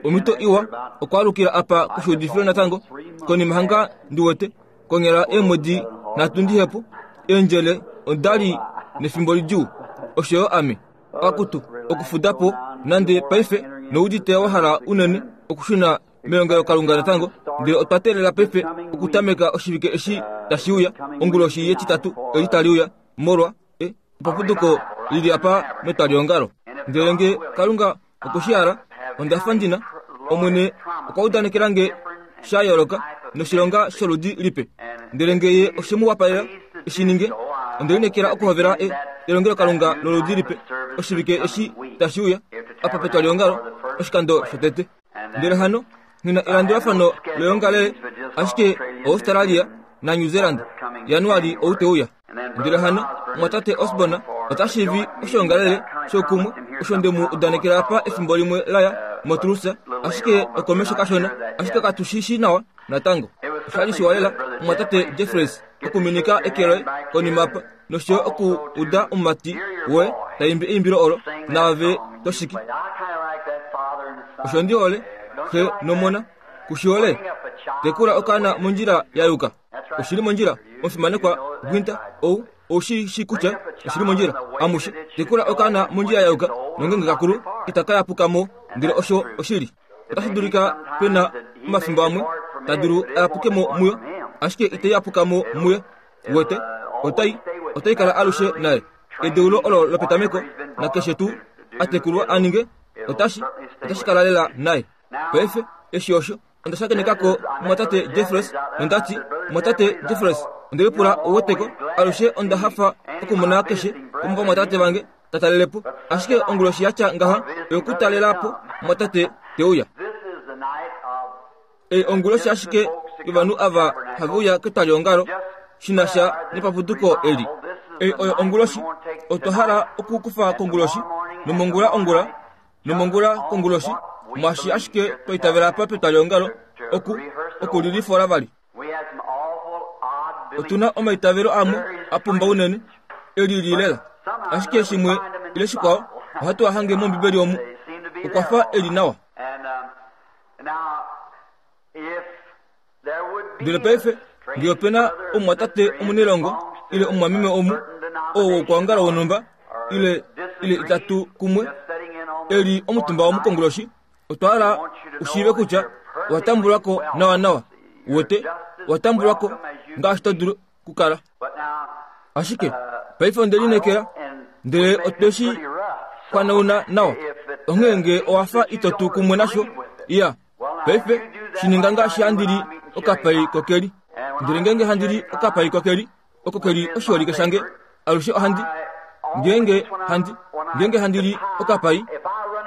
Omhito iwa okwaalukila apa koshuudifilo natango konima hanga ndi wete konyala eemwedi nhatu ndihepo eendjele oda li nefimbo lidjuu osho yo ame akutu okufuda po nande paife noudite wa hala unene okushuna melongelokalunga natango ndele otwa teelela paife okutameka oshivike eshi tashi uya onguloshi yetitatu eli tali uya molwa e, epapuduko lili apa metwaliongalo ndele nge kalunga okwe shi hala onda fa ndina omwene okwa udanekela nge sha yooloka noshilonga sholudi lipe ndele nge ye oshe mu wapalela eshi ninge onde lineekela okuhovela e, elongelokalunga loludi lipe oshivike eshi tashi uya apa petwaliongalo oshikando shotete Ndele hano nghi na elandulafano loyoongalele ashike Australia naNew Zealand Januali ou te uya. Ndele hano omwatate Osborne ota shiivi oshoongalele shoukumwe osho nde mu udanekela apa efimbo limwe la ya moTulsa, ashike okomesho kashona, ashike katu shi shii nawa natango. Osha li shiwa lela omwatate Jeffries okuminika eke loye konima apa nosho yo oku uda omumati woye ta imbi eimbilo olo naave to shiki. Osho ndi hole, xe nomona. Ku shi hole? Tekula okaana mondjila ya yuka. Oshi li mondjila, omufimanekwa Gwinter, ou, ou shi shi kutya oshi li mondjila. Amushe, tekula okaana mondjila ya yuka, nongenge ka kulu, itaka yapuka mo, ndele osho oshili. Otashi dulika pe na omafimbo amwe ta dulu a yapuke mo muyo, ashike ite yapuka mo muye. Wete, otai, otai kala alushe naye. Edeulo olo lopetameko, nakeshe tuu a tekulwa a ninge, otashi, otashi kala lela naye. Paife, eshi osho, onda shakeneka ko mumwatate Jeffries, nonda ti, Mumwatate Jeffries, onde lipula u weteko, alushe onda hafa okumona keshe womovamwatate vange ta talele po, ashike onguloshi ya tya ngaha oyokutalela po mumwatate te uya. Ei onguloshi ashike yovanhu ava have uya ketwaliongalo shi na sha nepapuduko eli. Ei oyo onguloshi otwa hala okukufa konguloshi nomongula ongula nomongula konguloshi mwaashi ashike twa itavela apa petwaliongalo oku okulilifola vali. Otu na omaitavelo amwe a pumba unene e lili lela, ashike shimwe ile shikwao ohatu a hange mOmbibeli omu. Okwa fa e li nawa. Ndele paife, nge ope na omumwatate omunelongo ile omumwameme omu oo wokwoongala wonhumba ile ile itatu kumwe e li omutumba womukonguloshi, otwa hala u shiive kutya owa tambulwa ko nawanawa. Uwete, owa tambulwa ko ngaashi to dulu kukala. Ashike paife onde lineekela, ndele otwe shi kwanauna nawa. Onghee nge owa fa ito tu kumwe nasho, iya, paife shi ninga ngaashi handi li okapai kokeli. Ndele ngeenge handi li okapai kokeli, oko ke li oshiholike shange, alushe ohandi, ngeenge handi, ngeenge handi li okapai,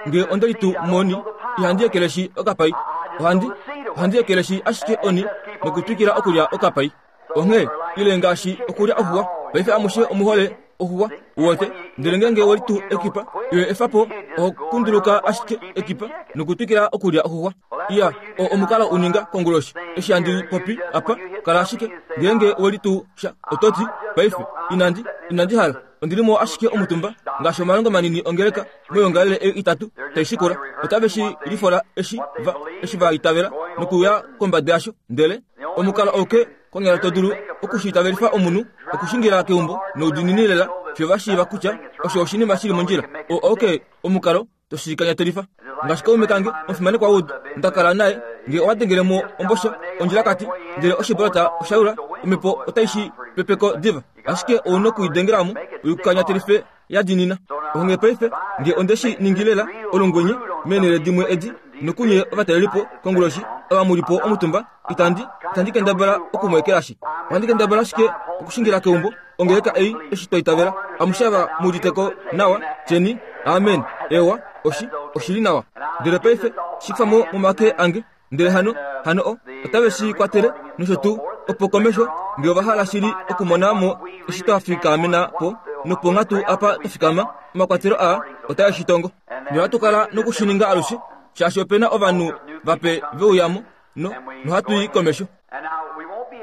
nge onde litu moni, ihandi ekeleshi okapai. Ohandi, ohandi ekeleshi ashike oni nokutwikila okulya okapai. Onghee, ile ngaashi okulya oxuwa. Paife amushe omu hole oxuwa, uwete. Ndele ngeenge we litu ekipa, iwe efa po, oho kunduluka ashike ekipa nokutwikila okulya oxuwa. Iya, oo omukalo u ninga konguloshi. Eshi handi popi apa, kala ashike, ngeenge we litu sha, oto ti, Paife, inandi, inandi hala. Ondi li mo ashike omutumba, ngaashi omalongo manini ongeleka moyoongalele ei itatu tai shikula. Otave shi lifola eshi va, eshi va itavela nokuya kombada yasho, ndele. Omukalo auke konyala to dulu oku shi itavelifa omunhu okushingila keumbo noudiinini lela fiyo va shiiva kutya osho oshinima shi li mondjila. Oo auke omukalo to shi kanyatelifa. Ngaashi kaume kange omufimanekwa Wood nda kala naye, nge owa dengele mo ombosha ondjilakati ndele oshibolota osha yula, omhepo otai shi pepeko diva. Ashike ou noku i dengela mo u kanyatelife ya diinina. Onghee paife, nge onde shi ningi lela olungwenye meenhele dimwe edi, nokunye ovatalelipo konguloshi ava mu li po omutumba, itandi, itandi kendabala oku mu ekelashi. Ohandi kendabala ashike okushingila keumbo ongeleka ei eshi twa itavela. Amushe ava mu udite ko nawa, tyeni, Amen. Eewa, oshi, oshi li nawa. Ndele paife, shi kufa mo momake ange. Ndele hano, hano o, otave shi kwatele, nosho tuu, opo komesho, nge ova hala shili okumona mo eshi twa fikamena po, noponghatu apa twa fikama, omakwatelo aa otae shi tongo. Nohatu kala noku shi ninga alushe, shaashi ope na ovanhu vape ve uya mo, no, nohatu i komesho.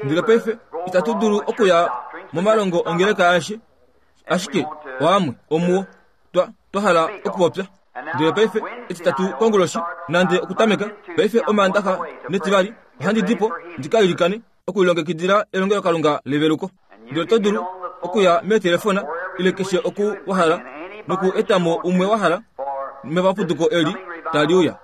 Ndele paife itatu dulu okuya momalongo ongeleka aeshe, ashike oamwe omuo twa, twa hala okupopya. Ndele paife Etitatu konguloshi, nande okutameka paife Omaandaxa nEtivali, ohandi di po ndi ka ilikane okulilongekidila elongelokalunga leveluko. Ndele oto dulu okuya meetelefona ile keshe oku wa hala noku eta mo umwe wa hala mevapuduko eli tali uya.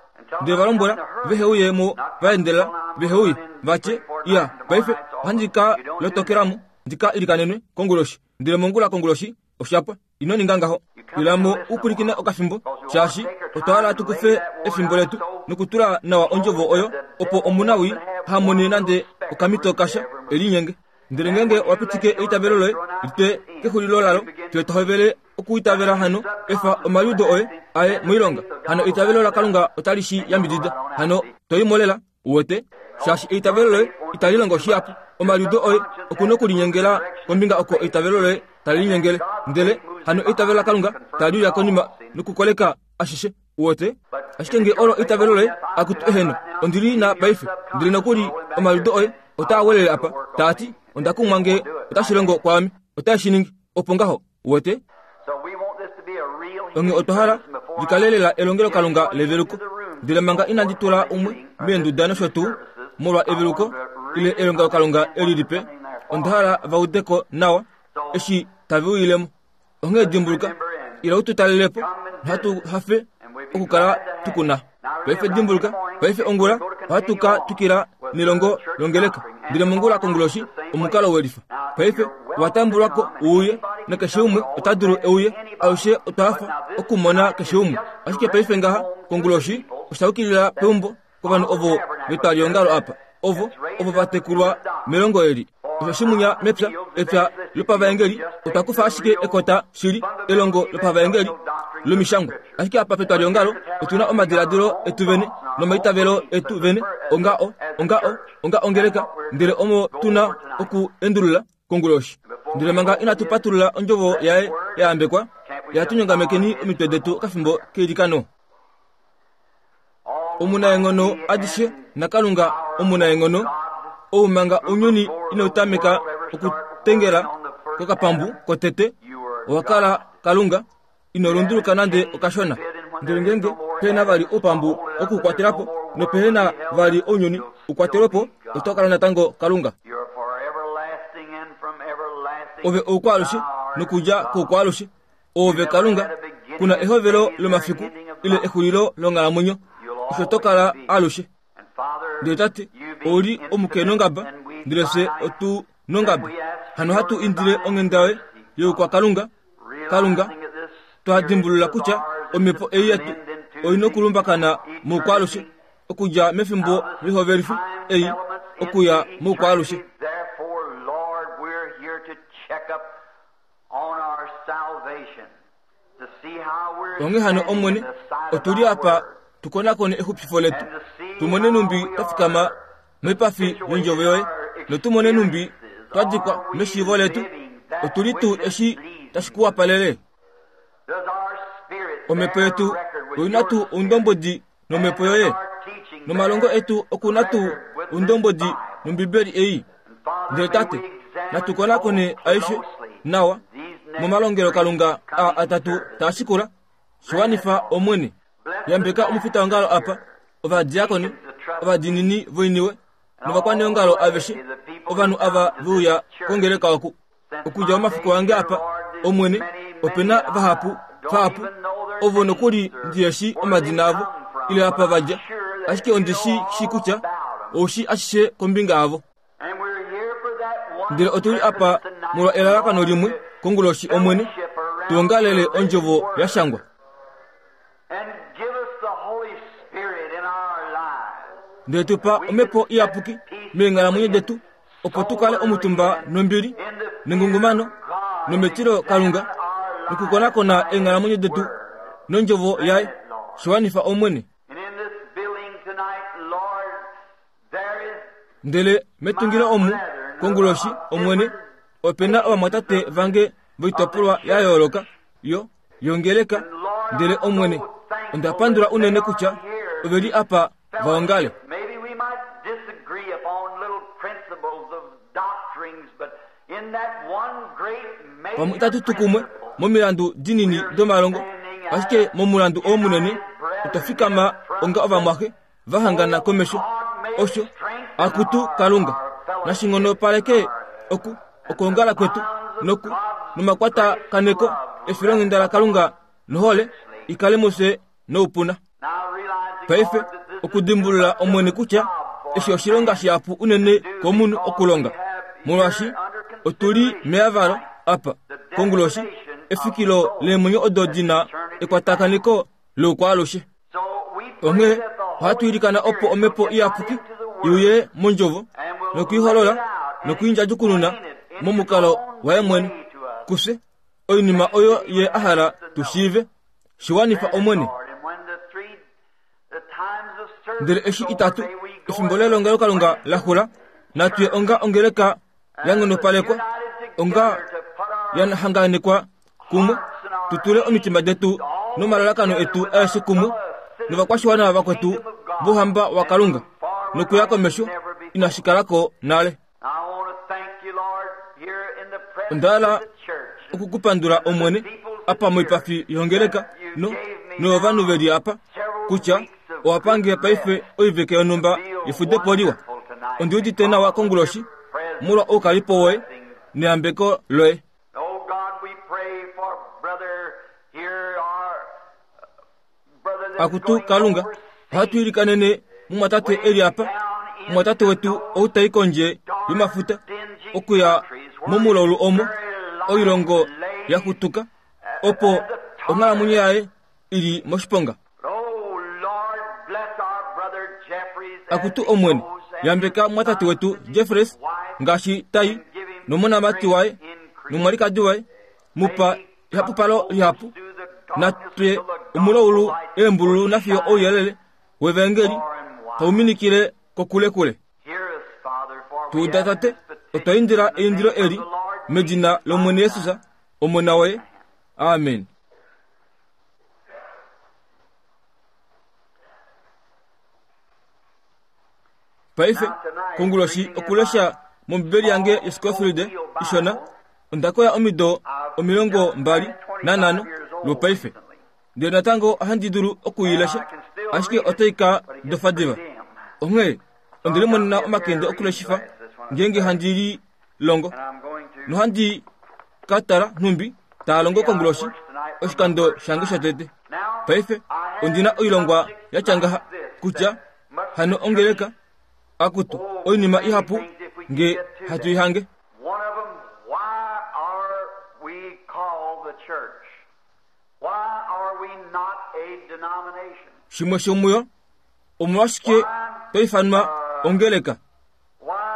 Ndele va lombwela vehe uye mo va endelela, vehe uye va tye, Iya, paife ohandi ka lotokela mo ndi ka ilikanenwe konguloshi. Ndele mongula konguloshi osha pwa. Ino ninga ngaho. Ila mo u pwilikine okafimbo, shaashi otwa hala tu kufe efimbo letu nokutula nawa ondjovo oyo, opo omunawii ha mone nande okamhito kasha e linyenge. Ndele ngeenge owa pitike eitavelo loye li twe kexulilo lalo, fye to hovele okuitavela hano, efa omaliudo oye a ye moilonga. Hano eitavelo laKalunga otali shi yambidida. Hano to i mo lela. Uwete? Shaashi eitavelo loye itali longo shihapu. Omaliudo oye oku nokulinyengela kombinga oko eitavelo loye tali linyengele. Ndele hano eitavelo laKalunga tali uya konima nokukoleka ashishe. Uwete? Ashike nge olo eitavelo loye, akutu eheno, ondi li na paife. Ndele nokuli omaliudo oye otaa welele apa, taa ti, Onda kumwa nge otashi longo kwaame. Otae shi ningi. Opo ngaho. Uwete? Onghee otwa hala li kale lela elongelokalunga leveluko. Ndele manga inandi tula umwe meenduda nosho tuu, molwa eveluko ile elongelokalunga eli lipe, onda hala va ude ko nawa eshi tave uyile mo. Onghee dimbuluka, ila u tu talele po, nohatu hafe okukala tu ku na. Paife dimbuluka, paife ongula ohatu ka twikila nelongo longeleka, ndele mongula konguloshi omukalo welifa. Paife owa tambulwa ko uuye, nakeshe umwe ota dulu euye. Alushe otwa hafa okumona keshe umwe. Ashike paife ngaha konguloshi osha yukilila peumbo kovanhu ovo vetwaliongalo apa, ovo ovo va tekulwa melongo eli. Osho shimunya mepya, epya lopavaengeli, otwa kufa ashike ekota shili, elongo lopavaengeli lomishangwa. Ashike apa petwaliongalo otu na omadiladilo etu vene nomaitavelo etu vene onga o, onga o, onga ongeleka, ndele omo tu na oku endulula konguloshi. Ndele manga inatu patulula ondjovo yaye ya yambekwa, ya tu nyongamekeni omitwe detu okafimbo keilikano. Omunaenghono adishe naKalunga omunaenghono, ou manga ounyuni inau tameka okutengela kokapambu kotete, owa kala Kalunga, ino lunduluka nande okashona. Ndele ngeenge pe na vali oupambu wokukwatela po, nopehe na vali ounyuni u kwatelwe po, oto kala natango Kalunga. Ove oukwaalushe nokudja koukwaalushe. Oove Kalunga, ku na ehovelo lomafiku ile exulilo longhalamwenyo, osho to kala alushe. Ndele Tate, ou li omukenongaba, ndele fye otu nongaba. Hano hatu indile onghenda yoye youkwakalunga, Kalunga, twa dimbulula kutya omhepo ei yetu oi nokulumbakana moukwaalushe, okudja mefimbo lihovelifi ei okuya moukwaalushe. Onghee hano, Omwene, otu li apa tu konakone exupifo letu, tu mone nhumbi twa fikama moipafi yondjovo yoye, notu mone nhumbi twa dikwa meshiivo letu. Otu li tuu eshi tashi ku wapalele? Omhepo yetu oi na tuu oundombwedi nomhepo yoye? Nomalongo etu oku na tuu oundombwedi nOmbibeli ei? Ndele Tate, natu konakone aishe nawa momalongelokalunga aa atatu taa shikula. Shi wanifa, Omwene. Yambeka omufitaongalo apa, ovadiakoni, ovadiinini voiniwe, novakwaneongalo aveshe, ovanhu ava ve uya kongeleka oku. Okudja omafiku ange apa, Omwene, ope na vahapu, vahapu, ovo nokuli ndihe shii omadina avo, ile apa va dja, ashike ondi shi shii kutya ou shii ashishe kombinga yavo. Ndele otu li apa molwa elalakano limwe, konguloshi, Omwene, tu ongalele Ondjovo ya shangwa. Ndele tu pa Omhepo Iyapuki meenghalamwenyo detu, opo tu kale omutumba nombili, nengungumano, nometilo Kalunga, nokukonakona eenghalamwenyo detu nOndjovo yaye. Shi wanifa, Omwene. Ndele metungilo omu, konguloshi, Omwene, ope na ovamwatate vange voitopolwa ya yooloka yo, yongeleka. Ndele, Omwene, onda pandula unene kutya ove li apa va ongale. Pamwe itatu tu kumwe momilandu dinini domalongo, Ashike momulandu oo munene, otwa fikama onga ovamwaxe va hangana komesho. Osho, akutu Kalunga, nashi nghonopaleke oku, okwoongala kwetu noku, nomakwatakaneko efilonghenda laKalunga nohole i kale mufye noupuna. Paife, okudimbulula Omwene kutya eshi oshilonga shihapu unene komunhu okulonga, molwaashi otu li meyavalo apa konguloshi, efikilo leemwenyo odo di na ekwatakaneko loukwaalushe. Onghee ohatu ilikana opo Omhepo Iyapuki i uye mondjovo nokuiholola nokuindjadjukununa momukalo waye mwene kufye oinima oyo ye a hala tu shiive. Shi wanifa Omwene. Ndele eshi itatu efimbo lelongelokalunga la xula, natu ye onga ongeleka ya nghonopalekwa, onga ya hanganekwa kumwe, tu tule omitima detu nomalalakano etu aeshe kumwe novakwashiwana vakwetu vOuhamba waKalunga nokuya komesho inashi kala ko nale. Onda hala oku ku pandula Omwene apa moipafi yongeleka no novanhu ve li apa kutya owa pange paife oivike yonhumba yefudepo liwa. Ondi udite nawa konguloshi molwa oukalipo woye neyambeko loye. Akutu Kalunga, ohatu ilikanene mumwatate e li apa, mumwatate wetu ou tai kondje yomafuta okuya momulaulu omo oilongo ya xutuka, opo onghalamwenyo yaye i li moshiponga. Akutu Omwene, yambeka mumwatate wetu Jeffreys ngaashi tai nomonamati waye nomwalikadi waye, mu pa ehapupalo lihapu. Natwe omulaulu eembululu nafiyo ouyelele wevangeli tau minikile kokulekule. Tu uda Tate, otwa indila eindilo eli medina lOmwene Jesus, Omona woye. Amen. Paife, konguloshi okulesha mOmbibeli yange yoScofield ishona, onda koya omido 25 lwopaife. Ndele natango ohandi dulu oku i lesha, ashike otai ka dofa diva. Onghee onde limonena omakende okuleshifa ngeenge handi li longo. Nohandi ka tala nhumbi taa longo konguloshi oshikando shange shotete. Paife ondi na oilongwa ya tya ngaha kutya hano ongeleka akutu oinima ihapu nge hatu i hange. Shimwe shomuyo, omolwashike twa ifanwa ongeleka?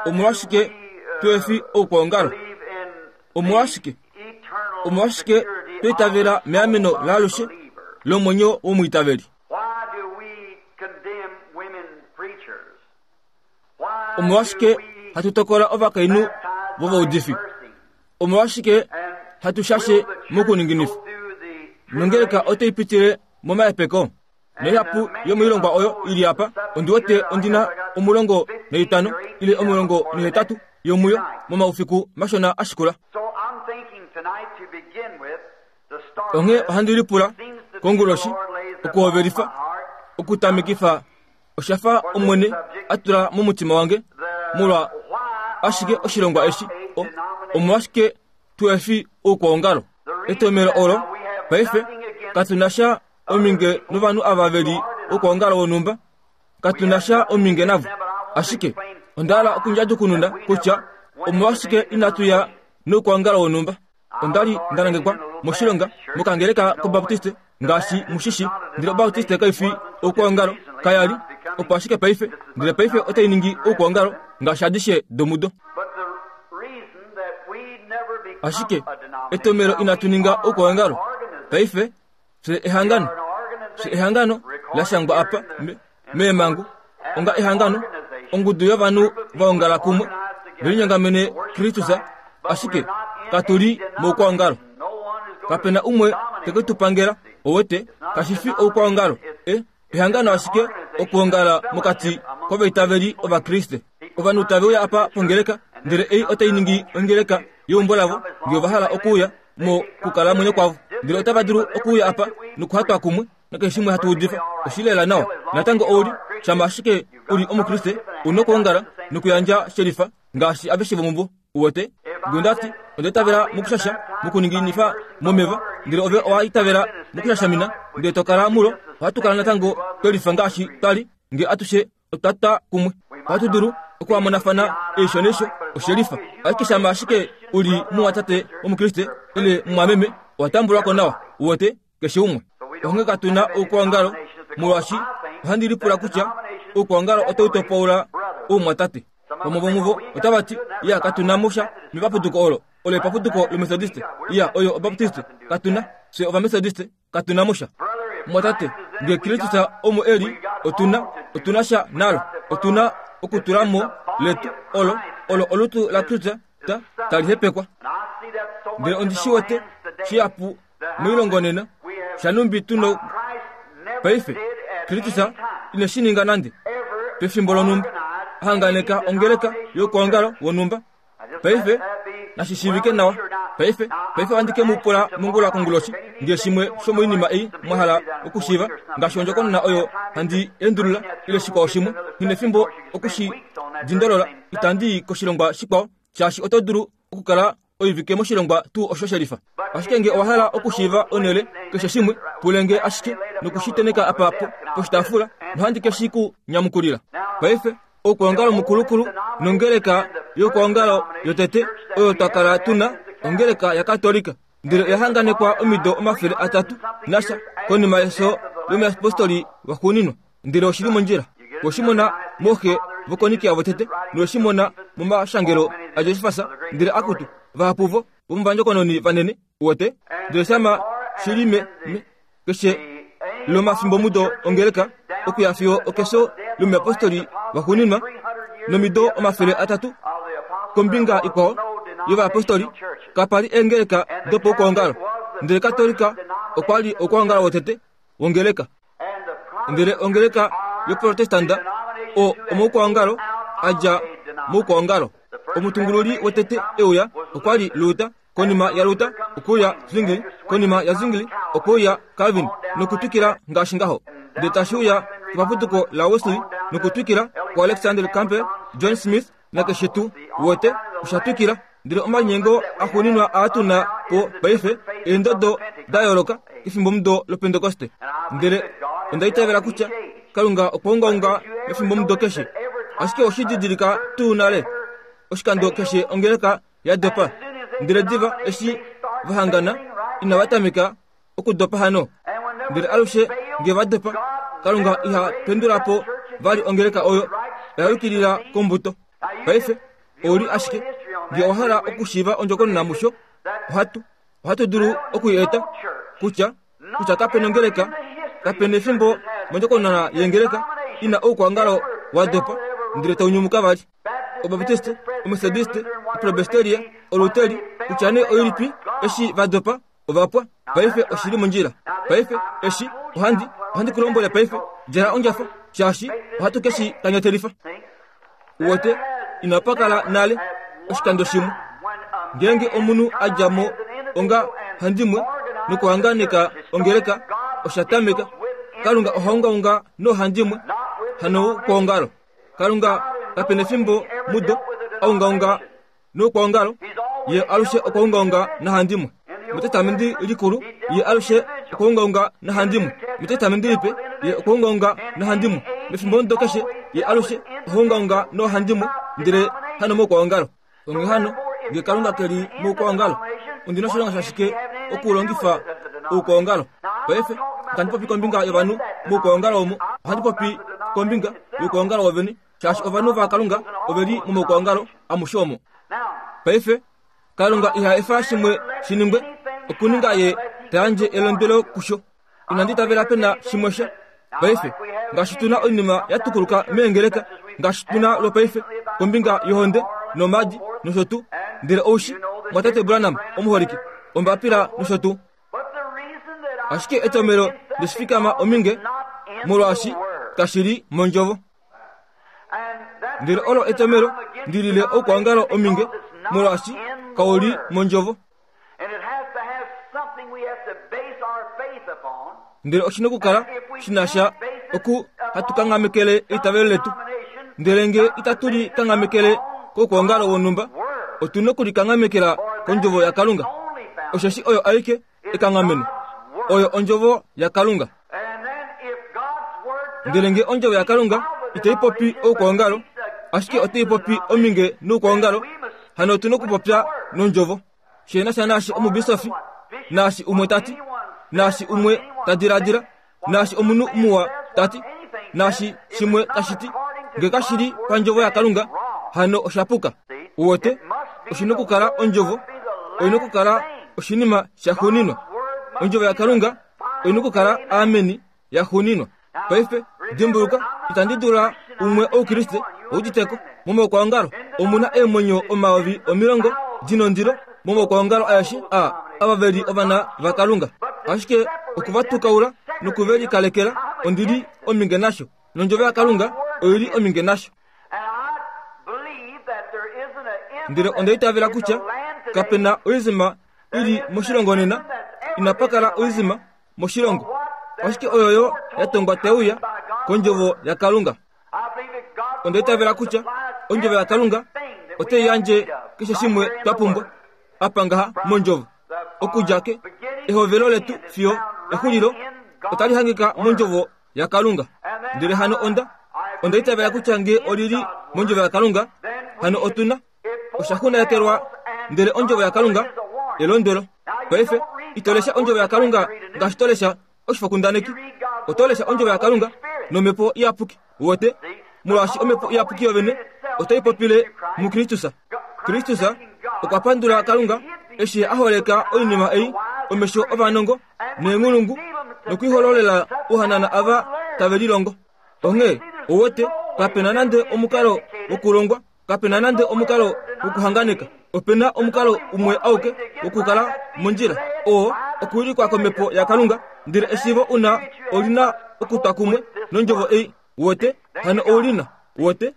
Omolwashike tuhe fi oukwaongalo? Omolwashike? Omolwashike twa itavela meameno laalushe lomwenyo womwiitaveli? Omolwashike hatu tokola ovakainhu vovaudifi? Omolwashike hatu shashe mokuninginifa? Nongeleka otai pitile momahepeko? Naihapu yomoilongwa oyo i li apa, ondi wete ondi na 15 ile 18 yomuyo momaufiku mashona a shikula. Onghee ohandi lipula konguloshi okuhovelifa okutamekifa osha fa Omwene a tula momutima wange molwa ashike oshilongwa eshi omolwashike tuhe fi oukwaongalo. Etomhelo olo paife katu na sha ominge novanhu ava ve li oukwaongalo wonhumba, katu na sha ominge navo. Ashike onda hala okundjadjukununa kutya omolwashike inatu ya noukwaongalo wonhumba. Onda li nda nangekwa moshilonga mokangeleka kObaptiste ngaashi mu shi shi, ndele Obaptiste kai fi oukwaongalo, kaya li, opo ashike paife, ndele paife otai ningi oukwaongalo ngaashi adishe domudo. Ashike etomhelo inatu ninga oukwaongalo paife, fye ehangano, fye ehangano la shangwa apa me, meemhangu onga ehangano, ongudu yovanhu va ongala kumwe ve linyongamene Kristus, ashike katu li moukwaongalo. Kape na umwe te ke tu pangela, owete, kashi fi oukwaongalo, e, ehangano ashike okuongala mokati kovaitaveli Ovakriste. Ovanhu tave uya apa pongeleka, ndele ei otai ningi ongeleka yeumbo lavo, nge ova hala okuuya mo kukalamwenyo kwavo. Ndele otava dulu okuuya apa nokuhatwa kumwe nakeshe shimwe hatu udifa. Oshi lela nawa. Natango ou li, shama ashike u li Omukriste, u nokwoongala nokuyandja shelifa ngaashi aveshe vomuvo. Uwete? Nge onda ti, Onda itavela mokushasha, mokuninginifa momeva, ndele ove owa itavela mokushashamina, ndele to kala mulo, ohatu kala natango twe lifa ngaashi twa li, nge atushe otwa twa kumwe. Ohatu dulu okuhamonafana eisho neisho, oshe lifa. Ashike shama ashike u li mumwatate Omukriste ile mumwameme, owa tambulwa ko nawa. Uwete? Keshe umwe. Onghee katu na oukwaongalo, molwaashi ohandi lipula kutya oukwaongalo otau topaula oumwatate. Vamwe vomuvo otava ti, Ya, katu na mo sha mepapuduko olo. Olo epapuduko lOmethodiste. Ya, oyo Obaptiste. Katu na. Fye Ovamethodiste. Katu na mo sha. Mumwatate, nge Kristus omo e li, otu na, otu na sha nalo. Otu na okutula mo letu, olo, olo olutu laKristus ta, tali hepekwa. Ndele ondi shi wete shihapu moilongo nena, shanumbi tu no paife. Kristus ine shi ninga nande pefimbo lonhumba, a hanganeka ongeleka youkwaongalo wonhumba. Paife, nashi shiivike nawa. Paife, paife ohandi ke mu pula mongula konguloshi, nge shimwe shomoinima ei mwa hala okushiiva, ngaashi ondjokonona oyo handi endulula, ile shikwao shimwe. Nghi nefimbo oku shi dindolola, itandi i koshilongwa shikwao, shaashi oto dulu okukala oivike moshilongwa tuu osho shelifa. Ashike nge owa hala okushiiva onhele keshe shimwe, pule nge ashike noku shi teneka apa po, poshitaafula, nohandi ke shi ku nyamukulila. Paife, oukwaongalo mukulukulu nongeleka youkwaongalo yotete oyo twa kala tu na, ongeleka yaKatolika, ndele oya hanganekwa omido 300 nasha konima yefyo lomuyapostoli waxuuninwa. Ndele oshi li mondjila. We shi mona mooxe vokoNikea votete, nowe shi mona momashangelo aJosefas, ndele akutu, vahapu vo vomovandjokononi vanene, uwete. Ndele shama shi li me, me, keshe lomafimbomudo ongeleka, okuya fiyo okefyo lomuyapostoli waxuuninwa, nomido 300 kombinga ikwao yovayapostoli, kapa li eengeleka dopaukwaongalo. Ndele Katolika okwa li oukwaongalo wotete wongeleka. Ndele ongeleka yoProtestanda o omoukwaongalo a dja moukwaongalo. Omutungululi wotete e uya okwa li Luther, konima yaLuther okwe uya Zwingli, konima yaZwingli okwe uya Calvin, nokutwikila ngaashi ngaho. Ndele tashi uya kepaputuko laWesley, nokutwikila kuAlexander Campbell, John Smith, nakeshe tuu. Uwete, osha twikila. Ndele omalinyengo axuuninwa aa tu na po paife, eendodo da yooloka kefimbomudo lOpentekoste. Ndele onda itavela kutya Kalunga okwa ungaunga mefimbomudo keshe. Ashike oshi didilika tuu nale, oshikando keshe ongeleka ya dopa, ndele diva eshi va hangana, inava tameka okudopa hano. Ndele alushe nge va dopa, Kalunga iha pendula po vali ongeleka oyo oya yukilila kombuto. Paife, ou li ashike, nge owa hala okushiiva ondjokonona musho, ohatu, ohatu dulu oku i eta, kutya, kutya kape nongeleka, kape nefimbo mondjokonona yengeleka i na oukwaongalo wa dopa, ndele tau nyumuka vali. Obaptiste, Omethodiste, Opresbyteria, Oluteri, kutya nee oilipi, eshi va dopa, ova pwa. Paife oshi li mondjila. Paife, eshi, ohandi, ohandi ku lombwele paife, djala ondjafa, shaashi ohatu ke shi kanyatelifa. Uwete, inapa kala nale oshikando shimwe. Ngeenge omunhu a dja mo onga handimwe nokuhanganeka ongeleka, osha tameka. Kalunga oha ungaunga noohandimwe, hanoukwaongalo. Kalunga kape nefimbo mudo a ungaunga noukwaongalo, ye alushe okwa ungaunga nahandimwe. Metestamenti likulu, ye alushe okwa ungaunga nahandimwe. Metestamenti lipe, ye okwa ungaunga nahandimwe. Mefimbomudo keshe, ye alushe oha ungaunga noohandimwe, ndele hanomoukwaongalo. Onghee hano, nge Kalunga ke li moukwaongalo, ondi na oshilonga shashike okulongifa oukwaongalo? Paife, itandi popi kombinga yovanhu moukwaongalo omo, ohandi popi kombinga youkwaongalo wovene, shaashi ovanhu vaKalunga ove li momaukwaongalo amushe omo. Paife, Kalunga iha efa shimwe shi ningwe, okuninga Ye ta yandje elondwelo kusho. Inandi itavela pe na shimwe sha paife, ngaashi tu na oinima ya tukuluka meengeleka, ngaashi tu na lwopaife kombinga yohonde nomaadi nosho tuu. Ndele oushi, mwatate Branham omuholike, ombapila nosho tuu. Ashike etomelo leshifikama ominge, molwaashi kashi li mondjovo. Ndele olo etomelo ndi lile oukwaongalo ominge, molwaashi kau li mondjovo. Ndele oshi na okukala shi na sha oku hatu kanghamekele eitavelo letu. Ndele nge itatu li kanghamekele koukwaongalo wonhumba, otu na oku li kanghamekela kOndjovo yaKalunga, osheshi oyo aike ekanghameno. Oyo Ondjovo yaKalunga. Ndele nge Ondjovo yaKalunga itai popi oukwaongalo, ashike otai popi ominge noukwaongalo, hano otu na okupopya nOndjovo. She na sha naashi omubisofi, naashi umwe ta ti, naashi umwe ta diladila, naashi omunhu muwa ta ti, naashi shimwe tashi ti, nge kashi li pandjovo yaKalunga, hano osha puka. Uwete, oshi na okukala ondjovo, oi na okukala oshinima shaxuuninwa. Ondjovo yaKalunga oi na okukala ameni yaxuuninwa. Paife, dimbuluka, itandi dula umwe Oukriste uditeko. Momaukwaongalo omu na eemwenyo 10,000 di nondilo momaukwaongalo aeshe a ava ve li ovana vaKalunga. Ashike oku va tukaula noku ve likalekela, ondi li ominge nasho. Nondjovo yaKalunga oi li ominge nasho. Ndele onda itavela kutya kape na oizima i li moshilongo nena, inapa kala oizima moshilongo, ashike oyoyo ya tongwa te uya kondjovo yaKalunga. Onda itavela kutya ondjovo yaKalunga otai yandje keshe shimwe twa pumbwa apa ngaha mondjovo. Okudja ke ehovelo letu fiyo exulilo otali hangika mondjovo yaKalunga. Ndele hano onda onda itavela kutya nge oli li mondjovo yaKalunga, hano otu na osha xunaekelwa ndele ondjovo yaKalunga elondwelo. Paife ito lesha ondjovo yaKalunga ngaashi to lesha oshifokundaneki. Oto lesha ondjovo yaKalunga nomhepo iyapuki. Uwete? Molwaashi omhepo iyapuki yovene otai popile muKristus. Kristus okwa pandula Kalunga eshi a holeka oinima ei omesho ovanongo neenghulungu nokuihololela ouhanana ava tave lilongo. Onghee, uwete, kape na nande omukalo wokulongwa Kape na nande omukalo wokuhanganeka. Ope na omukalo umwe auke wokukala mondjila, oo okuwilikwa komhepo yaKalunga. Ndele eshiivo u na oli na okutwa kumwe nondjovo ei. Uwete? Hano ou li na. Uwete?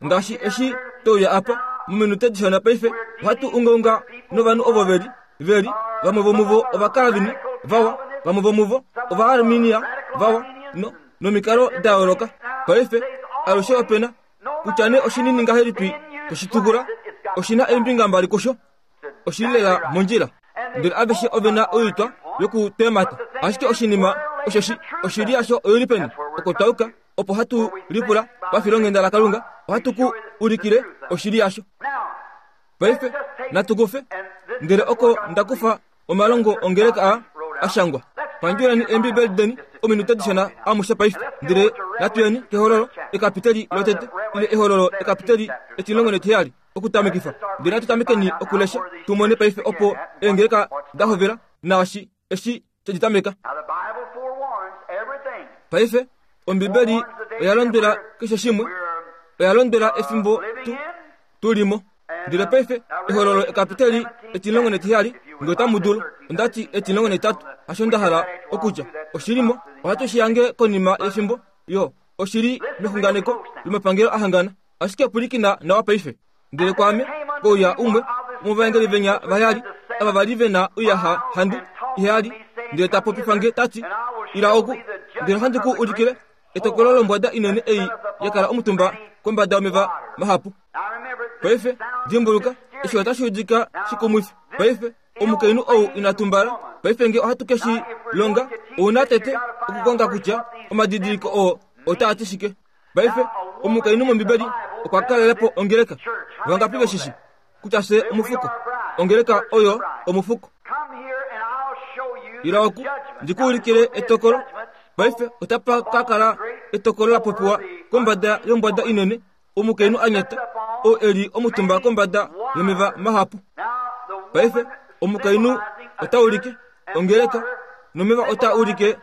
Ngaashi eshi twe uya apa, mominute dishona paife, ohatu ungaunga novanhu ovo ve li, ve li, vamwe vomuvo Ovakalvini vawa, vamwe vomuvo Ovaarminia vawa, no, nomikalo da yooloka. Paife, alushe ope na Kutya nee oshinini ngahelipi toshi tukula, oshi na eembinga mbali kusho. Oshi li lela mondjila. Ndele aveshe ove na oitwa yokutemata. Ashike oshinima osheshi oshili yasho oi li peni? Oko twa yuka, opo hatu lipula pafilonghenda laKalunga, ohatu ku ulikile oshili yasho. Paife natu kufe, ndele oko nda kufa omalongo ongeleka a a shangwa. Pandjuleni Eembibeli deni ominute dishona amushe paife, ndele natu yeni kEhololo ekapiteli lotete, ile Ehololo ekapiteli etilongo netiheyali, okutamekifa. Ndele natu tamekeni okulesha tu mone paife opo eengeleka da hovela naashi eshi she di tameka. Paife Ombibeli oya londwela keshe shimwe, oya londwela efimbo tu tu li mo. Ndele paife, Ehololo ekapiteli etilongo netiheyali, nge otamu dulu. Onda ti etilongo netitatu, hasho nda hala okutya. Oshi li mo. Ohatu shi hange konima yefimbo, yo. Oshi li mexunganeko lomapangelo a hangana. Ashike pwilikina nawa paife. Ndele kwaame kouya umwe womovaengeli venya vaheyali, ava va li ve na oiyaxa handu iheyali, ndele ta popifa nge ta ti, Ila oku, ndele ohandi ku ulikile etokolo lombwada inene ei ya kala omutumba kombada yomeva mahapu. Paife, dimbuluka, eshi otashi udika shikumwifi. Paife, omukainhu ou ina tumbala. Paife nge ohatu ke shi longa, ou na tete okukonga kutya omadidiliko oo otaa ti shike. Paife, omukainhu mOmbibeli okwa kalele po ongeleka. Vangapi ve shi shi kutya fye omufuko? Ongeleka oyo omufuko. Ila oku ndi ku ulikile etokolo. Paife otapa ka kala etokolo la popiwa kombada yombwada inene, omukainhu a nyata, oo e li omutumba kombada yomeva mahapu. Paife omukainhu ota ulike ongeleka, nomeva otaa ulike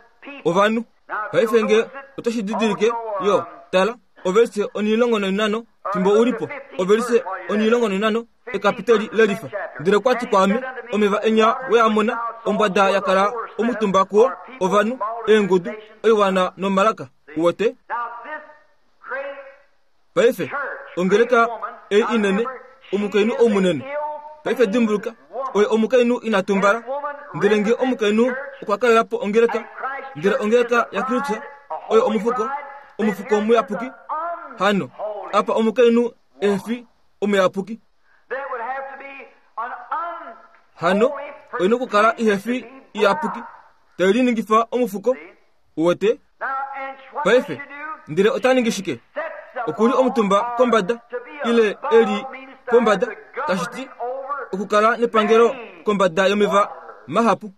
ovanhu. Paife nge oto shi didilike, yo, tala, ovelise onilongo noinano, fimbo u li po, ovelise onilongo noinano, ekapiteli lelifa. Ndele kwa ti kwaame, omeva enya we a mona, ombwada ya kala omutumba kuo, ovanhu, eengudu, oiwana nomalaka. Uwete? Paife, ongeleka ei inene, omukainhu ou munene. Paife dimbuluka, oye omukainhu ina tumbala. Ndele nge omukainhu okwa kalela po ongeleka, Ndele ongeleka yaKristus oyo omufuko, omufuko muyapuki. Hano, apa omukainhu ehe fi omuyapuki. Hano, oi nokukala ihe fi iyapuki, tai liningifa omufuko. Uwete? Paife, ndele ota ningi shike? Oku li omutumba kombada, ile e li pombada, tashi ti okukala nepangelo kombada yomeva mahapu.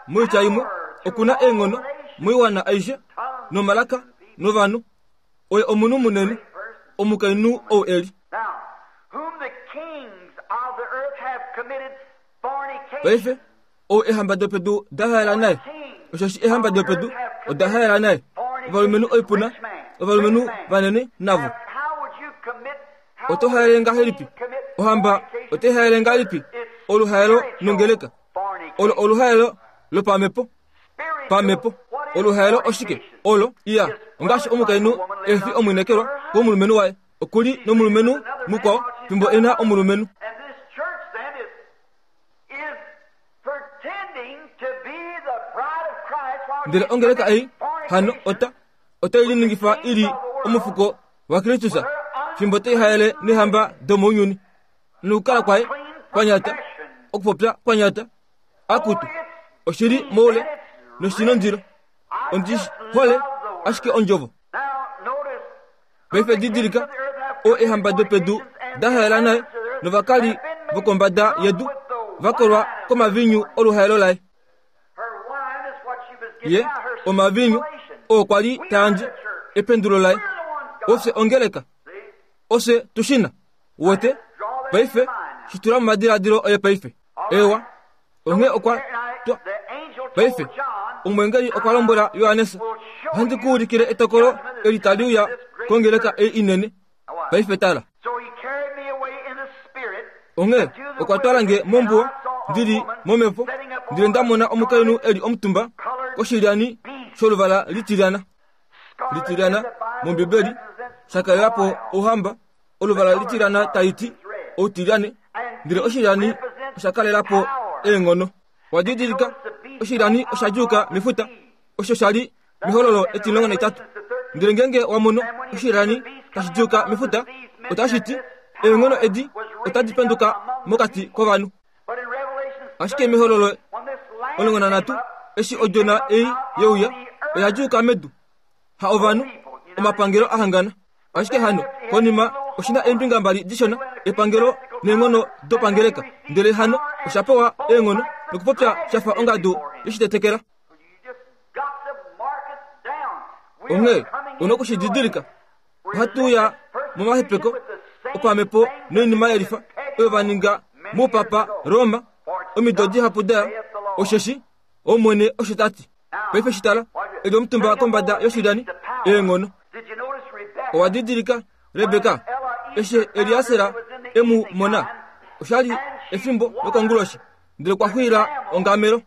Moitya imwe, oku na eenghono moiwana aishe, nomalaka, novanhu. Oye omunhu munene, omukainhu ou e li. Paife, ou eehamba dopedu da haela naye, osheshi eehamba dopedu oda haela naye, ovalumenhu oipuna, ovalumenhu vanene navo. Oto haele ngahelipi? Ohamba otai haele ngahelipi oluhaelo nongeleka? Olo oluhaelo lopamhepo. Pamhepo. Oluhaelo oshike? Olo, iya, ongaashi omukainhu e fi omwinekelwa komulumenhu waye. Oku li nomulumenhu mukwao fimbo e na omulumenhu. Ndele ongeleka ei hano ota otai liningifa i li omufuko waKristus fimbo tai haele neehamba domounyuni nokukala kwaye kwa nyata, okupopya kwa nyata, akutu oshi li moule noshi nondilo. Ondi hole ashike ondjovo. Paife didilika, o eehamba dopedu da haela naye novakali vokombada yedu va kolwa komaviinyu oluhaelo laye. Ye omaviinyu oo kwa li ta yandje ependulo laye. Ofye ongeleka. Ofye tu shi na. Uwete? Paife, shi tula momadiladilo oye paife. Ewa. Onghee okwa twa. Paife, omweengeli okwa lombwela Johannes, Ohandi ku ulikile etokolo eli tali uya kongeleka ei inene. Paife tala. Onghee okwa twala nge mombuwa ndi li momhepo, ndele nda mona omukainhu e li omutumba koshilyani sholuvala litilyana. Litilyana mOmbibeli sha kalela po ouhamba oluvala litilyana tali ti outilyane, ndele oshilyani osha kalela po eenghono. Wa didilika, oshilyani osha djuuka mefuta, osho sha li mehololo etimulongo naitatu. Ndele ngeenge wa mono oshilyani tashi djuuka mefuta, otashi ti eenghono edi otadi penduka mokati kovanhu. Ashike mehololo 13, eshi odjona ei ye uya, oya djuuka medu, ha ovanhu, omapangelo a hangana. Ashike hano, konima, oshi na eembinga mbali dishona, epangelo neenghono dopangeleka. Ndele hano osha pewa eenghono nokupopya sha fa ongadu yeshitetekela. Onghee, u na oku shi didilika. Ohatu uya momahepeko opamhepo noinima yelifa oyo va ninga moupapa Roma omido dihapu da ya, osheshi Omwene osho ta ti. Paife shi tala, e li omutumba kombada yoshilyani, eenghono. Owa didilika Rebeka eshi Eliaser e mu mona? Osha li efimbo lokonguloshi, ndele kwa xwiila ongamelo.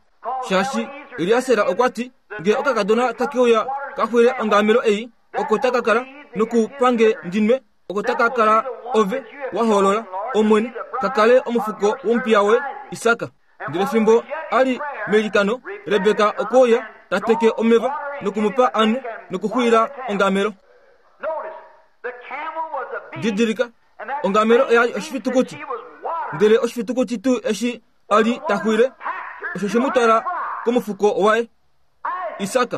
Shaashi Eliaser okwa ti, Nge okakadona take uya ka xwiile ongamelo ei, oko taka kala noku pa nge ndi nwe, oko taka kala ove wa hoolola, Omwene, ka kale omufuko womupiya woye Isak. Ndele fimbo a li meilikano, Rebeka okwe uya ta teke omeva noku mu pa a nwe nokuxwiila ongamelo. Didilika, ongamelo oya li oshifitukuti, ndele oshifitukuti tuu eshi a li ta xwiile, osho she mu twala komufuko waye, Isak.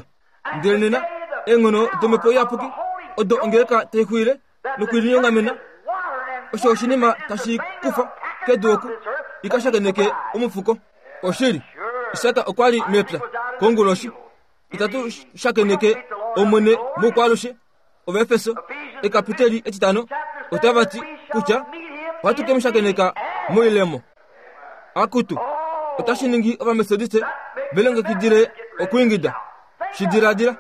Ndele nena, eenghono dOmhepo Iyapuki odo ongeleka tai xwiile nokulinyongamena, osho oshinima tashi kufa kedu oku i ka shakeneke omufuko. Oshili, Isak okwa li mepya konguloshi. Itatu shakeneke Omwene moukwaalushe. Ovaefeso, ekapiteli etitano, otava ti kutya ohatu ke mu shakeneka moilemo. Akutu, otashi ningi Ovametodiste ve longekidile okwiingida. Shi diladila.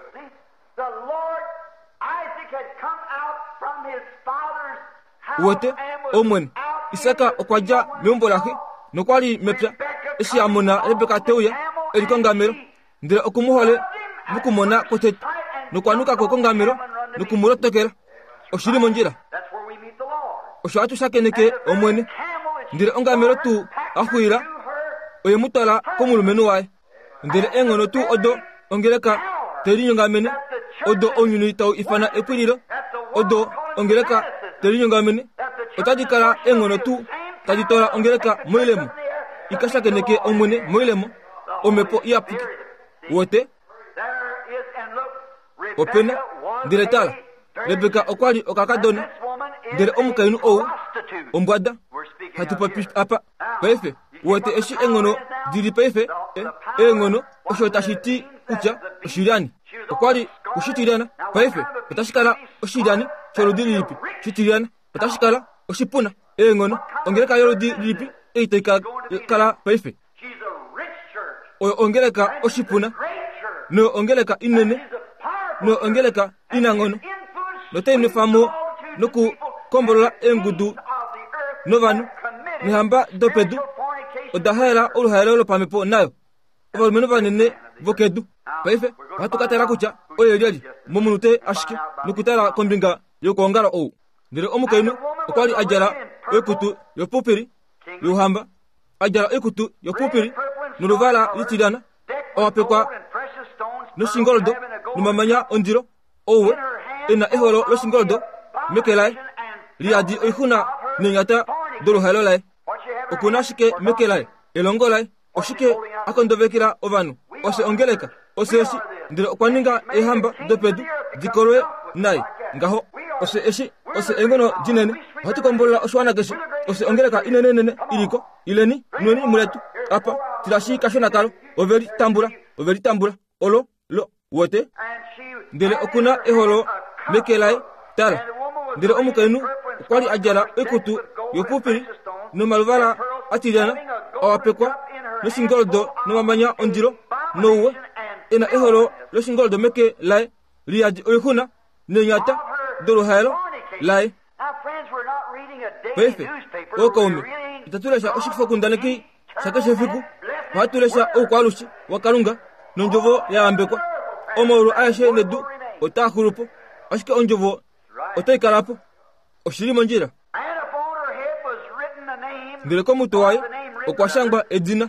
Uwete, Omwene, Isak okwa dja meumbo laxe nokwa li mepya eshi a mona Rebeka te uya e li kongamelo, ndele oku mu hole mokumona kwotete nokwa nuka ko kongamelo noku mu lotokela. Oshi li mondjila. Osho hatu shakeneke Omwene. Ndele ongamelo tuu a xwiila oye mu twala komulumenhu waye. Ndele eenghono tuu odo. ongeleka te linyongamene odo ounyuni tau ifana epwililo odo ongeleka te linyongamene otadi kala eenghono tuu tadi twala ongeleka moilemo i ka shakeneke Omwene moilemo, Omhepo Iyapuki. Wote? Ope na. Ndele tala, Rebeka okwa li okakadona, ndele omukainhu ou ombwada. Hatu popi apa paife. Wote eshi eenghono di li paife, eenghono, osho tashi ti kutya oshilyani. Okwa li kushitilyana. Paife otashi kala oshilyani sholudi lilipi? Shitilyana. Otashi kala oshipuna. Eenghono, ongeleka yoludi lilipi ei tai ka kala paife? Oyo ongeleka oshipuna, noyo ongeleka inene, noyo ongeleka inanghono, notai nwefa mo nokukombolola eengudu novanhu nehamba dopedu oda haela oluhaelo lopamhepo nayo. Ovalumenhu vanene vokedu. Paife ohatu ka tala kutya oye lyelye momunute ashike nokutala kombinga yokwoongala ou. Ndele omukainhu okwa li a djala oikutu yopupili youhamba, a djala oikutu yopupili noluvala litilyana, a wapekwa noshingoldo nomamanya ondilo, ouwe, e na eholo loshingoldo meke laye, li yadi oixuna neenyata doluhaelo laye. Oku na shike meke laye? Elongo laye. Oshike a kondovekela ovanhu? Oshe ongeleka, oshe eshi, ndele okwa ninga eehamba dopedu di kolwe naye. Ngaho, oshe eshi, oshe eenghono dinene. Ohatu kombolola oshiwana keshe. Oshe ongeleka inenenene i li ko. Ileni, nweni muletu. Apa, tilashi kashona kalo. Ove li tambula. Ove li tambula. Olo, lo, Wote? Ndele oku na eholo meke laye. Tala! Ndele omukainhu okwa li a djala oikutu yopupili nomaluvala a tilyana, a wapekwa noshingoldo nomamanya ondilo nouwe, e na eholo loshingoldo meke laye li yadi oixuna neenyata doluhaelo laye. Paife, ookaume, itatu lesha oshifokundaneki shakeshe efiku, ohatu lesha oukwaalushe waKalunga nondjovo ya yambekwa. Omaulu aeshe nedu otaa xulu po, ashike ondjovo otai kala po. Oshi li mondjila. Ndele komutwe waye okwa shangwa edina,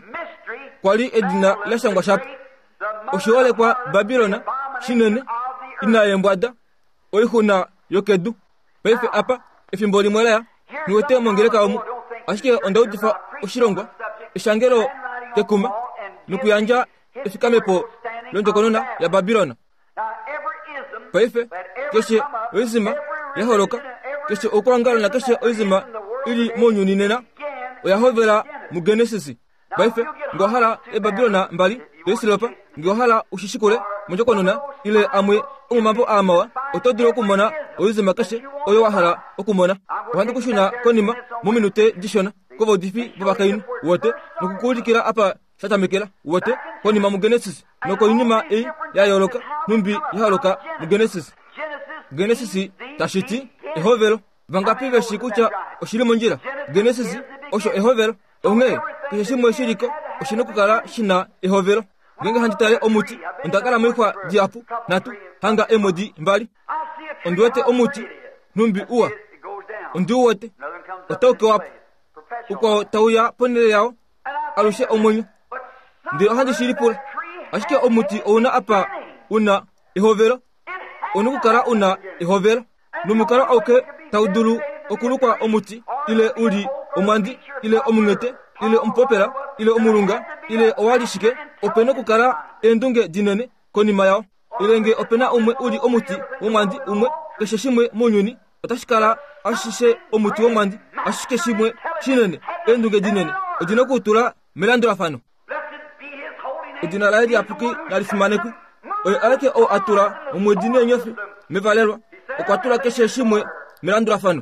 kwa li edina la shangwa shapo, oshiholekwa Babilon shinene, ina yeembwada, oixuna yokedu. Paife apa, efimbo limwe la ya, nghi wete mongeleka omu, ashike onda udifa oshilongwa, eshangelo kekuma, nokuyandja efikamepo londjokonona yaBabilon. Paife, keshe oizima ya holoka, keshe oukwaongalo nakeshe oizima i li mounyuni nena, oya hovela muGenesis. Paife, nge owa hala eeBabilona mbali doisilopa, nge owa hala u shi shikule mondjokonona ile amwe omomambo aa mawa, oto dulu okumona oizima keshe oyo wa hala okumona. Ohandi ku shuna konima mominute dishona kovaudifi vovakainhu, wote, noku ku ulikila apa sha tamekela, wote, konima muGenesis nokoinima ei ya yooloka nhumbi ya holoka muGenesis. Genesis tashi ti ehovelo. Vangapi ve shii kutya oshi li mondjila? Genesis osho ehovelo. Onghee keshe shimwe shi li ko oshi na okukala shi na ehovelo. Ngeenge handi tale omuti, onda kala moixwa dihapu, nhatu, hanga eemwedi mbali. Ondi wete omuti, nhumbi uwa. Ondi u wete. Otau kewa po. Ukwao tau ya ponhele yao, alushe omwenyo. Ndele ohandi shi lipula, ashike omuti ou na apa u na ehovelo? Ou na okukala u na ehovelo. Nomukalo auke tau dulu okulukwa omuti, ile u li omwandi, ile omunghete, ile omupopela, ile omulunga, ile owa li shike, ope nokukala eendunge dinene konima yao. Ile nge ope na umwe u li omuti womwandi umwe, keshe shimwe mounyuni otashi kala ashishe omuti womwandi, ashike shimwe shinene, eendunge dinene odi na okuutula melandulafano. Edina laye liyapuki nali fimanekwe. Oye aeke oo a tula omwedi neenyofi mevalelwa. Okwa tula keshe shimwe melandulafano.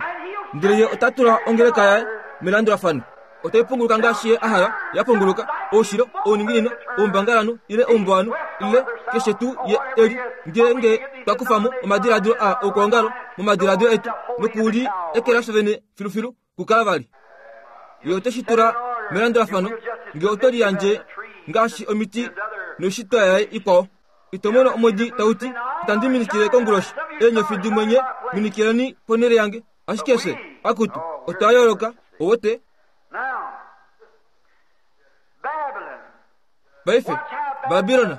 Ndele ye ota tula ongeleka yaye melandulafano. Otai punguluka ngaashi ye a hala ya punguluka, oushilo, ouninginino, oumbangalanhu ile oumbuwanhu, ile keshe tuu ye e li. Ngeenge twa kufa mo omadiladilo aa oukwaongalo momadiladilo etu noku li ekela fye vene filufilu, kukala vali. Ye ote shi tula melandulafano nge oto liyandje ngaashi omiti noishitwa yaye ikwao. Ito mono omwedi tau ti, Itandi minikile konguloshi, eenyofi dimwe nye minikileni ponhele yange. Ashike fye, akutu, otwa yooloka, owote. Paife, Babilon,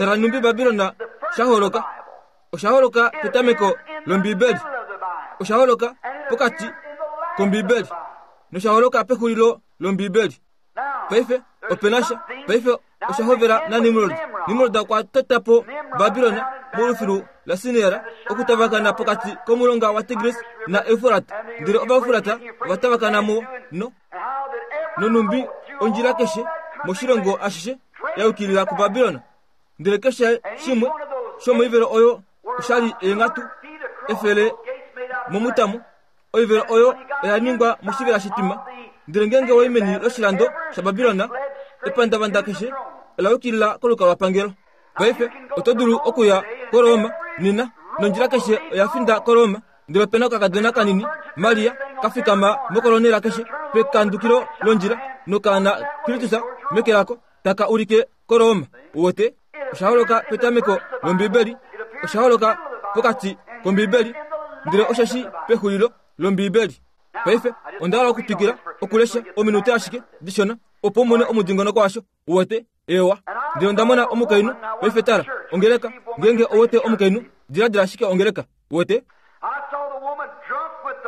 Tala nhumbi Babilona sha holoka. Osha holoka petameko lOmbibeli. Osha holoka pokati kOmbibeli. Nosha holoka pexulilo lOmbibeli. Paife ope na sha. Paife osha hovela naNimrod. Nimrod okwa tota po Babilona molufilu laSinear okutavakana pokati komulonga waTigris naEufrat. Ndele Ovaufrat ova tavakana mo no nonhumbi ondjila keshe moshilongo ashishe ya yukilila kuBabilona. Ndele keshe shimwe shomoivelo oyo osha li eenghatu efele momutamo. Oivelo oyo oya ningwa moshivela shitwima. Ndele ngeenge wa i meni loshilando shaBabilon, epandavanda keshe ola yukilila kolukalwapangelo. Paife oto dulu okuya koRoma nena, nondjila keshe oya finda koRoma. Ndele ope na okakadona kanini, Maria, ka fikama mokolonela keshe pekandukilo londjila, nokaana Kristus meke lako, taka ulike koRoma. Uwete? Osha holoka petameko lOmbibeli, osha holoka pokati kOmbibeli, ndele osheshi pexulilo lOmbibeli. Paife onda hala okutwikila okulesha ominute ashike dishona opo u mone omudingonoko washo. Uwete? Eewa. Ndele onda mona omukainhu. Paife tala, ongeleka. Ngeenge ou wete omukainhu, diladila ashike ongeleka. Uwete?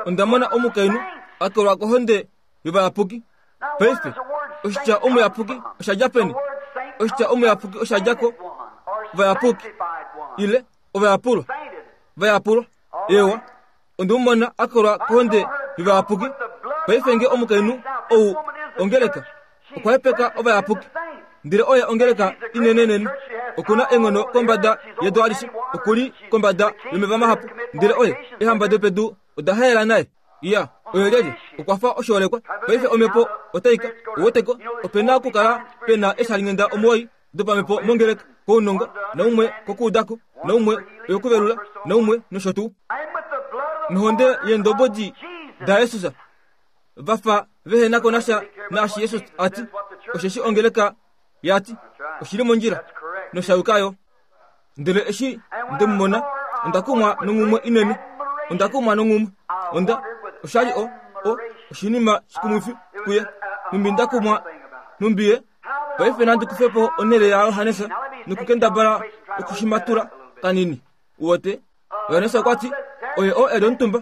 Onda mona omukainhu a kolwa kohonde yovayapuki. Paife, oshitya omuyapuki osha dja peni? Oshitya omuyapuki osha dja ko vayapuki ile ovayapulwa. Vayapulwa. Eewa. Onde mu mona a kolwa kohonde yovayapuki. Paife nge omukainhu ou ongeleka okwa hepeka ovayapuki, ndele oye ongeleka inenenene. Oku na eenghono kombada yedu alishe, oku li kombada yomeva mahapu, ndele oye eehamba dopedu oda haela naye. Iya, oye lyelye? Okwa fa oshoolekwa. Paife omhepo otai ka, uweteko, ope na okukala pe na eeshalinghenda omuwoi dopamhepo mongeleka, kounongo, naumwe kokuudako, naumwe oyokuvelula, naumwe nosho tuu. Nohonde yeendobodi daJesus va fa vehe na ko nasha naashi Jesus a ti, osheshi ongeleka ya ti, oshi li mondjila nosha yuka yo. Ndele eshi nde mu mona, onda kumwa nonghumwe inene. Onda kumwa nonghumwe. Onda, osha li o, o, oshinima shikumwifi kuye. Nhumbi nda kumwa, nhumbi ye. Paife nandi kufe po onhele yaJohannes nokukendabala okushimatula kanini. Uwete? Johannes okwa ti, Oye oo e li omutumba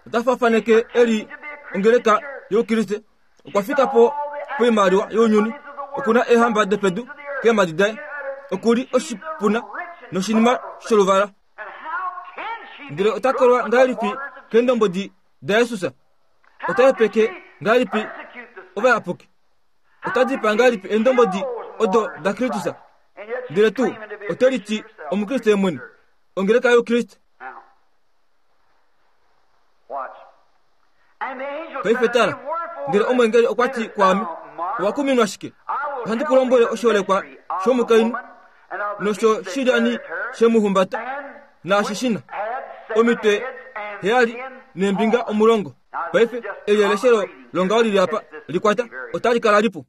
ota faafaneke e li ongeleka youkriste. Okwa fika po poimaliwa younyuni, oku na eehamba dopedu keemhadi daye, oku li oshipuna noshinima sholuvala. Ndele ota kolwa ngahelipi keendombwedi daJesus? Ota hepeke ngahelipi ovayapuki? Ota dipaa ngahelipi eendombwedi odo daKristus? Ndele tuu ote liti Omukriste mwene, ongeleka youkriste. Paife tala, ndele omweengeli okwa ti kwaame, Owa kuminwa shike? Ohandi ku lombwele oshiholekwa shomukainhu nosho shilyani she mu humbata, naashi shi na omitwe heyali neembinga omulongo. Paife eli eleshelo longaho lili apa, li kwata, otali kala lipu.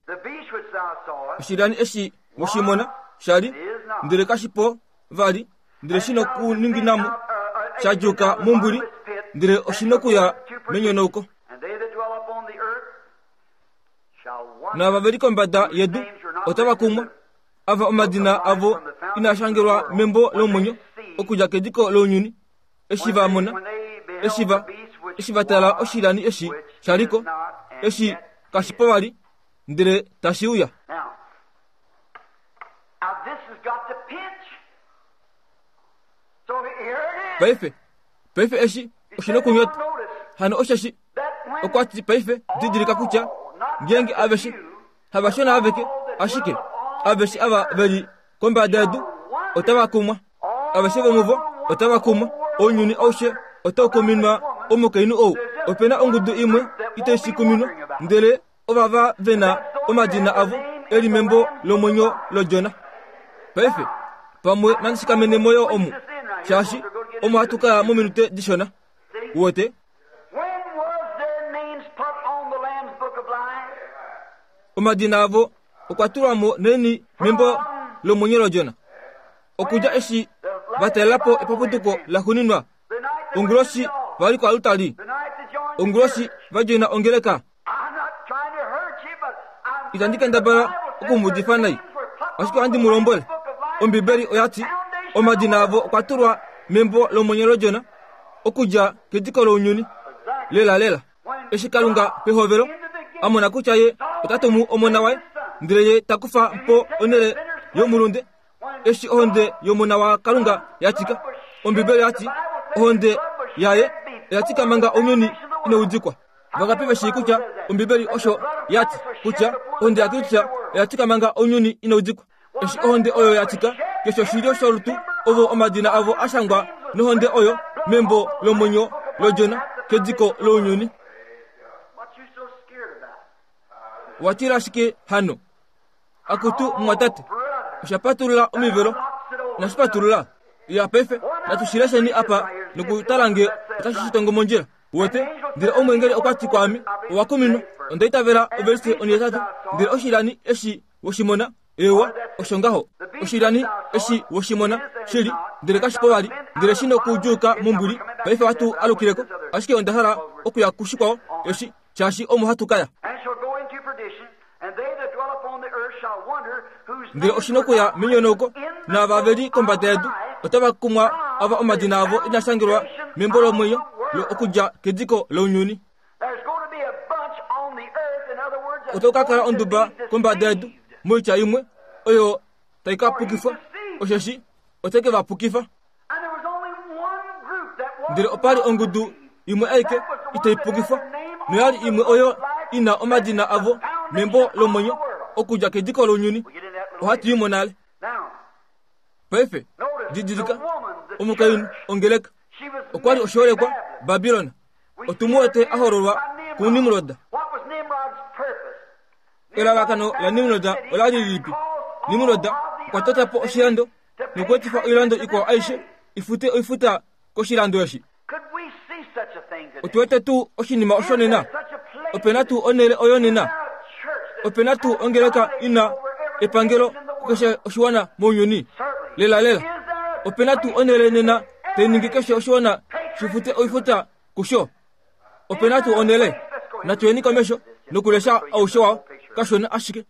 Oshilyani eshi we shi mona sha li, ndele kashi po vali, ndele shi nokuninginamo sha djuuka mombwili, ndele oshi nokuya menyonauko. Naava ve li kombada yedu otava kumwa, ava omadina avo inaa shangelwa membo lomwenyo okudja kediko lounyuni, eshi va mona, eshi va, eshi va tala oshilyani eshi sha li ko, eshi kashi po vali, ndele tashi uya. Paife, paife eshi oshi nokunyota. Hano osheshi okwa ti paife didilika kutya ngeenge aveshe havashona aveke ashike aveshe ava ve li kombada yedu otava kumwa aveshe vomuvo otava kumwa ounyuni aushe otau kuminwa omukainhu ou ope na ongudu imwe itai shi kuminwa ndele ovava ve na omadina avo e li membo lomwenyo lOdjona. Paife, pamwe nandi shikamene mo yo omu, shaashi omo hatu ka ya mominute dishona. Uwete? Omadina avo okwa tulwa mo naini membo lomwenyo lOdjona? Okudja eshi va talela po epapuduko laxuuninwa, onguloshi va li koaltari, onguloshi va djoina ongeleka, Itandi kendabala oku mu udifa nai, ashike ohandi mu lombwele. Ombibeli oya ti omadina avo okwa tulwa membo lomwenyo lOdjona okudja kediko lounyuni. Lelalela, eshi Kalunga pehovelo a mona kutya ye ota tumu omona waye, ndele ye ta kufa po onhele yomulunde, eshi ohonde yomona waKalunga ya tika, Ombibeli oya ti ohonde yaye oya tika manga ounyuni inau dikwa. Vangapi ve shii kutya Ombibeli osho ya ti kutya ohonde yaKristus oya tika manga ounyuni inau dikwa? Eshi ohonde oyo ya tika, keshe oshilyo sholutu ovo omadina avo a shangwa nohonde oyo membo lomwenyo lOdjona kediko lounyuni. Wa tila shike hano? Akutu mumwatate, osha patulula omivelo. Inashi patulula? Ya paife, natu shi lesheni apa nokutala nge otashi shi tongo mondjila. Uwete? Ndele omweengeli okwa ti kwaame, Owa kuminwa. Onda itavela ovelise onhetatu. Ndele oshilyani eshi we shi mona, eewa, osho ngaho. Oshilyani eshi we shi mona, shili, ndele kashi po vali, ndele shi nokuudjuuka mombwili. Paife ohatu alukile ko, ashike onda hala okuya kushikwao eshi, shaashi omo hatu ka ya. Ndele oshi nokuya menyonauko, naava ve li kombada yedu otava kumwa ava omadina avo ina shangelwa membo lomwenyo okudja kediko lounyuni. Otaku ka kala onduba kombada yedu, moitya imwe, oyo tai ka pukifwa, osheshi ote ke va pukifa. Ndele opa li ongudu imwe aike itai pukifwa, noya li imwe oyo i na omadina avo membo lomwenyo okudja kediko lounyuni. Ohatu i mo nale. Paife, didilika, omukainhu, ongeleka, okwa li oshiholekwa Babilon. Otu mu wete a hololwa kuNimrod. Elalakano laNimrod ola li lilipi? Nimrod okwa tota po oshilando nokuetifa oilando ikwao aishe i fute oifuta koshilando eshi. Otu wete tuu oshinima osho nena? Ope na tuu onhele oyo nena? Ope na tuu ongeleka i na epangelo kukeshe oshiwana mounyuni? Lelalela, ope na tuu onhele nena tai ningi keshe oshiwana shi fute oifuta kusho? Ope na tuu onhele? Natu yeni komesho nokulesha aushe wao kashona ashike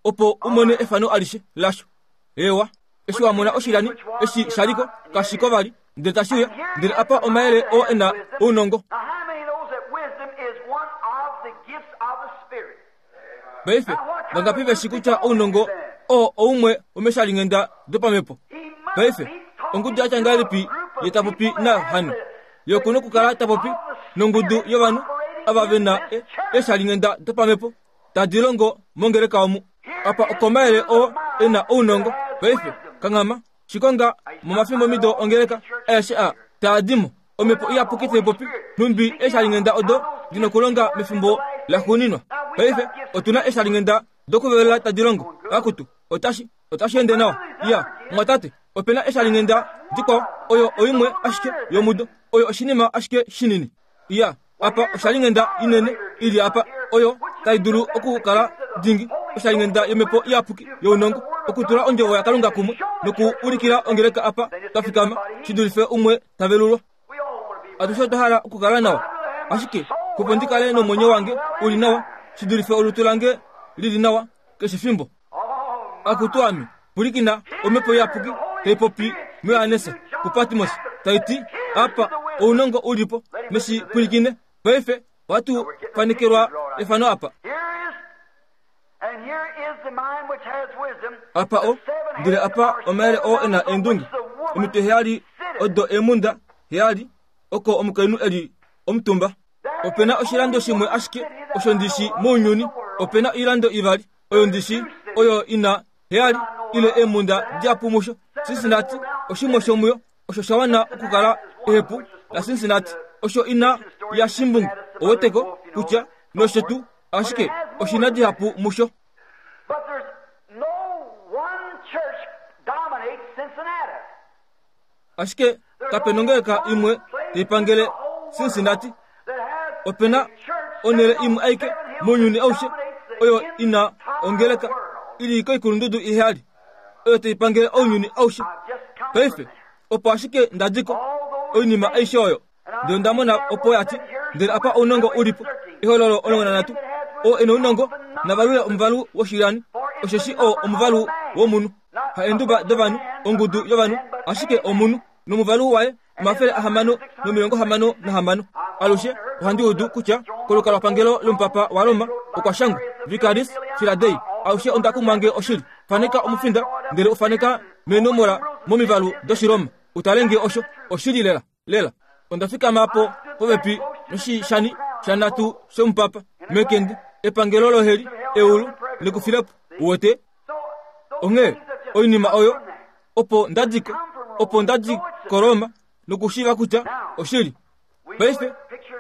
opo u mone efano alishe lasho. Eewa, eshi wa mona oshilyani eshi sha li ko, kashi ko vali, ndele tashi uya, ndele apa omayele oo e na ounongo. Paife, vangapi ve shi kutya ounongo oo oumwe womeshalinghenda dopamhepo? Paife, ongudu ya tya ngahelipi ye ta popi nayo hano? Ye oku nokukala ta popi nongudu yovanhu ava ve na eeshalinghenda dopamhepo tadi longo mongeleka omu. Apa okomayele oo e na ounongo. Paife, kanghama, shikonga momafimbomido ongeleka aeshe a taa di mo. Omhepo Iyapuki tai popi, nhumbi eeshalinghenda odo di nokulonga mefimbo laxuuninwa. Paife, otu na eeshalinghenda dokuvelela tadi longo. Akutu, otashi, otashi ende nawa. Iya, mwatate, ope na eeshalinghenda dikwao, oyo oimwe ashike yomudo. Oyo oshinima ashike shinini. Iya, apa oshalinghenda inene i li apa, oyo tai dulu okukala dingi, oshalinghenda yOmhepo Iyapuki younongo, okutula Ondjovo yaKalunga kumwe nokuulikila ongeleka apa twa fikama, shi dulife umwe ta velulwa. Atushe otwa hala okukala nawa, ashike opo ndi kale nomwenyo wange u li nawa, shi dulife olutu lange li li nawa keshe fimbo. Akutu ame, pwilikina omhepo iyapuki tai popi muJohannes kuPatmos tai ti, Apa ounongo u li po, neshi pwilikine. Paife ohatu fanekelwa efano apa. Apa o, ndele apa omayele oo e na eendunge, omitwe heyali odo eemhunda heyali, oko omukainhu e li omutumba. Ope na oshilando shimwe ashike osho ndi shi mounyuni, ope na oilando ivali oyo ndi shi, oyo i na heyali ile eemhunda dihapu musho. Cincinnati oshimwe shomuyo, osho sha wana okukala ehepu laCincinnati, osho ina yaShimbungu, oweteko kutya nosho tuu, ashike oshi na dihapu musho. Ashike kape nongeleka imwe tai pangele Cincinnati. Ope na onhele imwe aike mounyuni aushe oyo i na ongeleka i li koikulundudu iheyali oyo tai pangele ounyuni aushe. Paife, opo ashike nda di ko, oinima aishe oyo. Ndele onda mona opo ya ti, Ndele apa ounongo u li po. Ehololo 13. Oo e nounongo, na valule omuvalu woshilyani, osheshi oo omuvalu womunhu. Haenduba dovanhu, ongudu yovanhu, ashike omunhu. Nomuvalu waye 666. Alushe ohandi udu kutya kolukalwapangelo lomupapa waRoma okwa shangwa Vicaris Filadei. Aushe onda kumwa nge oshili. Faneka omufinda ndele u faneka meenomola momivalu dOshiroma u tale nge osho oshili lela lela. Onda fikama po popepi noshishani shanhatu shomupapa mekende, epangelo loheli, eulu lekufilepo. Uwete? Onghee oinima oyo opo nda di ko, opo nda di koRoma nokushiiva kutya oshili. Paife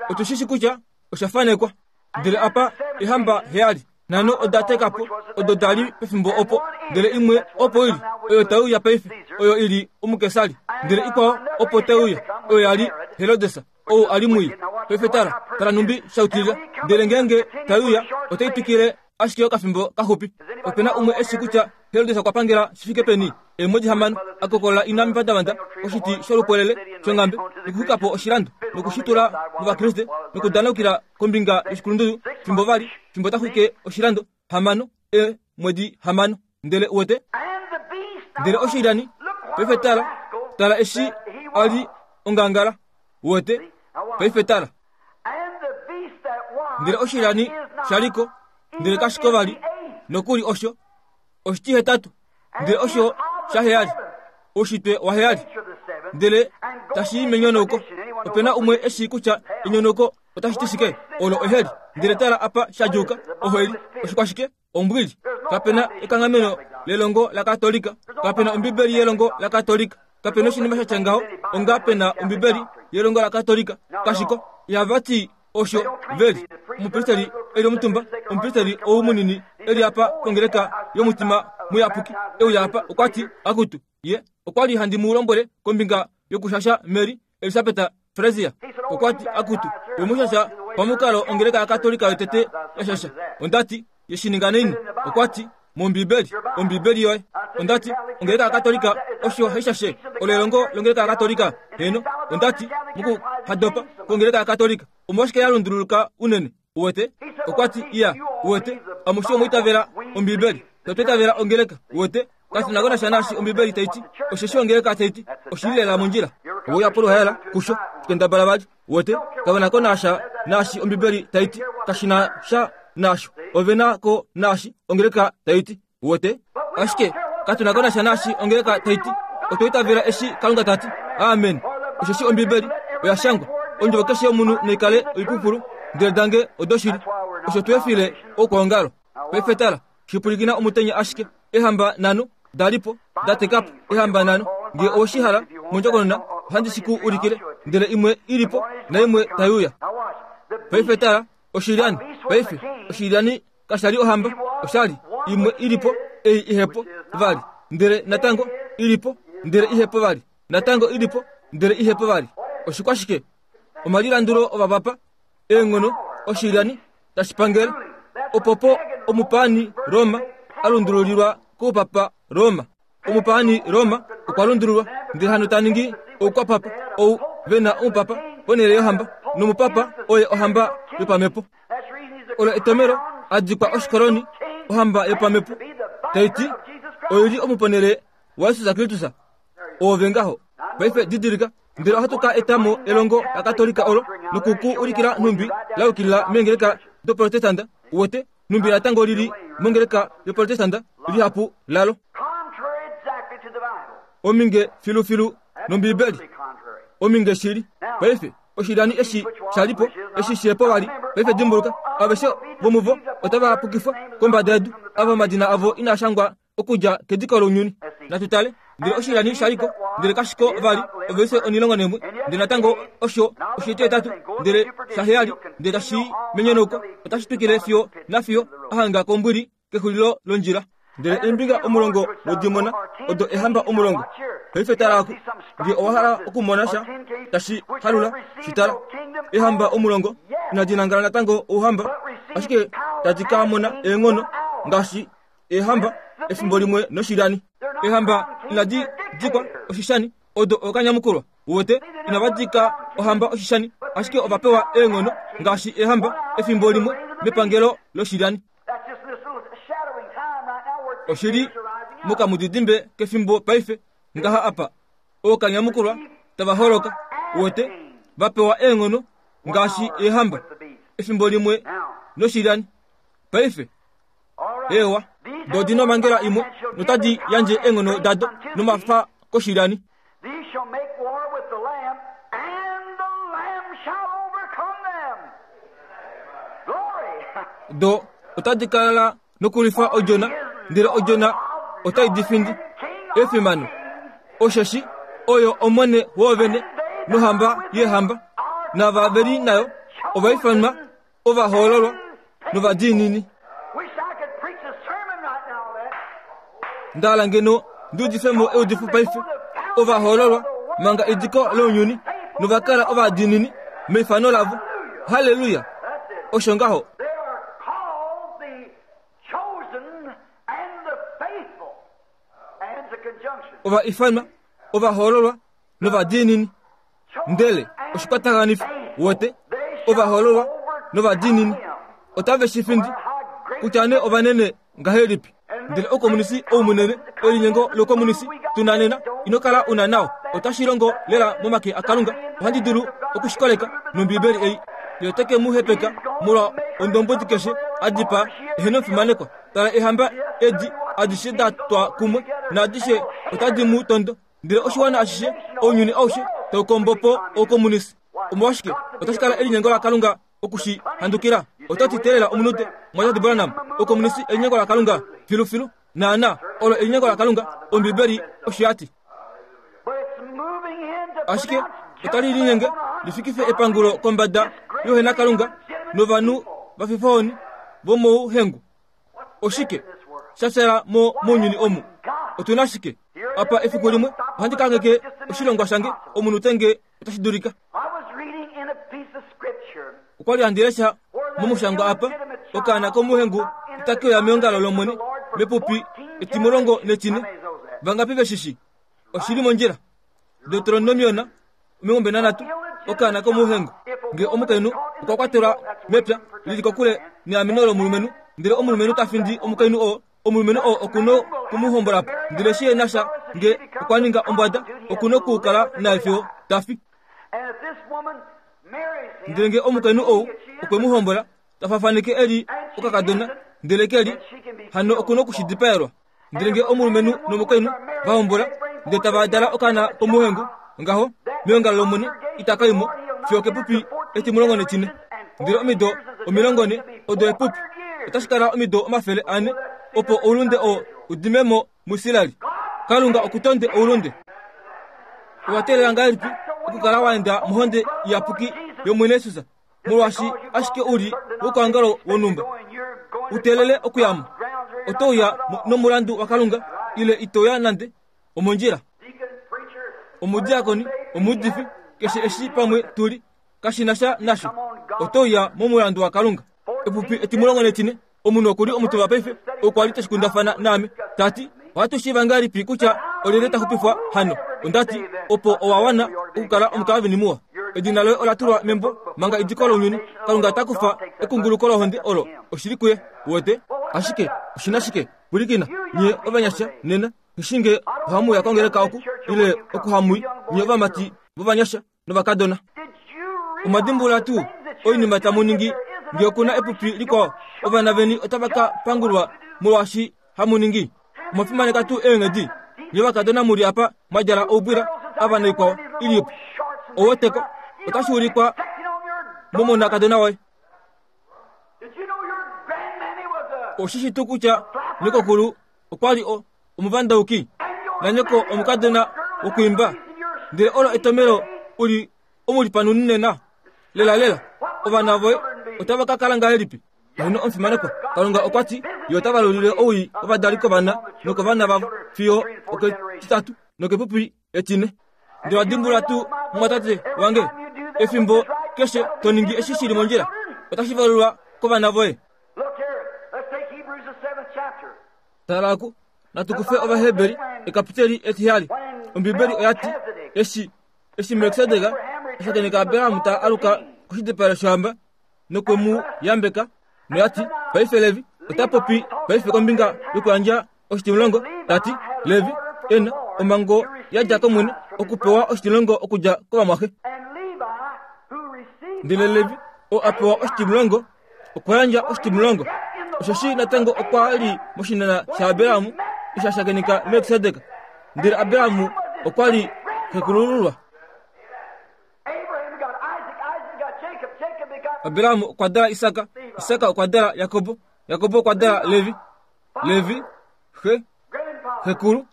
otu shi shi kutya osha fanekwa. Ndele apa ehamba heyali, nhano oda teka po, odo da li pefimbo opo, ndele imwe opo ili, oyo tai uya paife, oyo i li omukesari, ndele ikwao opo tai uya, oyo ya li Herodes, ou a li mwii. Paife tala, tala nhumbi sha utilila. Ndele ngeenge tai uya, otai twikile ashike okafimbo kaxupi. Ope na umwe e shii kutya Herodes okwa pangela shi fike peni? Eemwedi hamano, a kokolola ina mepandavanda oshiti sholupwelele shonghambe nokuxwika po oshilando noku shi tula mOvakriste nokudanaukila kombinga yoshikulundudu fimbo va li fimbo ta xwike oshilando. Hamano, eemwedi hamano. Ndele uwete? Ndele oshilyani, paife tala, tala eshi a li ongangala. Uwete? Paife tala. Ndele oshilyani sha li ko, ndele kashi ko vali, nokuli osho oshitihetatu, ndele osho shaheyali, oushitwe waheyali, ndele tashi i menyonauko. Ope na umwe e shii kutya enyonauko otashi ti shike? Olo oheli. Ndele tala apa sha djuuka, oheli. Oshikwashike? Ombwili. Kape na ekanghameno lelongo laKatolika. Kape na Ombibeli yelongo laKatolika. Kape na oshinima sha tya ngaho onga pe na Ombibeli yelongo laKatolika. Kashiko. Ihava ti osho ve li. Omupristeli e li omutumba, omupristeli ou munini e li apa kongeleka yomutima muyapuki, e uya apa, okwa ti, Akutu, ye okwa li handi mu lombwele kombinga yokushasha Mary Elisabeta Frazier okwa ti, Akutu, we mu shasha pamukalo ongeleka yaKatolika yotete ya shasha. Onda ti, Ye shi ninga naini? Okwa ti, MOmbibeli, Ombibeli yoye. Onda ti, Ongeleka yaKatolika osho hai shashe. Olo elongo longeleka yaKatolika. Heeno. Onda ti, Mokuhadopa kwongeleka yaKatolika, omolwashike ya lunduluka unene? Uwete? Okwa ti, Iya, uwete, amushe omwa itavela Ombibeli. Fye otwa itavela ongeleka. Uwete? Katu na ko nasha naashi Ombibeli tai ti, osheshi ongeleka tai ti oshi li lela mondjila. Ove uya poluhaela, kusho, kendabala vali. Uwete? Kave na ko nasha naashi Ombibeli tai ti, kashi na sha naasho. Ove na ko naashi ongeleka tai ti. Uwete? Ashike katu na ko nasha naashi ongeleka tai ti. Otwa itavela eshi Kalunga ta ti. Amen. Osheshi Ombibeli oya shangwa, Ondjovo keshe yomunhu naikale oipupulu, ndele dange odoshili. Osho tu efile oukwaongalo. Paife tala, shipwilikina omutenya ashike. Ehamba nhano da li po, da teka po. Ehamba nhano, nge owe shi hala mondjokonona, ohandi shi ku ulikile. Ndele imwe i li po, naimwe tai uya. Paife tala, oshilyani. Paife, oshilyani kasha li ohamba, osha li imwe i li po, ei ihe po vali. Ndele natango i li po, ndele ihe po vali. Natango i li po, ndele ihe po vali. Oshikwashike? Omalilandulo ovapapa, eenghono, oshilyani, tashi pangele. Opopo omupaani Roma a lundululilwa koupapa Roma. Omupaani Roma okwa lundululwa ndele hano ta ningi oukwapapa ou ve na omupapa ponhele yohamba, nomupapa oye ohamba yopamhepo. Olo etomelo a dikwa oshikoloni ohamba yopamhepo tai ti oi li omuponhele waJesus Kristus. Oove ngaho. Paife didilika, ndele ohatu ka eta mo elongo laKatolika olo noku ku ulikila nhumbi la yukilila meengeleka doProtestanda, uwete, nhumbi natango li li mongeleka yoProtestanda, lihapu lalo. Ominge filufilu nOmbibeli. Ominge shili. Paife, oshilyani eshi sha li po, eshi shihe po vali. Paife dimbuluka, aveshe vomuvo otava pukifwa kombada yedu, ava omadina avo inaa shangwa okudja kediko lounyuni. Natu tale. Ndele oshilyani sha li ko, ndele kashi ko vali, ovelise onilongo neemwe, ndele natango osho oshitihetatu, ndele shaheyali, ndele tashi i menyonauko, otashi twikile fiyo nafiyo a hanga kombwili kexulilo londjila. Ndele eembinga omulongo wodimona odo ehamba omulongo. Paife tala aku, nge owa hala okumona sha tashi halula, shi tala. Ehamba omulongo inadi nangala natango ouhamba, ashike tadi ka mona eenghono ngaashi Eehamba efimbo limwe noshilyani. Eehamba inadi dikwa oshishani, odo ookanyamukulwa. Uwete, inava dika ohamba oshishani, ashike ova pewa eenghono ngaashi eehamba efimbo limwe mepangelo loshilyani. Oshi li Mokamudidimbe kefimbo paife, ngaha apa, ookanyamukulwa tava holoka, wote, va pewa eenghono ngaashi eehamba, efimbo limwe noshilyani. Paife, eewa, do di nomhangela imwe notadi yandje eenghono dado nomafa koshilyani. These shall make war with the Lamb, and the Lamb shall overcome them. Glory! Do otadi kala nokulwifa odjona, ndele odjona otai di findi. Efimano! Osheshi oyo Omwene woovene nohamba yeehamba, naava ve li nayo ova ifanwa ovahoololwa novadiinini. Wish I could preach a sermon right now on that. Nda hala ngeno ndi udife mo eudifo paife. Ovahoololwa manga ediko lounyuni nova kala ovadiinini meifano lavo. Halleluya! That's it. Osho ngaho. They are called the chosen and the faithful. And the conjunction. Ova ifanwa ovahoololwa novadiinini. Ndele oshikwatakanifo wote ovahoololwa novadiinini otave shi findi kutya nee ovanene ngahelipi. Ndele oukomunisi ou munene, elinyengo loukomunisi tu na nena, ino kala u na nao. Otashi longo lela momake aKalunga. Ohandi dulu oku shi koleka nOmbiibeli ei. Ye ote ke mu hepeka molwa ondombwedi keshe a dipaa ehe nomufimanekwa. Tala eehamba edi adishe da twa kumwe, naadishe otadi mu tondo. Ndele oshiwana ashishe, ounyuni aushe, tau kombo po oukomunisi. Omolwashike, otashi kala elinyengo laKalunga oku shi handukila. Oto ti teelela omunute, Mwatate Branham, oukomunisi elinyengo laKalunga? Filufilu, naana, olo elinyengo laKalunga, Ombibeli osho ya ti. But it's moving in to Ashike pronounce otali linyenge li fikife epangulo kombada youhenakalunga novanhu vafifohoni vomouhengu. Oshike sha fyaala mo mounyuni omu? Otu na shike apa? Efiku limwe ohandi ka ngeke oshilongwa shange omunute nge otashi dulika. I was reading in a piece of scripture Okwa li handi lesha momushangwa apa, okaana komuhengu itake uya meongalo lOmwene mepupi etimulongo netine. Vangapi ve shi shi? Oshi li mondjila. Deuteronomion 23, okaana komuhengu. Nge omukainhu okwa kwatelwa mepya li li kokule neameno lomulumenhu, ndele omulumenhu ta findi omukainhu oo, omulumenhu oo oku noku mu hombola po. Ndele shi na sha nge okwa ninga ombwada, oku nokukala naye fiyo ta fi. And if this woman marries him, Ndele nge omukainhu ou okwe mu hombola, ta fafaneke e li okakadona, ndele ke li hano oku noku shi dipaelwa. Ndele nge omulumenhu nomukainhu va hombola, ndele tava dala okaana komuhengu, ngaho meongalo lOmwene itaka i mo fiyo okepupi etimulongo netine. Ndele omido 40 odo epupi, otashi kala omido 400 opo oulunde oo u dime mo muIsrael. Kalunga oku tonde oulunde. Owa teelela ngahelipi okukala wa enda mohonde iyapuki yOmwene Jesus, molwaashi ashike u li wokwaongalo wonhumba? U teelele okuya mo. Oto uya nomulandu waKalunga, ile ito uya nande. Omondjila. Omudiakoni, omuudifi, keshe eshi pamwe tu li, kashi na sha nasho. Oto uya momulandu waKalunga. Epupi etimulongo netine, omunhu oku li omutumba paife, okwa li tashi kundafana naame, ta ti, Ohatu shiiva ngahelipi kutya olyelye ta xupifwa hano? Onda ti, Opo owa wana okukala omukalvini muwa. Edina loye ola tulwa membo manga ediko lounyuni. Kalunga ota kufa ekunguluko lohonde olo. Oshili kuye. Uwete? Ashike oshi na shike? Pwilikina, nye ovanyasha nena, nghi nge ohamu uya kongeleka oku, ile oku hamu i, nye ovamati vovanyasha novakadona. Omwa dimbulula tuu oinima tamu ningi nge oku na epupi likwao? Ovana veni otava ka pangulwa molwaashi hamu ningi. Omwa fimaneka tuu eenghedi? Nye ovakadona mu li apa mwa djala oubwila ava naikwao i li po. Oweteko, otashi ulikwa momonakadona woye. Oshi shi tuu kutya nyokokulu okwa li o, omuvandauki, nanyoko omukadona wokwiimba? Ndele olo etomelo u li omulipanuni nena. Lelalela, ovana voye otava ka kala ngahelipi? Heeno, omufimanekwa, Kalunga okwa ti, Ye ota valulile owii wovadali kovana nokovana vavo fiyo oketitatu nokepupi etine. Ndele wa dimbulula tuu, mumwatate wange, efimbo keshe to ningi eshi shi li mondjila, otashi valulwa kovana voye. Tala oku, natu kufe Ovaheberi ekapiteli etihali. Ombibeli oya ti, eshi, eshi Melkisedek a shakeneka Abraham ta aluka koshidipalo shohamba nokwe mu yambeka, noya ti, Paife Levi ota popi paife kombinga yokuyandja. oshitimulongo, ta ti, Levi e na omhango ya dja kOmwene okupewa oshitimulongo okudja kovamwaxe. Ndele Levi oo a pewa oshitimulongo okwa yandja oshitimulongo, osheshi natango okwa li moshinana shaAbraham eshi a shakeneka Melkisedek. Ndele Abraham okwa li xekulululwa. Abraham okwa dala Isak, Isak okwa dala Jakob, Jakob okwa dala Levi, Levi xe, xekulu,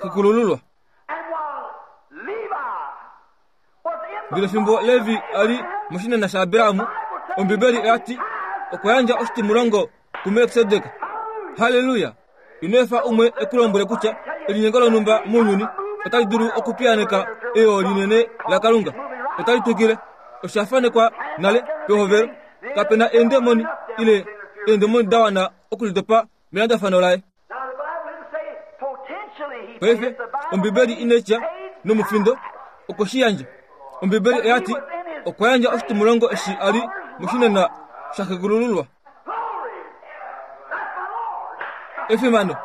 xekulululwa. Ndele fimbo Levi a li moshinena shaAbraham, Ombibeli oya ti okwa yandja oshitimulongo kuMelkisedek. Halleluya! Ino efa umwe e ku lombwele kutya elinyengo lonhumba mounyuni otali dulu okupiyaaneka eyo linene laKalunga. Otali twikile. Osha fanekwa nale pehovelo. Kape na eendemoni ile eendemoni da wana okulidopa melandafano laye. Paife, Ombibeli inai tya nomufindo okwe shi yandja. Ombibeli oya ti okwa yandja oshitimulongo eshi a li moshinena shaxekulululwa. Efimano,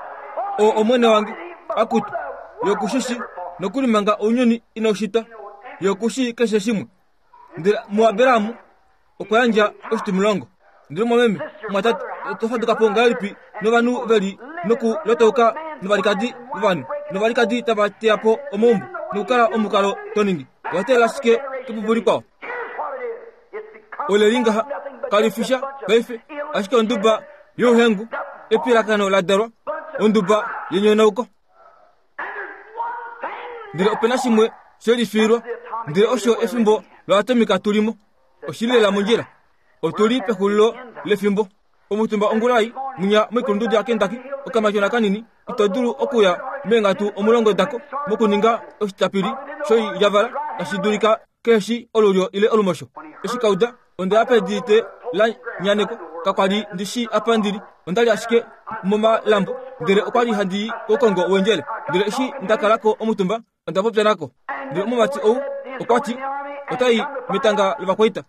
oo Omwene wange, akutu, Ye oku shi shii, nokuli manga ounyuni inau shitwa, Ye oku shii keshe shimwe. Ndele muAbraham okwa yandja oshitimulongo. Ndele mwameme, mwatate, oto faduka po ngahelipi novanhu ve li nokulotauka novalikadi vovanhu, novalikadi tava teya po omaumbo nokukala omukalo to ningi? Owa teelela shike kepupu likwao? Ole li ngaha, kali fi sha paife, ashike onduba youhengu, epilakano la dalwa, onduba yenyonauko. Ndele ope na shimwe she lifiilwa, ndele osho efimbo loatomika tu li mo. Oshi li lela mondjila. Otu li pexulilo lefimbo. Omutumba ongulai mwinya moikulundudu yaKentucky, okamatyona kanini, ito dulu okuya meenghatu omulongo dako mokuninga oshitapili shoilyavala, tashi dulika kehe shi olulyo ile olumosho. Eshi ka uda, onda ya pedu te la nyanekwa. Kakwa li ndi shii apa ndi li. Onda li ashike momalambo, ndele okwa li handi i koukongo wendjele. Ndele eshi nda kala ko omutumba, onda popya nako. Ndele omumati ou okwa ti ota i metanga lovakwaita.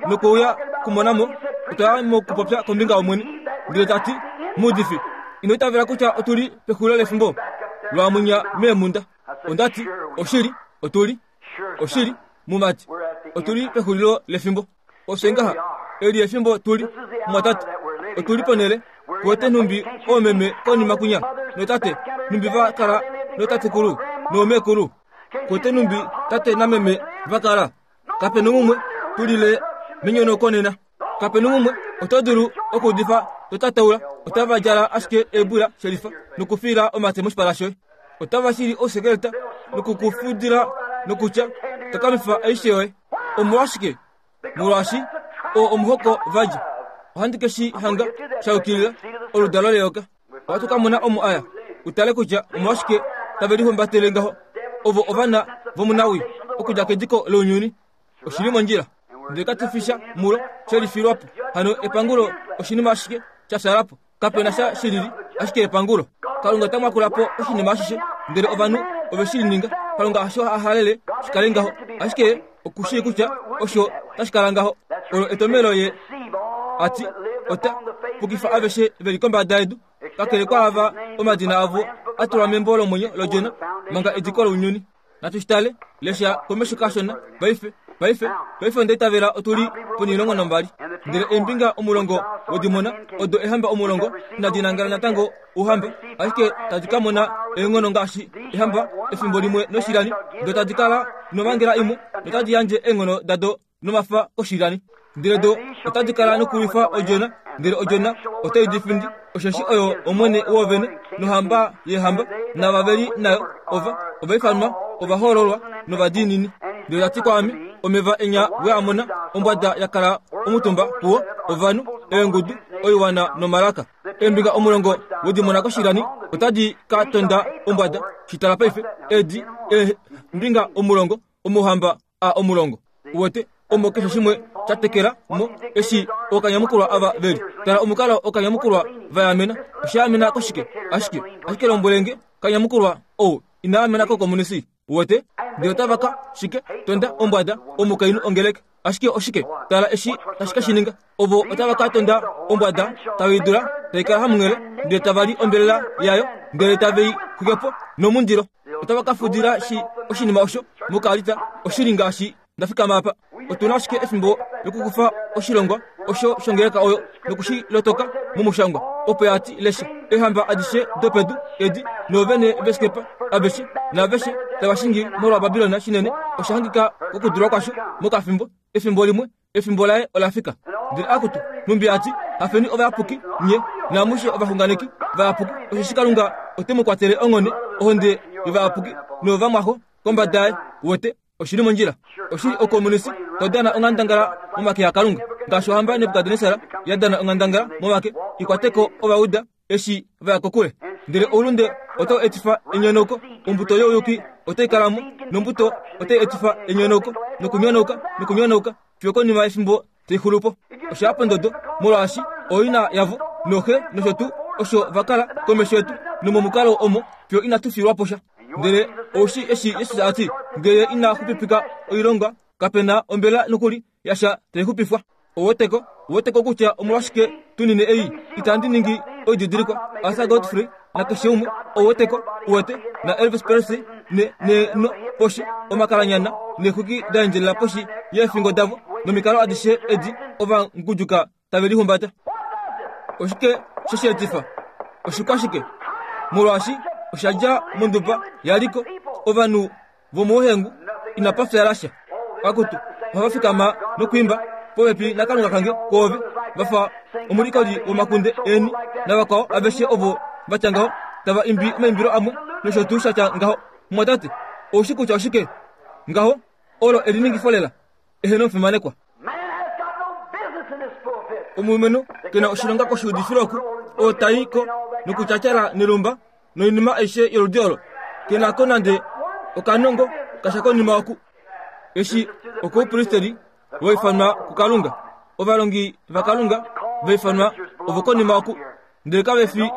Nokwe uya kumona mo, otwa ya mokupopya kombinga yOmwene. Ndele ta ti, Muudifi, ino itavela kutya otu li pexulilo lefimbo? Lwaamwinya meemhunda. Onda ti, Oshili, otu li. Oshili, mumati, otu li pexulilo lefimbo. Osho ngaha, eli efimbo tu li, mumwatate. Otu li ponhele, kuwete nhumbi oomeme konima kwinya, notate, nhumbi va kala nootatekulu noomekulu. Kuwete nhumbi tate nameme va kala. Kape noumwe tu lile menyono konena. Kape noumwe oto dulu okuudifa to tataula. Otava djala ashike eebula shelifa nokufiila omate moshipala shoye. Otava shili ousekeleta nokukufudila nokutya takamifa aishe yoye. Omolwashike? Molwaashi oo omuhoko va dja. Ohandi ke shi hanga sha yukilila oludalo leyoka. Ohatu ka mona omo aya u tale kutya omolwashike tave lihumbatele ngaho. Ovo ovana vomunawii okudja kediko lounyuni. Oshi li mondjila. Ndele katu fi sha mulo she lifilwa po. Hano epangulo oshinima ashike sha fyala po. Kape na sha shi lili, ashike epangulo. Kalunga ota mwakula po oshinima ashishe, ndele ovanhu ove shi ninga. Kalunga hasho a halele shi kale ngaho, ashike oku shii kutya osho tashi kala ngaho. Olo etomhelo ye a ti ota pukifa aveshe ve li kombada yedu, kakele kwaava omadina avo a tulwa membo lomwenyo lOdjona manga ediko lounyuni. Natu shi tale, lesha komesho kashona paife. Paife, paife onda itavela otu li ponilongo nombali. Ndele eembinga omulongo wodimona odo ehamba omulongo inadi nangala natango ouhamba, ashike tadi ka mona eenghono ngaashi ehamba efimbo limwe noshilani, do tadi kala nomhangela imwe notadi yandje eenghono dado nomafa koshilani. Ndele do otadi kala nokulwifa Odjona, ndele Odjona otai di findi, osheshi oyo Omwene woovene nohamba yeehamba, naava ve li nayo ova ovaifanwa, ovahoololwa novadiinini. Ndele ta ti kwaame, Omeva enya we a mona, ombwada ya kala omutumba puo, ovanhu, eengudu, oiwana nomalaka. Eembinga omulongo we di mona koshilani otadi ka tonda ombwada. Shi tala paife, edi eembinga omulongo omouhamba a omulongo. Uwete, omo keshe shimwe sha tekela mo, eshi ookanyamukulwa ava ve li. Tala omukalo ookanyamukulwa va yaamena. Osha yaamena koshike? Ashike, ashike lombwele nge, kanyamukulwa ou ina yaamena kokomunisi. Uwete? Ndele otava ka, shike, tonda ombwada, omukainhu ongeleka. Ashike oshike? Tala eshi tashi ka shi ninga. Ovo otava ka tonda ombwada, tave i dula, tai kala hamunghele, ndele tava li ombelela yayo, ndele tave i xwike po nomundilo. Otava ka fudila shi oshinima osho mokaalita, oshili ngaashi nda fikama apa. Otu na ashike efimbo lokukufa oshilongwa osho shongeleka oyo noku shi lotoka momushangwa, opo ya ti, Lesha, eehamba adishe dopedu edi noovene veeskepa aveshe naaveshe tava shingi molwaBabilon shinene, osha hangika kokudulwa kwasho mokafimbo, efimbo limwe, efimbo laye ola fika. Ndele akutu, nhumbi a ti, Hafeni ovayapuki nye, naamushe ovaxunganeki vayapuki, osheshi Kalunga ote mu kwatele onghone ohonde yovayapuki noyovamwaxo kombada yaye. Uwete? Oshi li mondjila. Oshi li okomunisi to dana onghandangala momake aKalunga, ngaashi ohamba Nebukadnesar ya dana onghandangala momake i kwate ko Ovauda eshi va ya kokule. Ndele oulunde otau etifa enyonauko, ombuto youyuki otai kala mo, nombuto otai etifa enyonauko, nokunyonauka, nokunyonauka, fiyo konima yefimbo tai xulu po. Osha ya pondodo, molwaashi ooina yavo nooxe nosho tuu osho va kala komesho yetu, nomomukalo omo fiyo inatu fiilwa po sha. Ndele ou shii eshi Jesus a ti, Nge Ye ina xupipika oilonga, kape na ombela nokuli yasha tai xupifwa. Ou weteko? Ou weteko kutya omolwashike tu nine ei? Itandi ningi oididilikwa. Arthur Godfrey nakeshe umwe, ou weteko, uwete, naElvis Presley, ne, ne, no, poshi, omakalanyana, neexwiki da endjelela poshi yeefingo davo, nomikalo adishe edi ova ngudjuka tave lihumbata. Oshike she shi etifa? Oshikwashike? Molwaashi osha dja monduba yaliko, ovanhu vomouhengu inapa fya lasha. Akutu, ohava fikama nokwiimba popepi naKalunga kange kwoove, va fa omulikoli womakunde eni navakwao aveshe ovo va tya ngaho, tava imbi omaimbilo amwe nosho tuu sha tya ngaho. Mumwatate, ou shi kutya oshike? Ngaho, olo eliningifo lela. Eheno omufimanekwa. Omulumenhu ke na oshilonga koshiudifilo oku, oo ta i ko nokutyatyala nelumba noinima aishe yoludi olo, ke na ko nande okanongo kasha konima oku. Eshi okoupristeri wa ifanwa kuKalunga, ovalongi vaKalunga va ifanwa ovokonima oku, ndele kave fi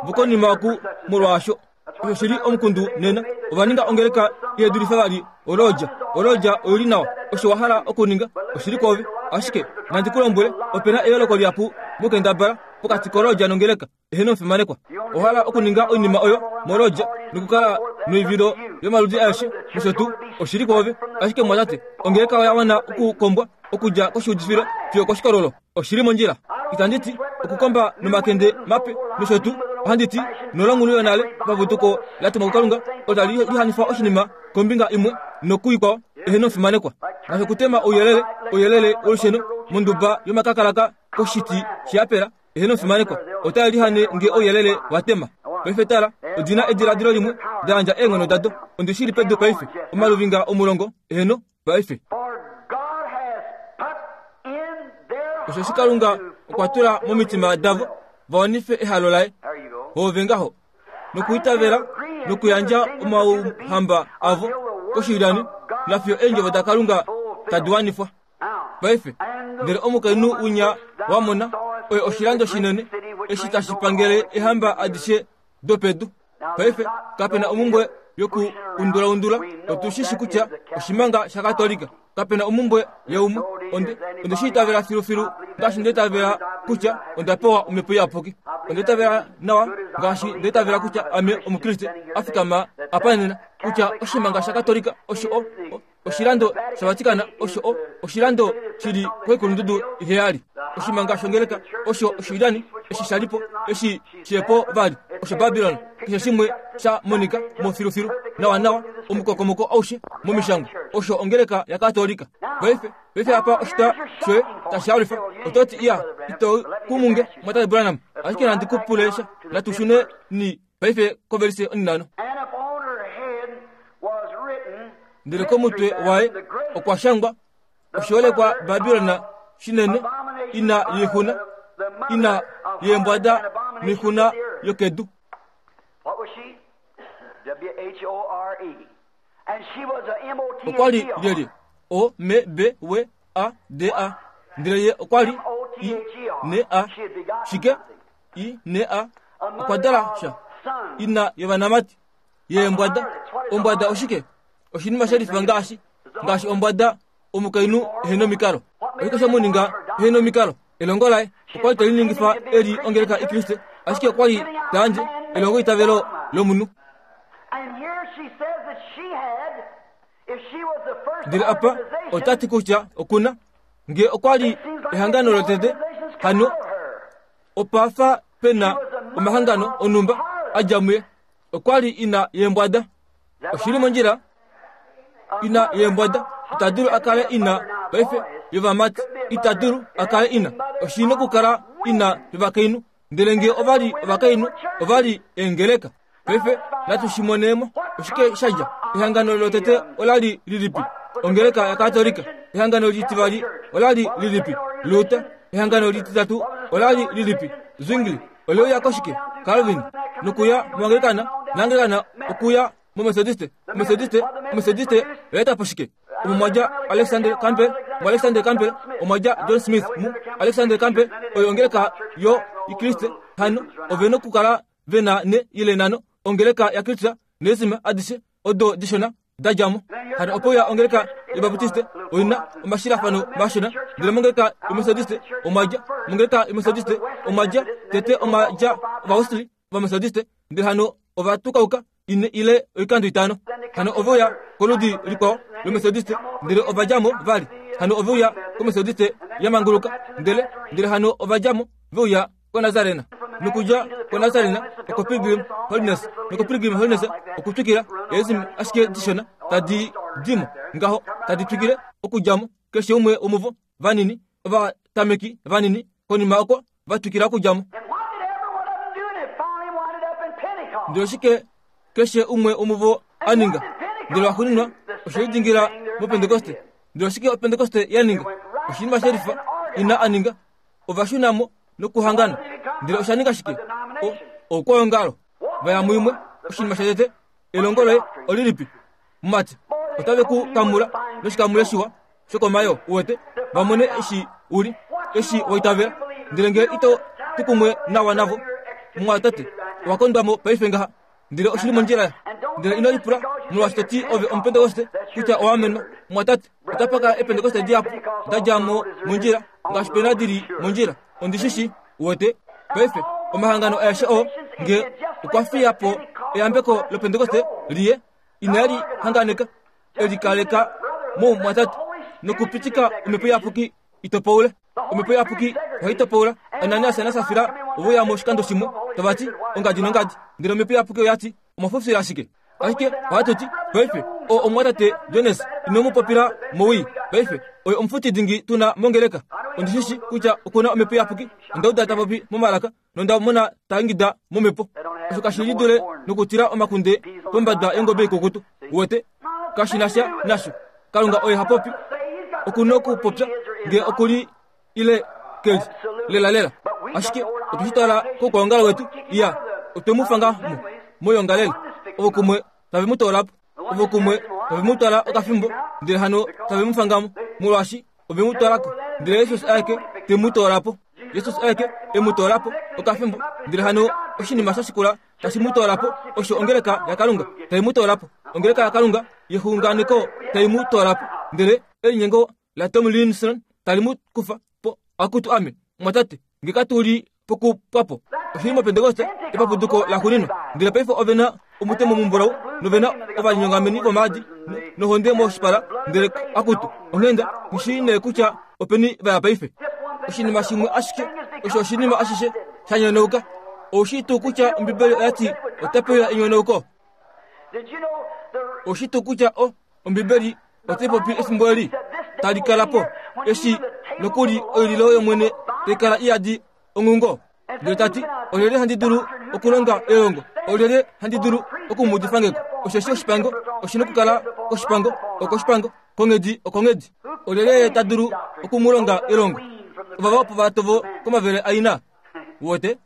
vokonima oku molwaasho. Osho shi li omukundu nena. Ova ninga ongeleka ihe dulifa vali olodja. Olodja oi li nawa. Osho wa hala okuninga oshi li kwoove. Ashike, nandi ku lombwele, ope na eyooloko lihapu mokendabala pokati kolodja nongeleka. Eheno omufimanekwa. Owa hala okuninga oinima oyo molodja nokukala noivilo yomaludi aeshe nosho tuu. Oshi li kwoove. Ashike mumwatate, ongeleka oya wana okukombwa okudja koshiudifilo fiyo koshikololo. Oshi li mondjila. Itandi ti okukomba nomakende mape nosho tuu. Ohandi ti nolongulu yonale paputuko la tumwa kuKalunga otali lihanifa oshinima kombinga imwe nokuikwao eheno omufimanekwa. Ngaashi okutema ouyelele, ouyelele wolusheno monduba yomakakalaka koshiti sheyapela, eheno omufimanekwa, otai lihane nge ouyelele wa tema. Paife tala, odi na ediladilo limwe, da yandja eenghono dado. Ondi shi li pedu paife, omaluvinga omulongo, eheno, paife. Osheshi Kalunga okwa tula momitima davo va wanife ehalo laye, voove ngaho, nokwiitavela nokuyandja omauhamba avo koshilyani, nafiyo eendjovo daKalunga tadi wanifwa. Paife, ndele omukainhu winya wa mona oye oshilando shinene eshi tashi pangele ehamba adishe dopedu. Paife, kape na omumbwe yoku undulaundula. Otu shi shi kutya oshimanga shaKatolika. Kape na omumbwe yaumwe. Onde, onde shi itavela filufilu ngaashi nda itavela kutya onda pewa Omhepo Iyapuki. Onda itavela nawa ngaashi nda itavela kutya ame Omukriste a fikama apa nena, kutya oshimanga shaKatolika osho o, o, Oshilando shaVatikana osho o oshilando shi li koikulundudu iheyali. Oshimanga shongeleka osho oshilyani eshi sha li po, eshi shi po vali osho Babilon. Keshe shimwe sha monika mo filufilu nawanawa omukokomoko aushe momishangwa osho ongeleka yaKatolika. Paife, paife apa oshitwa shoye tashi halufa. Oto ti, Iya, ito kumunge, Mwatate Branham, ashike nandi ku pule sha. Natu shune ni Paife kovelise onhinhano. Ndele komutwe waye okwa shangwa oshiholekwa Babilon shinene, ina yoixuna, ina yeembwada noixuna yokedu. Okwa li lyelye? O M B W A D A. Ndele ye okwa li I N A. Shike? I N A. Okwa dala sha. Ina yovanamati. Yeembwada. Ombwada oshike? Oshinima she lifa ngaashi ngaashi ombwada. omukainhu ehe nomikalo. Oshike she mu ninga ehe nomikalo? Elongo laye okwa li te liningifa e li ongeleka ikriste, ashike okwa li ta yandje elongoitavelo lomunhu. Ndele apa ota ti kutya oku na, nge okwa li ehangano lotete, hano opa fa pe na omahangano onhumba a dja muye. Okwa li ina yeembwada. Oshi li mondjila? Ina yeembwada ita dulu a kale ina paife yovamati. Ita dulu a kale ina. Oshi nokukala ina yovakainhu. Ndele nge ova li ovakainhu, ova li eengeleka. Paife natu shi monemo. Oshike sha dja? Ehangano lotete ola li lilipi? Ongeleka yaKatolika. Ehangano litivali ola li lilipi? Luther. Ehangano lititatu ola li lilipi? Zwingli. Ole uya koshike? Calvin. Nokuya muAnglikana, naAnglikana okuya muMethodiste, Methodiste, Methodiste oya eta po shike? Omo mwa dja Alexander Campbell, muAlexander Campbell omwa dja John Smith, mu Alexander Campbell oyo ongeleka yo Ikriste. Hano ove nokukala ve na ne ile nano ongeleka yaKristus neesima adishe odo dishona da dja mo. Hano ope uya ongeleka yObaptiste oi na omashilafano mashona, ndele mongeleka yOmethodiste omwa dja, mongeleka yOmethodiste omwa dja tete omwa dja Ovawesley Ovamethodiste, ndele hano ova tukauka ine ile oikando itano. Hano ove uya koludi likwao lOmethodiste, ndele ova dja mo vali. Hano ove uya kOmethodiste ya manguluka, ndele, ndele hano ova dja mo ve uya koNazarena. Nokudja koNazarena okoPilgrim Holiness, nokoPilgrim Holiness okutwikila eezimi ashike dishona tadi di mo ngaho, tadi twikile okudja mo, keshe umwe womuvo vanini, ovatameki vanini, konima oko va twikila okudja mo. Ndele oshike keshe umwe womuvo a ninga? Ndele waxuuninwa oshe lidingila mOpentekoste. Ndele oshike Opentekoste ya ninga? Oshinima shelifa ina a ninga. Ova shuna mo nokuhangana. Ndele osha ninga shike? O, oukwaongalo. Va ya muimwe. Oshinima shatete, elongo loye olilipi? Mumati, otave ku kamula noshikamule shiwa shokomayoo, uwete, va mone eshi u li, eshi wa itavela. Ndele nge ito tu kumwe nawa navo, mumwatate, owa kondwa mo paife ngaha. Ndele oshi li mondjila. Ndele ino lipula molwaashi to ti ove Omupentekoste kutya owa amenwa. Mumwatate, otapa kala Epentekoste dihapu da dja mo mondjila ngaashi pe na di li mondjila. Ondi shi shii, uwete. Paife, omahangano aeshe oo, nge okwa fiya po eyambeko lOpentekoste liye, inali hanganeka, e likaleka moumwatate nokupitika Omhepo Iyapuki i topaule. Omhepo Iyapuki ohai topaula. Ananias naSafira ove uya mo oshikando shimwe, tava ti, Ongadi nongadi. Ndele Omhepo Iyapuki oya ti, Omwa fufila ashike. Ashike ohatu ti, Paife, oo omumwatate Jones, ino mu popila mowii. Paife, oye omufuti dingi tu na mongeleka. Ondi shi shii kutya oku na Omhepo Iyapuki. Onda uda ta popi momalaka, nonda mona ta ingida momhepo. Osho kashi li dule nokutila omakunde pombada yongobe ikukutu. Uwete? Kashi na sha nasho. Kalunga oye ha popi. Oku nokupopya nge oku li ile ke li lelalela. Ashike otwe shi twala koukwaongalo wetu. Iya, otwe mu fanga mo moyoongalele. Ovo kumwe tave mu toola po. Ovo kumwe tave mu twala okafimbo, ndele hano tave mu fanga mo, molwaashi ove mu twala ko. Ndele Jesus aeke te mu toola po. Jesus aeke e mu toola po okafimbo, ndele hano oshinima sha shikula tashi mu toola po osho ongeleka yaKalunga tai mu toola po. Ongeleka yaKalunga yexunganeko tai mu toola po. Ndele elinyengo laTomlinson tali mu kufa po. Akutu ame, mwatate, nge katu li pokupwa po. Oshili mOpentekoste, epapuduko laxuuninwa. Ndele paife ove na omutemo mumbulau, nove na ovalinyongameni vomaadi, nohonde moshipala, ndele akutu, onghenda, nghi shii nee kutya openi va ya paife. Oshinima shimwe ashike, osho oshinima ashishe sha nyonauka. Ou shii tuu kutya Ombibeli oya ti otape uya enyonauko? Ou shii tuu kutya o, Ombibeli otai popi efimbo eli tali kala po, eshi nokuli oililo yOmwene tai kala i yadi onghungo? Ndele ta ti, Olyelye handi dulu okulonga elongo? Olyelye handi dulu oku mu udifa ngeko? Osheshi oshipango oshi nokukala koshipango, okoshipango, konghedi okonghedi. Olyelye ye ta dulu oku mu longa elongo? Ovava opo va tovo komavele aina. Wote?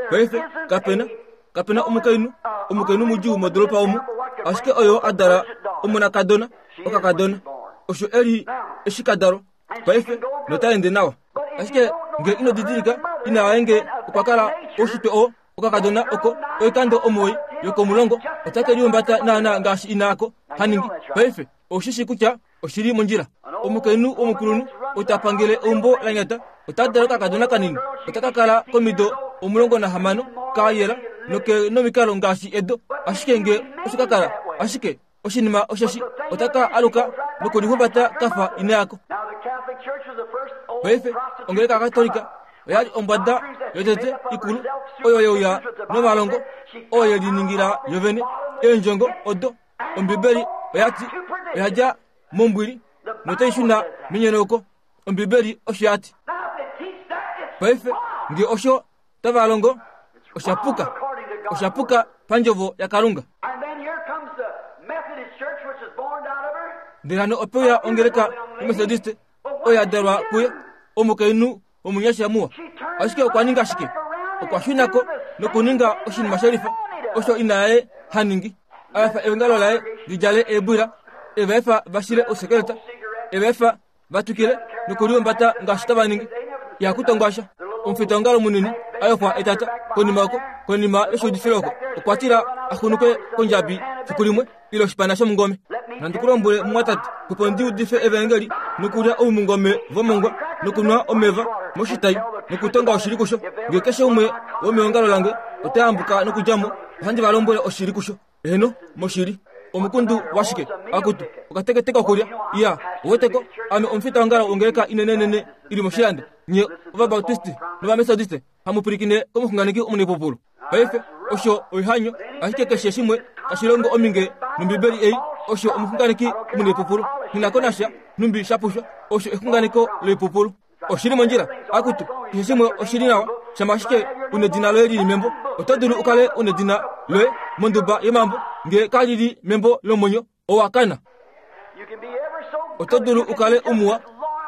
Paife, kapena, kapena omukainhu, omukainhu mudjuu modolopa omu, ashike oyo a dala omonakadona, okakadona. Osho e li eshi ka dalwa. Paife, nota ende nawa. Ashike nge ino didilika, ina yaye nge okwa kala oushitwe oo, okakadona oko oikando omuwoi yokomulongo, otake lihumbata naanaa ngaashi ina yako ha ningi. Paife. Ou shi shii kutya oshi li mondjila. Omukainhu womukulunhu ou ta pangele eumbo la nyata ota dala okakadona kanini ota ka kala komido 16 ka yela noke nomikalo ngaashi edo. Ashike nge osho ka kala, ashike oshinima osheshi ota ka aluka nokulihumbata ka fa ina yako. Paife ongeleka yaKatolika oya li ombwada yotete ikulu oyo ye uya nomalongo oo ye liningila yovene eendjongo odo Ombibeli oya ti oya dja mombwili notai shuna menyonauko. Ombibeli osho ya ti. Paife nge osho tava longo osha puka, osha puka pandjovo yaKalunga. Ndele hano ope uya ongeleka yoMethodiste oyo ya dalwa kuye, omukainhu omunyasha muwa. Ashike okwa ninga shike? Okwa shuna ko nokuninga oshinima shelifa osho ina yaye ha ningi. A efa eongalo laye li djale eebwila, e va efa va shile ousekeleta, e va efa va twikile nokulihumbata ngaashi tava ningi. Ihaku tongwa sha. Omufitaongalo munini a yofwa etata konima oko, konima yoshuudifilo oko, okwa tila a xunuke kondjabi fiku limwe. ile oshipana shomungome. Nandi ku lombwele, mumwatate, opo ndi udife evaengeli nokulya oumungome vomongwa nokunwa omeva moshitai nokutonga oshili kusho. Nge keshe umwe womeongalo lange ota yambuka nokudja mo, ohandi va lombwele oshili kusho. Eheno, moshili. Omukundu washike? Akutu, okatekete kokulya. Iya, ouweteko, ame omufitaongalo wongeleka inenenene i li moshilando. Nye Ovabaptiste nOvametodiste hamu pwilikine komuxunganeki omunaipupulu. Paife, osho oihanyo, ashike keshe shimwe tashi longo ominge nOmbibeli ei, osho omuxunganeki omunaipupulu. Nghi na ko nasha nhumbi sha pushwa, osho exunganeko loipupulu. Oshi li mondjila? Akutu, keshe shimwe oshi li nawa, shama ashike u nedina loye li li membo. Oto dulu u kale u nedina loye monduba yemambo, nge ka li li membo lomwenyo, owa kana. Oto dulu u kale umuwa,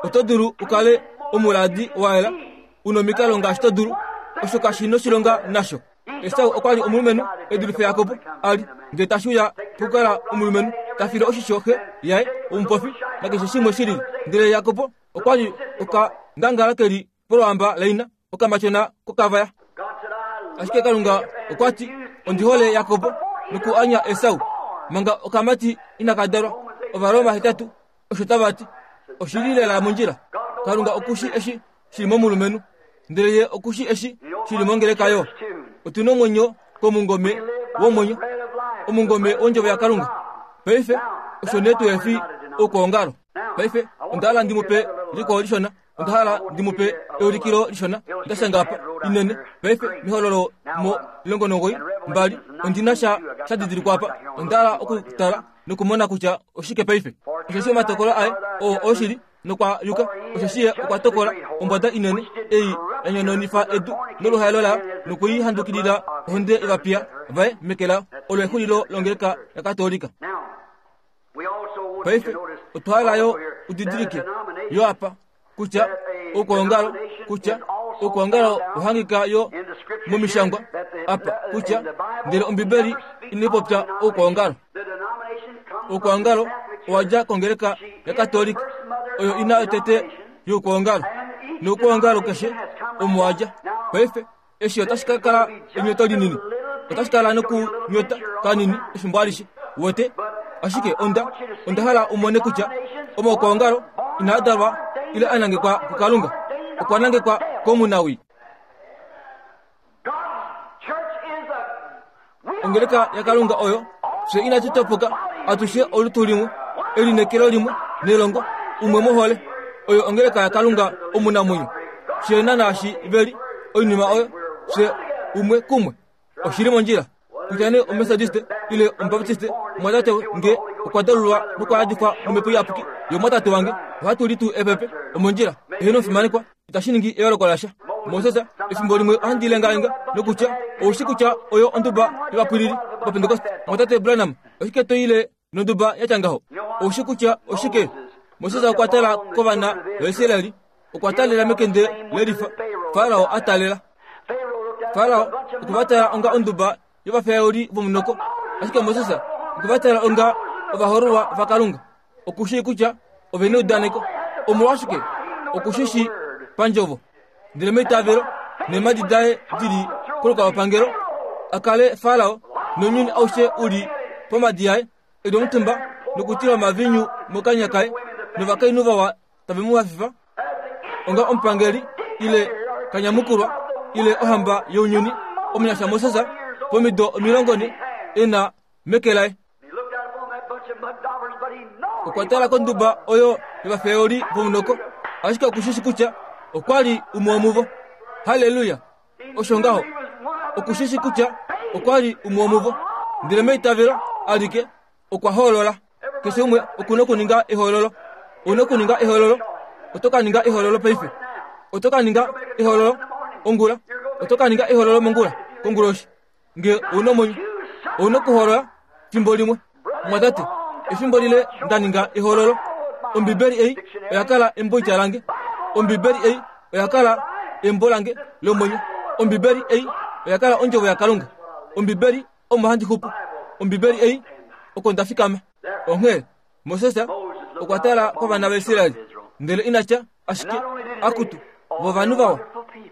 oto dulu u kale omuladi wa yela, u nomikalo ngaashi to dulu. Osho kashi noshilonga nasho. Esau okwa li omulumenhu e dulife Jakob a li, ndele tashi uya pokukala omulumenhu ta file oshisho xe yaye omupofi nakeshe shimwe shi lili. Ndele Jakob okwa li okangangala ke li polwamba laina, okamatyona kokavaya. Ashike Kalunga okwa ti, Ondi hole Jakob noku anya Esau. Manga okamati inaka dalwa, Ovaroma 8 osho tava ti. Oshi li lela mondjila. Kalunga oku shi eshi shi li momulumenhu, ndele ye oku shi eshi shi li mongeleka yo. Otu nomwenyo komungome womwenyo, omungome wondjovo yaKalunga. Paife, osho nee tu efi oukwaongalo. Paife, onda hala ndi mu pe likwao lishona. Onda hala ndi mu pe eulikilo lishona. Nda shanga apa, inene. Paife, mehololo mo 19, 2, ondi na sha sha didilikwa apa. Onda hala okutala nokumona kutya oshike paife. Osheshi omatokolo aye oo oshili nokwa yuka, osheshi ye okwa tokola ombwada inene ei ya nyononifa edu noluhaelo layo noku i handukilila ohonde yovapiya vaye meke layo. Olo exulilo longeleka yaKatolika. Paife otwa hala yo u didilike yo apa kutya oukwaongalo kutya oukwaongalo ohangika yo momishangwa apa kutya ndele Ombibeli inai popya oukwaongalo. Oukwaongalo owa dja kongeleka yaKatolika oyo ina yotete youkwaongalo noukwaongalo keshe omo wa dja. Paife Eshi otashi ka kala enyoto linini. Otashi kala nokunyota kanini efimbo alishe. Wete? Ashike onda, onda hala u mone kutya omaukwaongalo inaa dalwa ile a nangekwa kuKalunga. Okwa nangekwa komunawii. Ongeleka yaKalunga oyo fye inatu topoka atushe olutu limwe, elineekelo limwe nelongo umwe mohole. Oyo ongeleka yaKalunga omunamwenyo. Fye nanaashi ve li oinima oyo fye umwe kumwe. Oshi li mondjila kutya nee Omethodiste ile Omubaptiste, omwatate nge okwa dalulwa nokwa yadifwa nomhepo iyapuki yomwatate wange, ohatu li tuu epepe omondjila. Eheno omufimanekwa. Itashi ningi eyooloko lasha. Moses, efimbo limwe ohandi lengalenga nokutya, ou shi kutya oyo onduba yovapwilili vaPentekoste, Mwatate Branham, oshike to ile nonduba ya tya ngaho? Ou shi kutya oshike? Moses okwa tala kovana vaIsraeli, okwa talela mekende lelifa Farao a talela. Farao okwe va tala onga onduba yovafeyauli vomunoko, ashike Moses okwe va tala onga ovahoololwa vaKalunga. Oku shii kutya ove neudaneko. Omolwashike? Oku shi shii pandjovo. Ndele meitavelo, neemhadi daye di li kolukalwapangelo, a kale Farao nounyuni aushe u li pomhadi yaye, e li omutumba. nokutila omavinyu mokanya kaye novakainhu vawa tave mu hafifa onga omupangeli ile kanyamukulwa ile ohamba younyuni omunyasha Moses pomido 40 e na meke laye. Okwa tala konduba oyo yovafeoli vomunoko, ashike okushishi kutya okwa li umwe womuvo. Halleluya! Osho ngaho, okushishi kutya okwa li umwe womuvo. Ndele meitavelo alike okwa hoolola. Keshe umwe oku na okuninga ehoololo. Ou na okuninga ehoololo. Oto ka ninga ehoololo paife. Oto ka ninga ehoololo ongula. Oto ka ninga ehoololo mongula, konguloshi. Nge ou na omwenyo, ou na okuhoolola fimbo limwe. Mwatate, efimbo lile nda ninga ehoololo. Ombibeli ei oya kala emboitya lange. Ombibeli ei oya kala embo lange lomwenyo. Ombibeli ei oya kala ondjovo yaKalunga. Ombibeli omo handi xupu. Ombibeli ei oko nda fikama. Onghee Moses okwa tala kovana vaIsrael ndele ina tya ashike, Akutu, vo ovanhu vawa,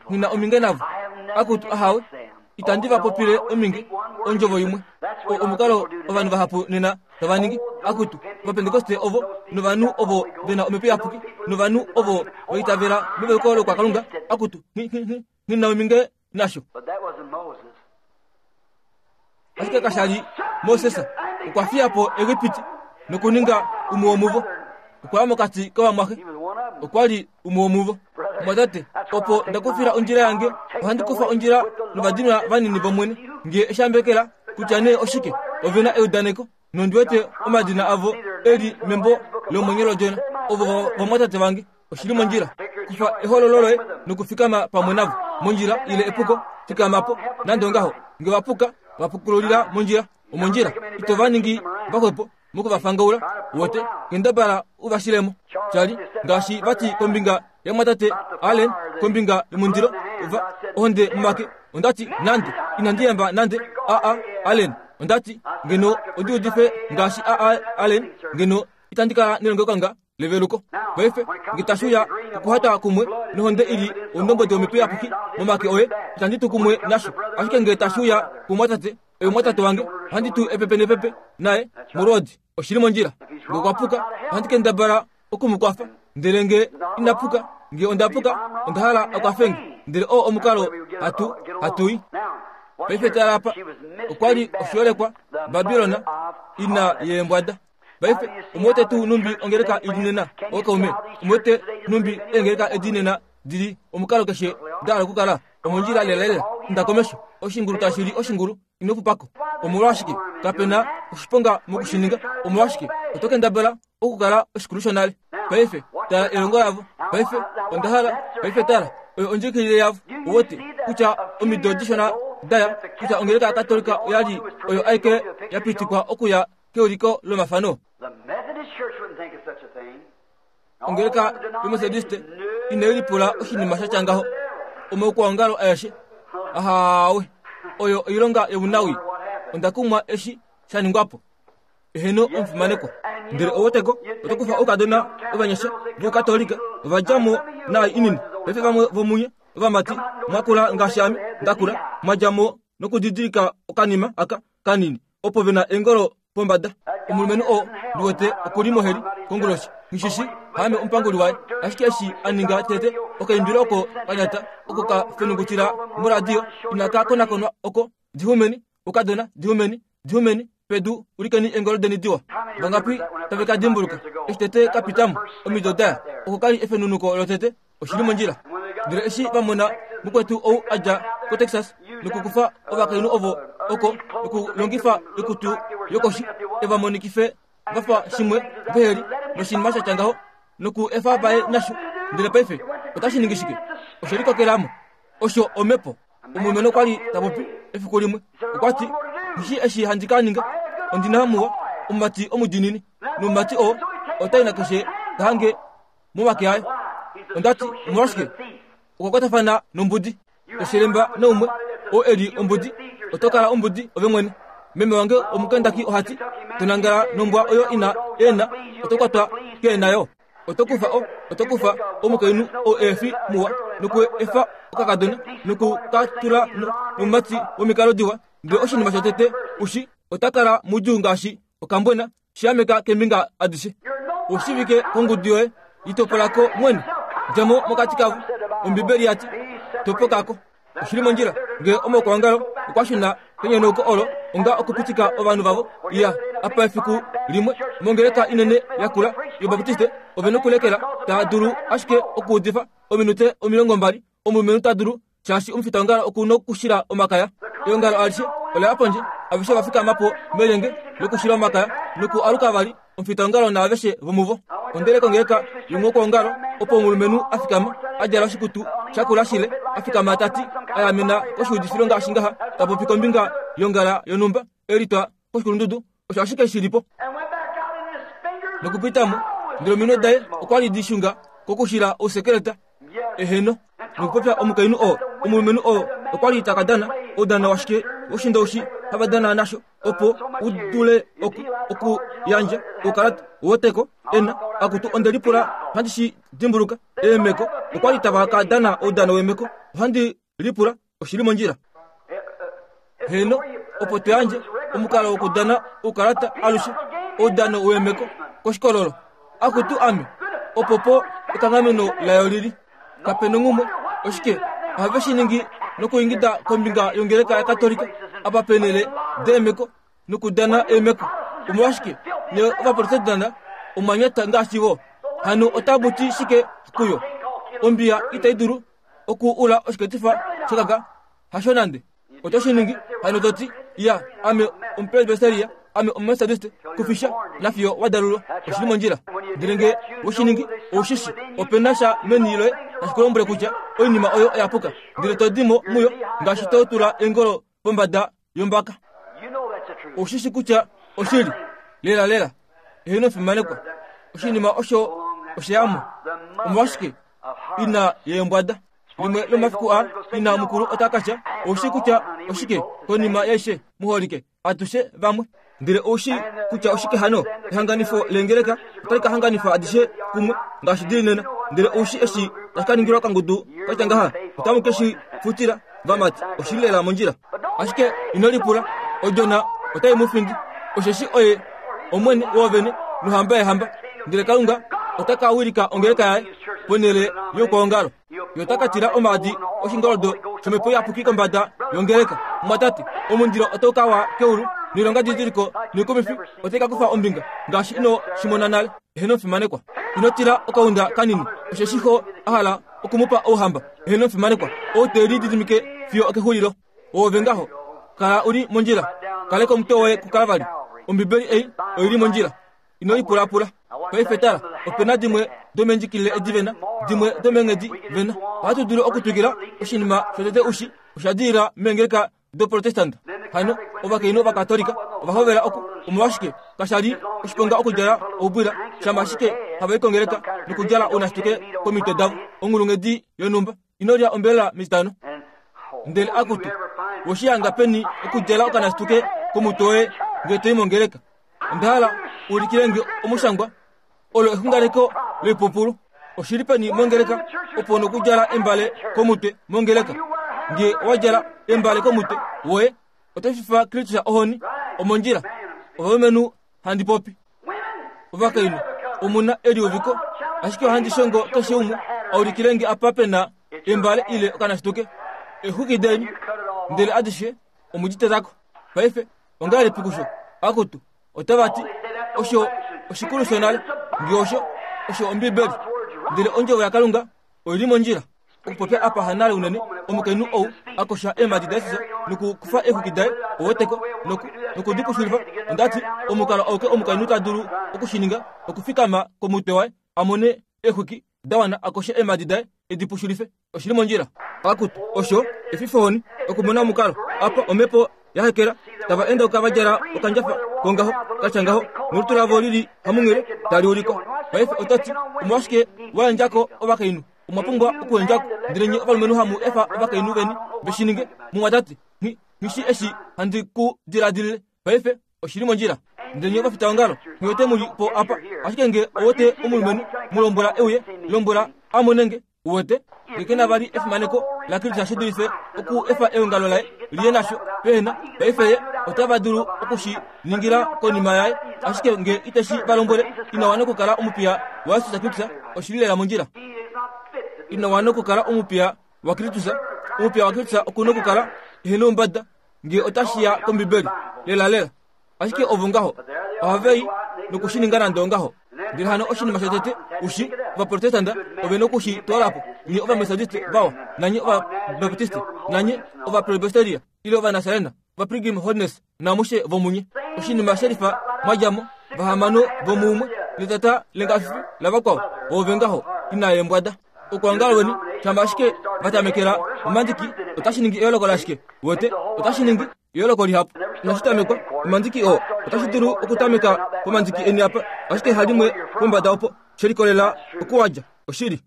nghi na ominge navo. Akutu, ahawe, itandi va popile ominge, ondjovo imwe. O, omukalo ovanhu vahapu nena tava ningi. Akutu, Ovapentekoste ovo, novanhu ovo ve na Omhepo Iyapuki, novanhu ovo va itavela meveluko lokwakalunga, akutu, nghi, nghi, nghi, nghi na ominge nasho. Ashike kasha li Moses okwa fiya po Egipiti nokuninga umwe womuvo. Okwa ya mokati kovamwaxe. Okwa li umwe womuvo. Mwatate, opo nda kufila ondjila yange, ohandi kufa ondjila novadinwa vanini vOmwene. Nge eshambekela kutya nee oshike, ove na eudaneko. Nondi wete omadina avo e li membo lomwenyo lOdjona. Ovo vamwatate vange. Oshi li mondjila. Kufa ehoololo loye nokufikama pamwe navo. Mondjila ile epuko, fikama po. Nande ongaho, nge va puka, va pukululila mondjila. Omondjila. Ito va ningi vaxwepo moku va fangaula. Uwete, kendabala u va shile mo. Charlie, ngaashi va ti kombinga yamwatate Allen, kombinga yomundilo, va, ohonde momake. Onda ti, Nande, inandi yamba nande A.A. Allen. Onda ti, Ngeno ondi udife ngaashi A.A. Allen, ngeno itandi kala nelongelokalunga leveluko. Paife, nge tashi uya okuhata kumwe nohonde i li ondombwedi yomhepo iyapuki momake oye, itandi tu kumwe nasho. Ashike nge tashi uya kumwatate, oye omwatate wange, ohandi tu epepe nepepe naye molwoodi. Oshi li mondjila. Nge okwa puka, ohandi kendabala oku mu kwafa. Ndele nge ina puka, nge onda puka, onda hala a kwafe nge. Ndele oo omukalo hatu, hatu i. Paife tala apa, okwa li oshiholekwa, Babilon, ina yeembwada. Paife, omwete tuu numbi ongeleka i li nena, ookaume? Omwete numbi eengeleka edi nena di li omukalo keshe da hala okukala? Omondjila lelalela, inda komesho. Oshingulu tashi li oshingulu, ino pupa ko. Omolwashike? Kape na oshiponga moku shi ninga. Omolwashike? Oto kendabala okukala oshikulu shonale. Paife, tala elongo lavo. Paife, onda hala. Paife tala, oyo ondjikilile yavo. Uwete kutya omido dishona daya, kutya ongeleka yaKatolika oya li oyo aike ya pitikwa okuya keuliko lomafano. Ongeleka yoMethodiste inai lipula oshinima sha tya ngaho. Omaukwaongalo aeshe ahawe, oyo oilonga yomunawi. Onda kumwa eshi sha ningwa po. Eheno omufimanekwa. Ndele oweteko, oto kufa oukadona ovanyasha vOukatolika, ova dja mo naai inini. Paife vamwe vomunye ovamati mwa kula ngaashi ame nda kula, mwa dja mo nokudidilika okanima aka kanini opo ve na eengolo pombada. Omulumenhu oo ndi wete oku li moheli konguloshi. Nghi shi haame omupanguli waye. Ashike eshi a ninga tete, okaimbilo oko ka nyata, oko ka fenungutila moradio, inaka konakonwa oko, Dihumeni, oukadona, dihumeni, dihumeni pedu, ulikeni eengolo deni diwa. Vangapi tave ka dimbuluka eshi tete ka pita mo omido daya? Oko ka li efenunuko lotete. Oshi li mondjila. Ndele eshi va mona mukwetu ou a dja koTexas nokukufa ovakainhu ovo oko nokulongifa oikutu yokoshi e va monikife va fa shimwe vehe li noshinima sha tya ngaho noku efa vaye nasho, ndele paife otashi ningi shike? Oshe likokela mo. Osho omhepo. Omulumenhu okwa li ta popi efiku limwe. Okwa ti, Nghi eshi handi ka ninga. Ondi na muwa omumati omudiinini, nomumati oo ota i nakeshe ta hange momake aye. Onda ti, Omolwashike? Okwa kwatafana nombudi. Toshelemba naumwe oo e li ombudi, oto kala ombudi ove mwene. Meme wange Omukendaki oha ti, To nangala nombwa oyo ina eena, oto kwatwa keena yo. Oto kufa o, oto kufa omukainhu oo ehe fi muwa, noku efa okakadona, noku ka tula no, nomumati womikalo diwa, ndele oshinima shotete u shi, ota kala mudjuu ngaashi okambwena. Shaameka keembinga adishe. Oshivike kongudu yoye, litopola ko mwene. Dja mo mokati kavo. Ombibeli ya ti, Topoka ko. Oshi li mondjila ngee omaukwaongalo okwa shuna kenyonauko olo onga okupitika ovanhu vavo ya apa efiku limwe mongeleka inene yakula yObaptiste ove nokulekela taa dulu ashike okuudifa ominute 20 omulumenhu ta dulu shaashi omufitaongalo oku nokushila omakaya. Eongalo alishe ola ya pondje, aveshe ova fikama po melyenge lokushila omakaya noku aluka vali, omufitaongalo naaveshe vomuvo. Ondele kongeleka yomokwoongalo opo omulumenhu a fikama, a djala oshikutu shakula shile, a fikama ta ti, a yamena koshiudifilo ngaashi ngaha, ta popi kombinga yongala yonhumba, e litwa koshikulundudu, osho ashike shi li po. Nokupita mo, ndele ominwe daye okwa li di shunga kokushila ousekeleta. Eheno. Nokupopya omukainhu oo, omulumenhu oo okwa li ta ka dana oudano washike woshindoushi hava dana nasho opo u dule oku, okuyandja oukalata woteko ena akutu onde lipula ohandi shi dimbuluka eemeko okwa li tava ka dana oudano weemeko ohandi lipula oshi li mondjila heno opo tu yandje omukalo wokudana oukalata alushe oudano weemeko koshikololo akutu ame opo po ekanghameno layo lili kape nonghumwe oshike ohave shi ningi nokuingida kombinga yongeleka yakatolika apa penele deemeko nokudana eemeko omolwashike ne ovaprotestanta omwanyata ngaashi vo hano otamu ti shike kuyo ombiya itai dulu oku ula oshiketifa shekaka hasho nande oto shi ningi hano to ti ya ame omupresbyteria ame omumethodist kufisha nafiyo wa dalulwa oshi li mondjila ndele nge we shi ningi ou shi shi ope na sha meni loye tashi ku lombwele kutya oinima oyo oya puka ndele to di mo muyo ngaashi to tula eengolo pombada yombaka ou shi shi kutya oshili lela lela eheno fimanekwa oshinima osho osheyamo omolwashike ina yeembwada limwe lomafiku a ina mukulu ota ka tya ou shi kutya oshike konima yaishe muholike atushe vamwe ndele ou shi kutya oshike hano ehanganifo leengeleka otali ka hanganifa adishe kumwe ngaashi dili nena ndele ou shi eshi tashi ka ningilwa kangudu katya ngaha otamu ke shi futila vamati oshili lela mondjila ashike ino lipula odjona otai mu findi osheshi oye omwene woovene nohamba yeehamba ndele kalunga ota ka wilika ongeleka yaye ponhele youkwaongalo Ye ota ka tila omaadi oshingoldo shomhepo iyapuki kombada yongeleka. Omwatate, omundilo otau ka wa keulu, noilonga didiliko noikumifi otai ka kufa ombinga, ngaashi ino shi mona nale. Eheno omufimanekwa. Ino tila okaunda kanini, osheshi xo a hala oku mu pa ouhamba. Eheno omufimanekwa. Ou te lididimike fiyo okexulilo. Oove ngaho. Kala u li mondjila. Kaleka omutwe woye kuKalvari. Ombibeli ei oi li mondjila. Ino lipulapula. Paife tala, ope na dimwe domendjikilile edi vena, dimwe domeenghedi vena. Ohatu dulu okutwikila oshinima shotete ushi, osha dilila meengeleka doProtestant. Hano, ovakainhu Ovakatolika ova hovela oku, omolwashike, kasha li oshiponga okudjala oubwila, shama ashike hava i kongeleka nokudjala ounashituke komitwe davo, onghulunghedi yonhumba. Ino lya ombelela metitano. Ndele akutu, woshihanga peni okudjala okanashituke komutwe woye ngee to i mongeleka? Onda hala u ulikile nge omushangwa olo exunganeko loipupulu. Oshi li peni mongeleka opo nokudjala embale komutwe mongeleka? Nge owa djala embale komutwe woye, oto fifa Kristus ohoni. Omondjila. Ovalumenhu handi popi. Ovakainhu, omu na eliuviko, ashike ohandi shongo keshe umwe a ulikile nge apa pe na embale ile okanashituke. Exwiki deni, ndele adishe omu di teta ko. Paife, ongahelipi kusho? Akutu, otava ti, osho oshikulu shonale. Nge osho, osho Ombibeli. Ndele Ondjovo yaKalunga oi li mondjila. Okupopya apa hanale unene, omukainhu ou a kosha eemhadi daJesus nokukufa eexwiki daye, oweteko, noku, noku di pushulifa. Onda ti, omukalo auke omukainhu ta dulu oku shi ninga, okufikama komutwe waye, a mone eexwiki da wana a koshe eemhadi daye, e di pushulife. Oshi li mondjila. Akutu, osho efifohoni okumona omukalo apa omhepo ya hekela tava endauka va djala okandjafa kongaho ka tya ngaho nolutu lavo li li hamunghele tali ulikwa. Paife oto ti, Omolwashike wa yandja ko ovakainhu? Omwa pumbwa okuyandja ko. Ndele nye ovalumenhu hamu efa ovakainhu veni ve shi ninge. Mumwatate, nghi, nghi shii eshi handi ku diladilile. Paife oshi li mondjila. Ndele nye ovafitaongalo, nghi wete mu li po apa. Ashike nge ou wete omulumenhu, mu lombwela e uye, lombwela a mone nge. Uwete, ye ke na vali efimaneko laKristus shi dulife oku efa eongalo laye liye nasho pehena. Paife ye Otava dulu oku shi ningila konima yaye, ashike nge ite shi va lombwele, ina wana okukala omupiya waJesus Kristus. Oshi li lela mondjila. Ina wana okukala omupiya waKristus. Omupiya waKristus oku na okukala ehe noumbada nge otashi ya kOmbibeli. Lelalela. Ashike ovo ngaho ohava i noku shi ninga nande ongaho. Ndele hano oshinima shotete u shi, Ovaprotestanta ove noku shi twala po, nye Ovametodiste vawa, nanye Ovabaptiste, nanye Ovapresbyteria, ile Ovanasarena, Ovapilgrim Holiness, namushe vomunye. Oshinima shelifa mwa dja mo, vahamano vomuumwe, netata lengafifi lavakwao, oove ngaho, ina yeembwada. Okwoongala weni, shama ashike va tamekela momandiki, otashi ningi eyooloko lashike? Wete, otashi ningi. Eyooloko lihapu inashi tamekwa omandiki oo otashi dulu okutameka pomandiki eni apa, ashike halimwe pombada opo, she likolela okuwadja. Oshili.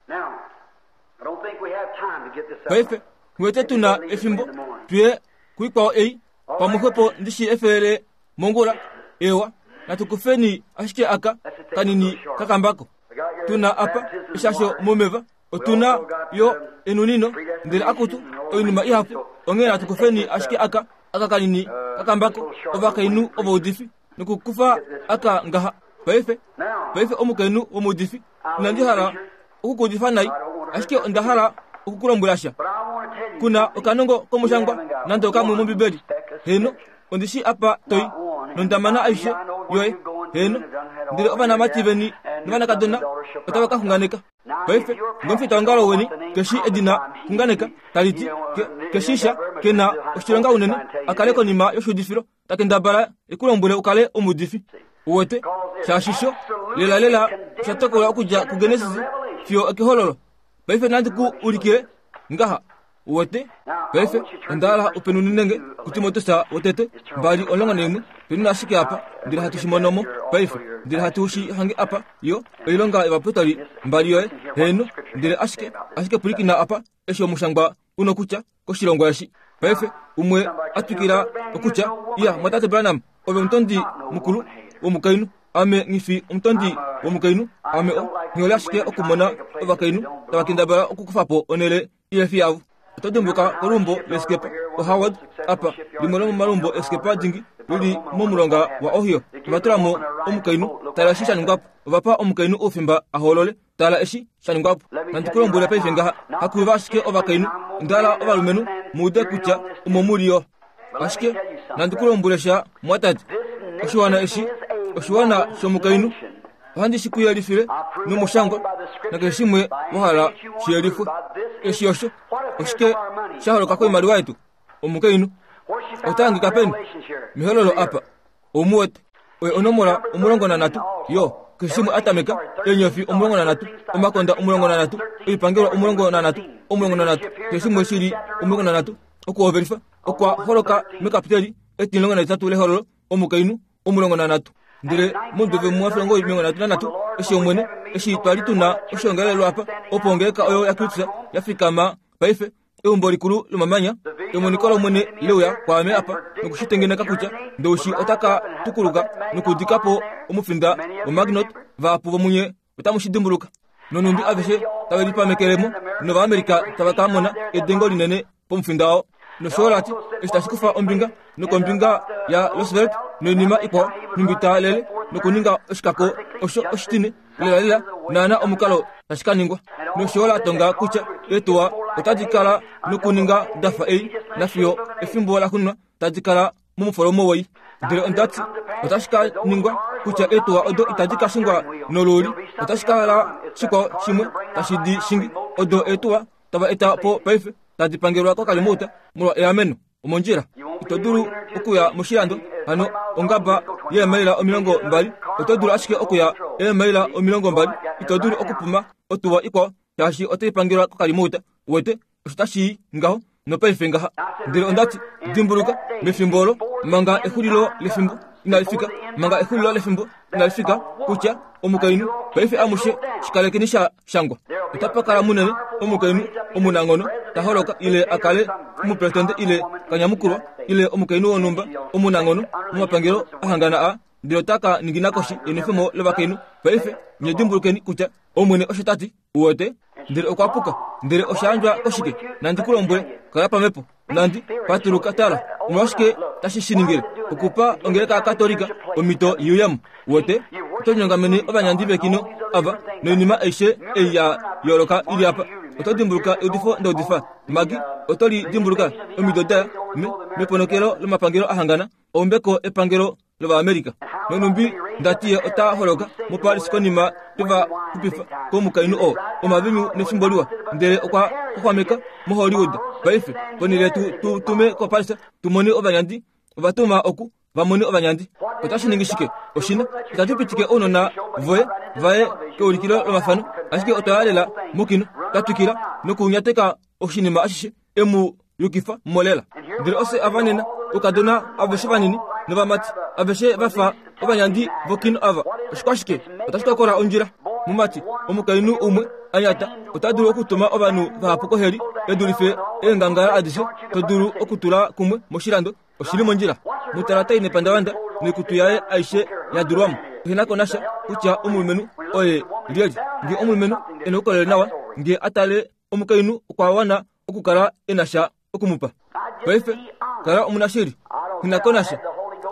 Paife, nghi tu na efimbo tuye kuikwao ei, pamwe xwepo ndi shi efele mongula. Ewa, natu kufeni ashike aka kanini kakambako tu na apa, eshasho momeva. Otu na yo enunino, ndele akutu, oinima ihapu. Onghee natu kufeni ashike aka, aka kanini kakambako, ovakainhu ovaudifi, nokukufa aka ngaha. Paife, paife omukainhu womuudifi, inandi hala oku ku udifa nai, ashike onda hala oku ku lombwela sha. Ku na okanongo komushangwa nande okamwe mOmbibeli. Heeno, ondi shii apa to i, nonda mana aishe yoye. Heeno, ndele ovanamati veni novanakadona otava ka xunganeka. Paife, ngomufitaongalo weni ke shii edina xunganeka, tali ti, ke, ke shii sha, ke na oshilonga unene, a kale konima yoshuudifilo, ta kendabala e ku lombwele u kale omuudifi. Uwete? Shaashi sho, lelalela, osha tokolwa okudja kuGenesis fiyo okEhololo. Paife nandi ku ulikile ngaha. Uwete? Paife, onda hala u penunine nge kuTimoteus wotete 2:11, penuna ashike apa, ndele hatu shi mono mo paife, ndele hatu shi hange apa, yo, Oilonga yOvapostoli mbali yoye, heeno, ndele ashike, ashike pwilikina apa, eshi omushangwa u nokutya koshilongwa eshi. Paife, umwe a twikila okutya, Iya, Mwatate Branham, ove omutondi mukulu womukainhu. Ame nghi fi omutondi womukainhu. Ame o, nghi hole ashike okumona ovakainhu tava kendabala okukufa po onhele ile fi yavo. Oto dimbuka koluumbo leskepa oHoward apa, limwe lomomaluumbo eskepa dingi lili momulonga waOhio. Ova tula mo omukainhu. Tala eshi sha ningwa po. Ova pa omukainhu oufimba a hoolole. Tala eshi sha ningwa po. Nandi ku lombwele paife ngaha, hakuiva ashike ovakainhu, onda hala ovalumenhu mu ude kutya omo mu li yo. Ashike nandi ku lombwele sha, mwatate. Oshiwana eshi oshiwana shomukainhu. Ohandi shi ku yelifile nomushangwa nakeshe shimwe wa hala shi yelifwe. Eshi osho oshike sha holoka koimaliwa yetu? Omukainhu ota hangika peni? Mehololo apa. Ou mu wete? Oye onomola 13 yo keshe shimwe a tameka, eenyofi 13, omakonda 13, oipangelwa 13, 13, keshe shimwe shi li 13, okuhovelifa okwa holoka mekapiteli etimulongo lehololo, omukainhu 13. Ndele momudo 1933, eshi Omwene, eshi twa li tu na oshiongalelwa apa, opo ongeleka oyo yaKristus ya fikama paife, eumbo likulu lomamanya, emoniko lOmwene le uya kwaame apa noku shi tengeneka kutya Ndoushi ota ka tukuluka nokudika po omufinda woMaginot, vahapu vomunye otamu shi dimbuluka. Nonhumbi aveshe tave lipamekele mo, nOvaamerika tava ka mona edengo linene pomufinda oo. Nosho yo la ti, eshi tashi kufa ombinga nokombinga yaRoosevelt noinima ikwao, nhumbi ta lele nokuninga oshikako osho oshitine, lelalela naana omukalo tashi ka ningwa. Nosho yo la tonga kutya eetuwa otadi kala nokuninga da fa ei, nafiyo efimbo laxuuninwa tadi kala momufolomo woi. Ndele onda ti, otashi ka ningwa kutya eetuwa odo itadi ka shingwa nolooli, otashi ka kala shikwao shimwe tashi di shingi. Odo eetuwa tava eta po paife tadi pangelwa kokalimouta molwa eameno. Omondjila. Ito dulu okuya moshilando, hano ongaba yeemaila 20, oto dulu ashike okuya eemaila 20, ito dulu okupuma otuwa ikwao shaashi otai pangelwa kokalimouta. Uwete, osho tashi i ngaho nopaife ngaha. Ndele onda ti, Dimbuluka, mefimbo olo, manga exulilo lefimbo inali fika, manga exulilo lefimbo inali fika, kutya omukainhu, paife amushe shikalekeni sha shangwa, otapa kala munene omukainhu omunanghono ta holoka, ile a kale omupresidente ile kanyamukulwa, ile omukainhu wonhumba omunanghono momapangelo ahangana a, ndele ota ka ningina koshi yenwefemo lovakainhu. Paife nye dimbulukeni kutya Omwene osho ta ti. Uwete? Ndele okwa puka. Ndele osha yandjwa koshike? Nandi ku lombwele, kala pamhepo. Nandi patuluka, tala. Omolwashike tashi shi ningile? Okupa ongeleka yaKatolika omhito i uye mo. Uwete? Oto linyongamene ovanyandi vekino ava noinima aishe ei ya yooloka i li apa. Oto dimbuluka eudifo nda udifa, Maggie? Oto li dimbuluka? Omido da ya, me, meponokelo lomapangelo a hangana, oumbeko epangelo lOvaamerica. Nonhumbi nda ti ye ota holoka muParis konima twe va xupifa komukainhu oo omavinyu nefimbo liwa, ndele okwa xwaxwameka moHollywood. Paife, ponhele tu tu tume koParis tu mone ovanyandi, ova tuma oku va mone ovanyandi. Otashi ningi shike? Oshina. Itatu pitike ounona voye va ye keulikilo lomafano, ashike otwa ya lela mokino, twa twikila nokunyateka oshinima ashishe. E mu yukifa mo lela. Ndele ofye ava nena, oukadona aveshe vanini novamati aveshe va fa ovanyandi vokino ava. Oshikwashike? Otashi tokola ondjila. Mumati, omukainhu umwe a nyata ota dulu okutuma ovanhu vahapu koheli e dulife eengangala adishe to dulu okutula kumwe moshilando. Oshi li mondjila. Mu tala ta i nepandavanda noikutu yaye aishe ya dulwa mo. Ehe na ko nasha kutya omulumenhu oye lyelye. Nge omulumenhu e na oukolele nawa, nge a tale omukainhu okwa wana okukala e na sha oku mu pa. Paife, kala omunashili. Nghi na ko nasha.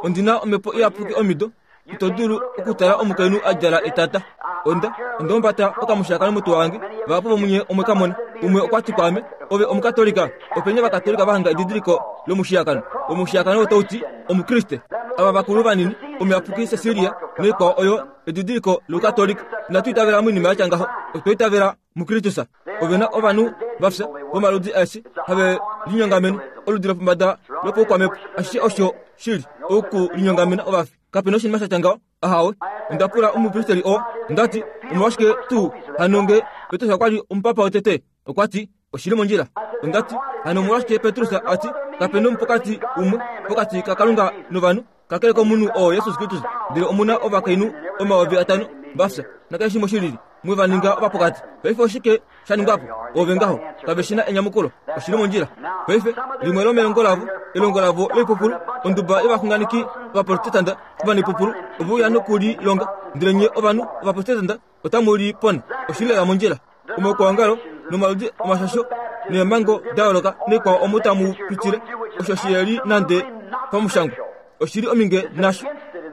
Ondi na omhepo iyapuki omido. Ito dulu okutala omukainhu a djala etata. Onda, onda humbata okamushakano motuwa wange. Vahapu vomunye omwe ka mona. Umwe okwa ti kwaame, Ove Omukatolika. Openi Ovakatolika va hanga edidiliko lomushiyakano? Omushiyakano otau ti, Omukriste. Ava vakulu vanini, Omuyapuki Cecilia naikwao oyo edidiliko lOukatolika. Inatu itavela moinima ya tya ngaho. Otwa itavela muKristus. Ove na ovanhu va fya vomaludi aeshe have linyongamene oludi lopombada lopaukwamhepo. Ashishe osho shi li okulinyongamena ovafi. Kape na oshinima sha tya ngaho. Ahawe. Onda pula omupristeli oo, nda ti, Omolwashike tuu hano nge Petrus okwa li omupapa wotete? Okwa ti, Oshi li mondjila. Onda ti, Hano omolwashike Petrus a ti, Kape na omupokati umwe pokati kaKalunga novanhu, kakele komunhu oo Jesus Kristus, ndele omu na ovakainhu 5000 va fya, nakeshe shimwe shi lili, mwe va ninga ovapokati. Paife oshike sha ningwa po? Ove ngaho, kave shi na enyamukulo. Oshi li mondjila. Paife, limwe lomelongo lavo, elongo lavo loipupulu, onduba yovaxunganeki Ovaprotestanta ovanaipupulu, ove uya noku li longa, ndele nye ovanhu Ovaprotestanta otamu li pona. Oshi li lela mondjila. Omaukwaongalo nomaludi omashasho neemhango da yooloka naikwao omo tamu pitile, osho shi li nande pamushangwa. Oshi li ominge nasho.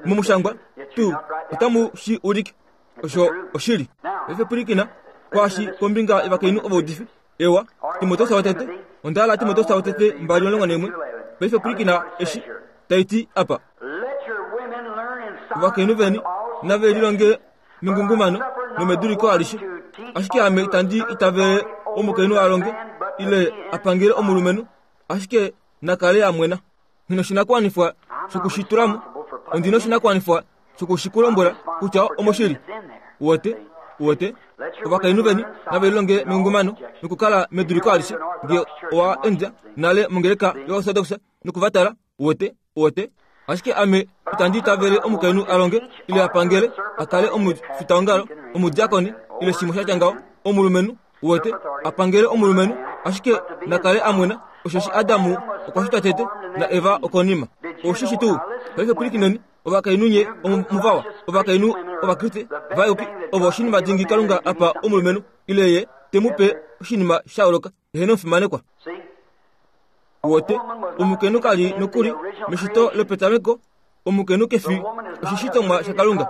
Momushangwa tuu otamu shi ulike. Osho oshili. Paife pwilikina kwaashi kombinga yovakainhu ovaudifi. Ewa, Timoteus wotete, onda hala Timoteus wotete 2:11. Paife pwilikina eshi tai ti apa. Ovakainhu veni nave lilonge mengungumano nomeduliko alishe. Ashike ame itandi itavele omukainhu a longe ile a pangele omulumenhu, ashike na kale a mwena. Nghi noshinakuwanifwa shoku shi tula mo. Ondi noshinakuwanifwa shoku shi ku lombwela kutya omoshili. Uwete? Uwete? Ovakainhu veni nave lilonge mengungumano nokukala meduliko alishe, nge owa endja nale mongeleka yoOrthodox noku va tala. Uwete? Uwete? Ashike ame itandi itavele omukainhu a longe ile a pangele, a kale omufitaongalo, omudiakoni ile shimwe sha tya ngaho, omulumenhu, uwete, a pangele omulumenhu, ashike na kale a mwena, osheshi Adamu okwa shitwa tete na Eva okonima. Ou shi shi tuu? Paife pwilikineni, ovakainhu nye omuvawa, ovakainhu Ovakriste vayuki, ovo oshinima dingi Kalunga a pa omulumenhu, ile ye te mu pe oshinima sha yooloka. Eheno omufimanekwa. Uwete, omukainhu ka li nokuli meshito lopetameko. Omukainhu ke fi oshishitomwa shaKalunga.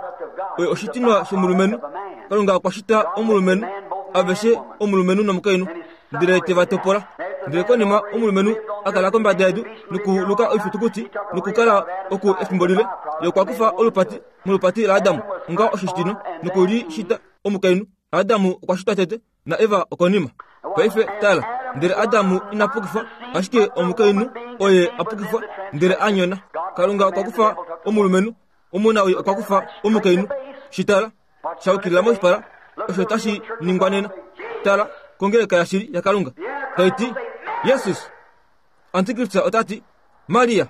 Oye oshitinwa shomulumenhu. Kalunga okwa shita omulumenhu, aveshe omulumenhu nomukainhu, ndele te va topola. Ndele konima omulumenhu a kala kombada yedu nokuluka oifitukuti nokukala oku efimbo lile, ye okwa kufa olupati molupati laAdam onga oshishitinwa noku li shita omukainhu. Adamu okwa shitwa tete, na Eva okonima. Paife tala, ndele Adamu ina pukifwa, ashike omukainhu oye a pukifwa ndele a nyona. Kalunga okwa kufa omulumenhu, omunawii okwa kufa omukainhu. Shi tala, sha yukilila moshipala, osho tashi ningwa nena. Tala kongeleka yashili yaKalunga, tai ti, Jesus! Antikristus ota ti, Maria!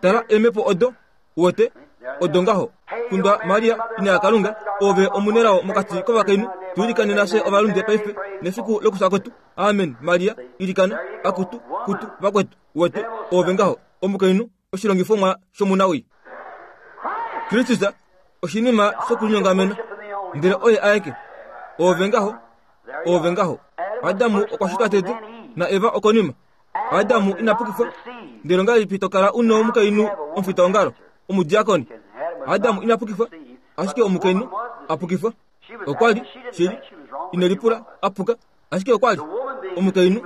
Tala eemhepo odo, uwete, odo ngaho. Kundwa Maria, ina yaKalunga, oove omunelao mokati kovakainhu, tu ilikanena fye ovalunde paife nefiku lokufya kwetu. Amen, Maria, ilikana, akutu, kutu, vakwetu. Uwete, oove ngaho, omukainhu, oshilongifomwa shomunawii. Kristus oshinima shokulinyongamena, ndele oye aeke. Oove ngaho. Oove ngaho. Adamu okwa shitwa tete, na Eva okonima. Adamu ina pukifwa. Ndele ongahelipi to kala u nomukainhu omufitaongalo, omudiakoni? Adamu ina pukifwa, ashike omukainhu a pukifwa. Okwa li, shili, ine lipula, a puka, ashike okwa li omukainhu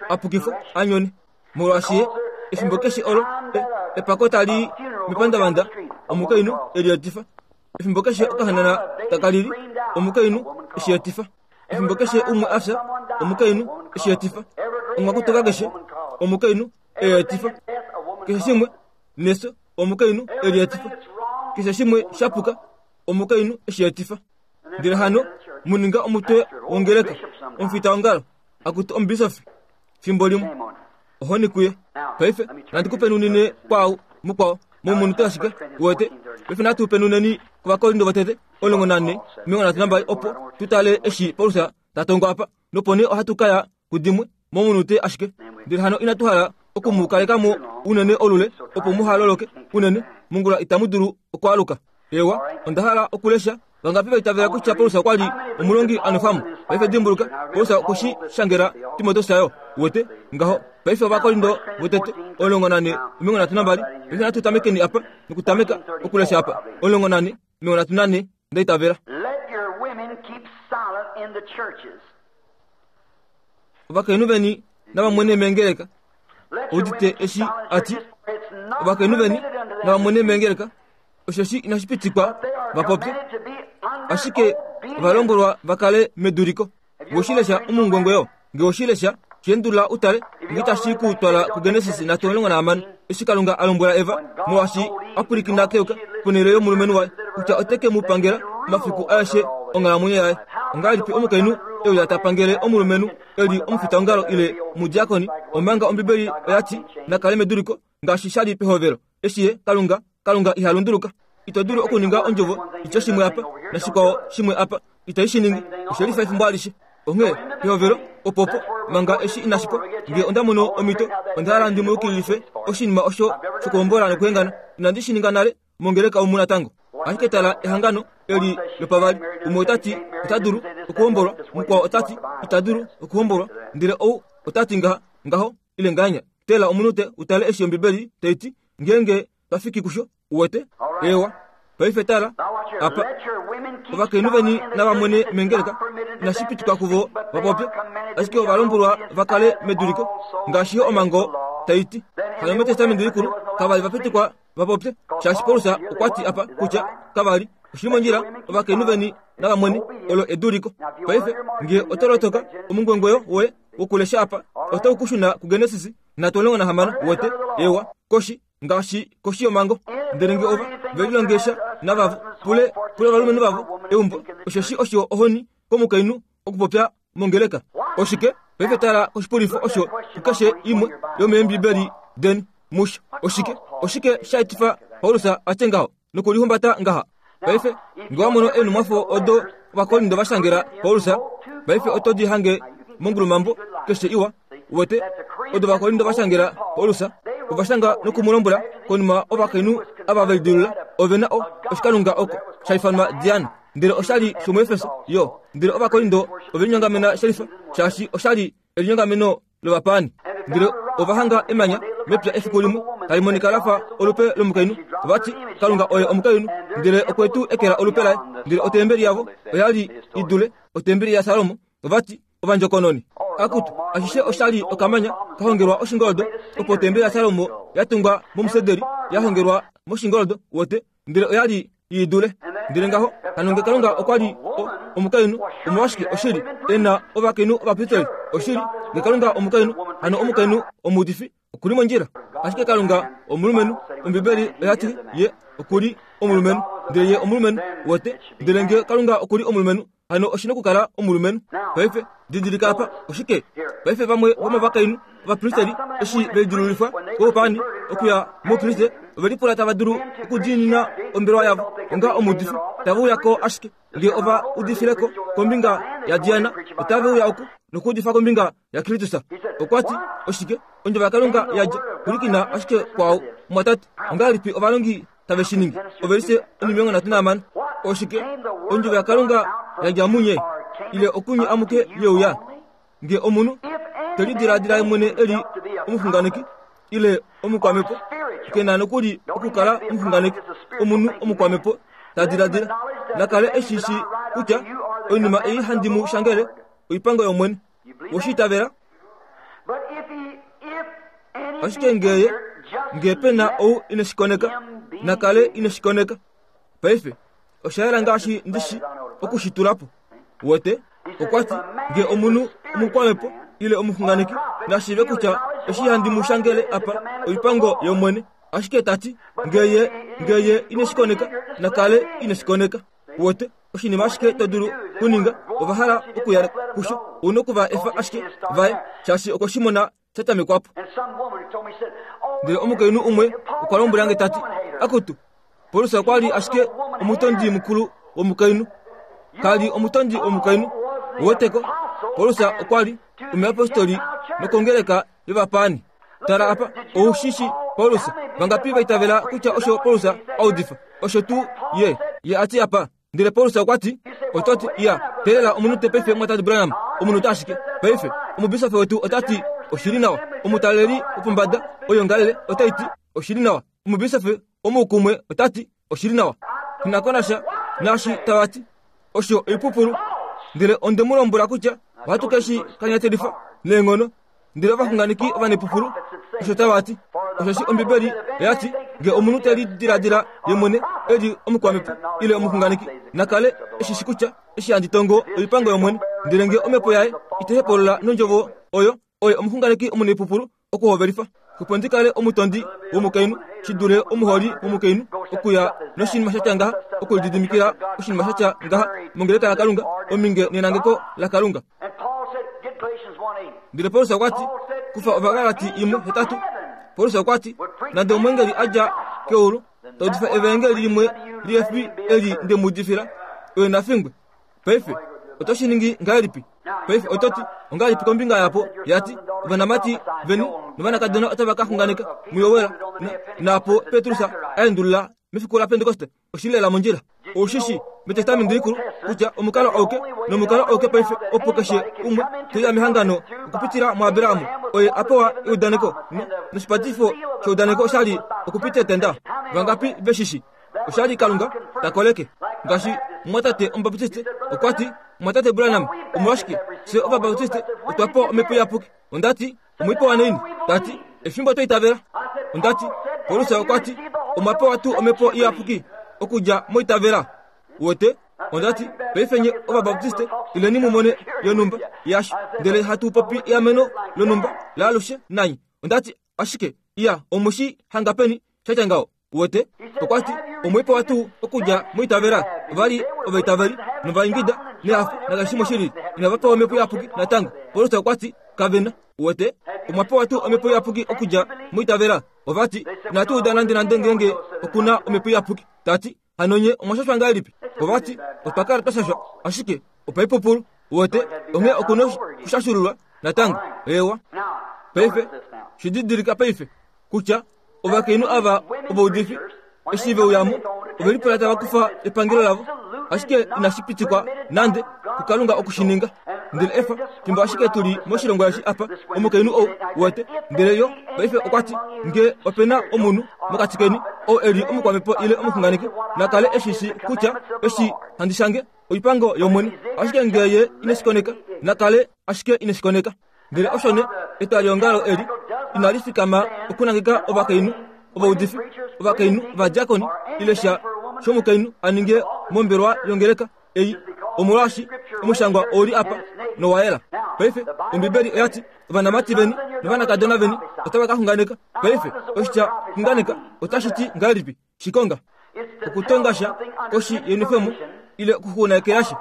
a pukifwa, a nyone. Molwaashi ye, efimbo keshe olo e, epako tali mepandavanda, omukainhu e lietifa. Efimbo keshe okahanana taka lili, omukainhu e shi etifa. Efimbo keshe umwe a fya, omukainhu e shi etifa. Omwakutoka keshe, omukainhu e etifa. Keshe shimwe nefyo, omukainhu e lietifa. Keshe shimwe sha puka, omukainhu e shi etifa. Ndele hano mu ninga omutwe wongeleka, omufitaongalo, akutu omubisofi, fimbo limwe. Ohoni kuye. Paife, nandi ku penunine kwaau mukwao momunute ashike, uwete. Paife natu penuneni kOvakorinto votete, 14, 32, opo tu tale eshi Paulus ta tongo apa, nopo nee ohatu ka ya kudimwe momunute ashike. Ndele hano inatu hala oku mu kaleka mo unene olule, opo muha loloke unene, mongula itamu dulu okwaaluka. Ewa, onda hala okulesha Vangapi va itavela kutya Paulus okwa li omulongi a nwefwa mo? Paife dimbuluka, Paulus okwe shi shangela Timoteus yo. Uwete? Ngaho. Paife Ovakorinto votete, 14, 32. Paife natu tamekeni apa, nokutameka okulesha apa. 14, 34, nda itavela. Let your women keep silent in the churches. Ovakainhu veni nava mwene meengeleka. Udite eshi a ti, Ovakainhu veni nava mwene meengeleka. Osheshi inashi pitikwa va popye, ashike ova lombwelwa va kale meduliko. Nge oshi lesha omungongo yo, nge oshi lesha, shi endulula u tale, nge itashi ku twala kuGenesis nhatu 16, eshi Kalunga a lombwela Eva, molwaashi a pwilikina keyoka ponhele yomulumenhu waye, kutya ote ke mu pangela omafiku aeshe onghalamwenyo yaye. Ongahelipi omukainhu e uya ta pangele omulumenhu e li omufitaongalo ile omudiakoni, omanga Ombibeli oya ti na kale meduliko ngaashi sha li pehovelo, eshi ye, Kalunga, Kalunga iha lunduluka. Ito dulu okuninga ondjovo itye shimwe apa, nashikwao shimwe apa. Itai shi ningi. Oshe lifa efimbo alishe. Onghee, pehovelo, opopo, manga eshi inashi pwa, nge onda mono omhito, onda hala ndi mu yukililife oshinima osho shokuhombola nokuhengana. Inandi shi ninga nale mongeleka omu natango. Ashike tala ehangano eli lopavali. Umwe ota ti ota dulu okuhombolwa, mukwao ota ti ita dulu okuhombolwa, ndele ou ota ti ngaha, ngaho, ile ngahenya. Tela omunute u tale eshi Ombibeli tai ti, ngeenge twa fiki kusho. Uwete? Eewa. Paife tala apa. Ovakainhu veni nava mwene mengeleka, inashi pitikwa kuvo va popye, ashike ova lombwelwa va kale meduliko, ngaashi yo omhango tai ti. Hano mEtestamenti Likulu kava li va pitikwa va popye, shaashi Paulus okwa ti apa kutya kava li. Oshi li mondjila, ovakainhu veni nava mwene, olo eduliko. Paife, nge oto lotoka omungwengweyo woye wokulesha apa, otau ku shuna kuGenesis 36, uwete, ewa, koshi, ngaashi koshi yomhango. Ndele nge ova ve lilongesha navavo, pule, pule ovalumenhu vavo eumbo, osheshi osho ohoni komukainhu okupopya mongeleka. Oshike? Paife tala koshipulifo osho kukeshe imwe yomeembibeli deni musho. Oshike? Oshike sha etifa Paulus a tye ngaho nokulihumbata ngaha? Paife, nge wa mono eenhumwafo odo Ovakorinto va shangela Paulus, paife oto di hange mongulumambo keshe iwa. Uwete, odo Ovakorinto va shangela Paulus, ova shanga noku mu lombwela konima ovakainhu ava ve lidilula ove na o, oshikalunga oko sha ifanwa Diana, ndele osha li shomuEfeso yo. Ndele Ovakorinto ove linyongamena shelifa, shaashi osha li elinyongameno lovapaani. Ndele ova hanga emanya mepya efiku limwe tali monika la fa olupe lomukainhu. Ova ti, Kalunga oye omukainhu, ndele okwe tu ekela olupe laye. Ndele otembeli yavo oya li i dule otembeli yaSalomo. Ova ti, Ovandjokononi, akutu, ashishe osha li okamanya ka hongelwa oshingoldo, opo otembeli yaSalomo ya tungwa momusederi ya hongelwa moshingoldo, wote, ndele oya li i dule. Ndele ngaho, hano nge Kalunga okwa li o, omukainhu, omolwashike oshili e na ovakainhu ovapristeli? Oshili, nge Kalunga omukainhu, hano omukainhu omuudifi oku li mondjila. Ashike Kalunga omulumenhu, Ombibeli oya ti ye oku li omulumenhu, ndele ye omulumenhu, wote. Ndele nge Kalunga oku li omulumenhu, hano oshi nokukala omulumenhu. Paife, didilika apa, oshike? Paife vamwe vomovakainhu ovapristeli eshi ve lidilulifwa koupaani okuya moukriste, ove lipula tava dulu okudiinina ombelewa yavo onga omuudifi, tave uya ko ashike nge ova udifile ko kombinga yaDiana, otave uya oku nokuudifa kombinga yaKristus. Okwa ti, Oshike? Ondjovo yaKalunga ya dja pwilikina ashike kwaau. Mumwatate, ongahelipi ovalongi tave shi ningi? Ovelise 36. Oshike? Ondjovo yaKalunga ya dja munye. ile okunye amuke yeuya. Nge omunhu te lidiladila ye mwene e li omuxunganeki ile omukwamhepo, ke na nokuli okukala omuxunganeki, omunhu omukwamhepo ta diladila, na kale e shi shii kutya oinima ei handi mu shangele oipango yOmwene. Owe shi itavela? Ashike nge ye, nge pe na ou ine shi koneka, na kale ine shi koneka. Paife, osha yela ngaashi ndi shi oku shi tula po. Wete? Okwa ti, nge omunhu omukwamhepo ile omuxunganeki na shiive kutya eshi handi mu shangele apa oipango yOmwene. Ashike ta ti, nge ye, nge ye ine shi koneka, na kale ine shi koneka. Wete? Oshinima ashike to dulu kuninga, ova hala okuya kusho, ou noku va efa ashike vaye, shaashi okwe shi mona sha tamekwa po. Ndele omukainhu umwe okwa lombwela nge ta ti, Akutu, Paulus okwa li ashike omutondi mukulu womukainhu. Ka li omutondi womukainhu. Uweteko, Paulus okwa li omuyapostoli nokongeleka yovapaani. Tala apa, ou shi shi Paulus. Vangapi va itavela kutya osho Paulus a udifa? Osho tuu ye, ye a ti apa. Ndele Paulus okwa ti, Oto ti, iya, teelela omunute paife, Mwatate Branham, omunute ashike. Paife, omubisofi wetu ota ti, Oshi li nawa. Omutaleli wopombada woyongalele otai ti, Oshi li nawa. Omubisofi womoukumwe ota ti, Oshi li nawa. Nghi ko nasha naashi tava ti. Osho oipupulu. Ndele onde mu lombwela kutya ohatu ke shi kanyatelifa neenghono. Ndele ovaxunganeki ovanepupulu osho tava ti. Osheshi Ombibeli oya ti, Nge omunhu te lidiladila ye mwene e li omukwamhepo ile omuxunganeki, na kale e shi shi kutya eshi handi tongo oipango yOmwene. Ndele nge omhepo yaye itai hepolola nondjovo oyo, oye omuxunganeki omunaipupulu okuhovelifa. Opo ndi kale omutondi womukainhu shi dule omuholi womukainhu, okuya noshinima sha tya ngaha, okulididimikila oshinima sha tya ngaha mongeleka yaKalunga, ominge nenangeko laKalunga. Ndele Paulus okwa ti, Kufa Ovagalati 1:8. Paulus okwa ti, Nande omweengeli a dja keulu ta udifa evaengeli limwe lihe fi eli nde mu udifila, oye na fingwe. Paife, oto shi ningi ngahelipi? Paife oto ti, Ongahelipi kombinga yapo ya ti, Ovanamati veni novanakadona otava ka xunganeka muJoel, na, naapo Petrus a endulula mefiku laPentekoste? Oshi li lela mondjila. Ou shi shii, mEtestamenti Likulu, kutya omukalo auke nomukalo auke paife opo keshe umwe te uya mehangano okupitila muAbraham, oye a pewa eudaneko, no, noshipatifo sheudaneko osha li okupita etenda. Vangapi ve shi shii? Osha li Kalunga ta koleke. Ngaashi mumwatate Omubaptiste okwa ti, Mumwatate Branham, omolwashike fye Ovabaptiste otwa pewa Omhepo Iyapuki? Onda ti, Omwa pewa naini? Ta ti, Efimbo twa itavela. Onda ti, Paulus okwa ti, Omwa pewa tuu Omhepo Iyapuki okudja moitavela? Uwete? Onda ti, Paife nye Ovabaptiste ileni mu mone yonhumba yasho, ndele hatu popi eameno lonhumba laalushe nanye. Onda ti, Ashike, iya, omu shi hanga peni sha tya ngaho? Uwete? Okwa ti, Omwe pewa tuu okudja moitavela? Ova li ovaitaveli, nova ingida nehafo nakeshe shimwe shilili. Inava pewa Omhepo Iyapuki natango. Paulus okwa ti, Kave na. Uwete? Omwa pewa tuu Omhepo Iyapuki okudja moitavela? Ova ti, Inatu uda nandenande ngeenge oku na Omhepo Iyapuki. Ta ti, Hano nye omwa shashwa ngahelipi? Ova ti, Otwa kala twa shashwa, ashike opaipupulu. Uwete? Onghee oku na okushashululwa natango. Eewa. Paife, shi didilika paife, kutya ovakainhu ava ovaudifi eshi ve uya mo ove lipula tava kufa epangelo lavo ashike inashi pitikwa nande kukalunga oku shi ninga ndele efa fimbo ashike tu li moshilongo eshi apa omukainhu ou wete ndele yo paife okwa ti nge ope na omunhu mokati keni ou e li omukwamhepo ile omuxunganeki na kale e shi shi kutya eshi handi shange oipango yOmwene ashike nge ye ine shi koneka na kale ashike ine shi koneka Ndele osho ne etwaliongalo eli inali fikama okunangeka ovakainhu ovaudifi, ovakainhu ovadiakoni ile sha shomukainhu a ninge mombelewa yongeleka ei, omolwaashi omushangwa ou li apa nowa yela. Paife Ombibeli oya ti, Ovanamati veni novanakadona veni otava ka xunganeka. Paife oshitya xunganeka otashi ti ngahelipi? Shikonga okutonga sha koshi yenwefemo ile okuxuunekelasha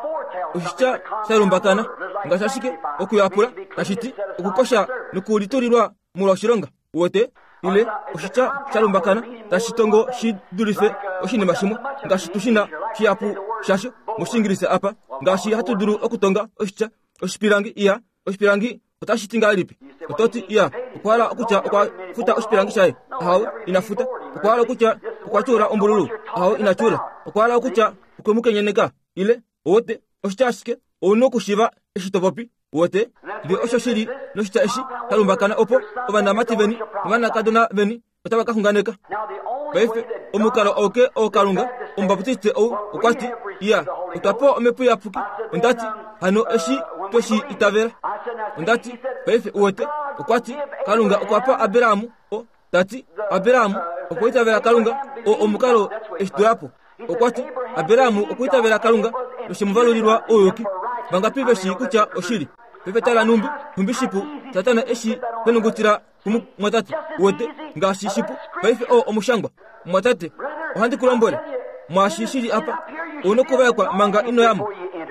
oshitya sha lumbakana ngaashi ashike okuyapula tashi ti okukosha nokulitulilwa molwa oshilonga uwete ile oshitya sha lumbakana tashi tongo shi dulife oshinima shimwe ngaashi tu shi na shihapu shasho mOshiingilisa apa ngaashi hatu dulu okutonga oshitya oshipilangi iya oshipilangi Otashi ti ngahelipi? Oto ti, Iya, okwa hala okutya okwa futa oshipilangi shaye. Ahawe, ina futa. Okwa hala okutya okwa tyuula ombululu. Ahawe, ina tyuula. Okwa hala okutya okwe mu kenyeneka. Ile, owote, oshitya ashike. Ou na okushiiva eshi to popi. Uwete? Ndele osho shi li noshitya eshi sha lumbakana opo ovanamati veni novanakadona veni otava ka xunganeka. Paife, omukalo auke oo Kalunga, Omubaptiste ou, okwa ti, Iya, otwa pewa Omhepo Iyapuki. Onda ti, Hano eshi twe shi itavela. Onda ti, Paife, uwete, okwa ti, Kalunga okwa pa Abraham o, ta ti, Abraham okwa itavela Kalunga, o omukalo eshi tula po. Okwa ti, Abraham okwa itavela Kalunga, noshe mu valulilwa ouyuki. Vangapi ve shii kutya oshili? Paife tala nhumbi, nhumbi shipu Satana eshi henungutila kumumwatate wete ngaashi shipu paife oo omushangwa mumwatate ohandi ku lombwele mwaashi shi li apa ou nokuvaekwa manga ino yamo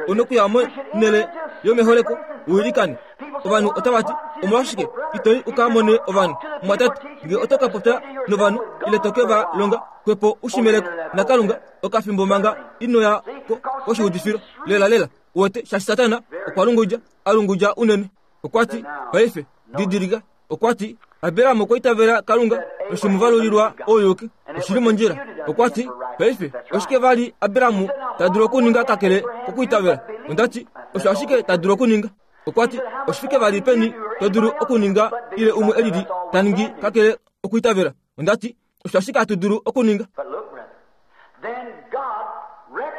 ou nokuya monhele yomeholeko u ilikane ovanhu otava ti omolwashike ito i u ka mone ovanhu mumwatate nge oto ka popya novanhu ile to ke va longa xwepo u shimeleko nakalunga okafimbo manga ino ya ko koshiudifilo lela lela wete shaashi satana okwa lungudja a lungudja unene Okwa ti, Paife, didilika, okwa ti, Abraham okwa itavela Kalunga noshi mu valulilwa ouyuki. Oshi li mondjila. Okwa ti, Paife, oshike vali Abraham ta dulu okuninga kakele kokwiitavela? Onda ti, Osho ashike ta dulu okuninga. Okwa ti, Oshifike vali peni to dulu okuninga ile umwe e lili ta ningi kakele okwiitavela? Onda ti, Osho ashike hatu dulu okuninga.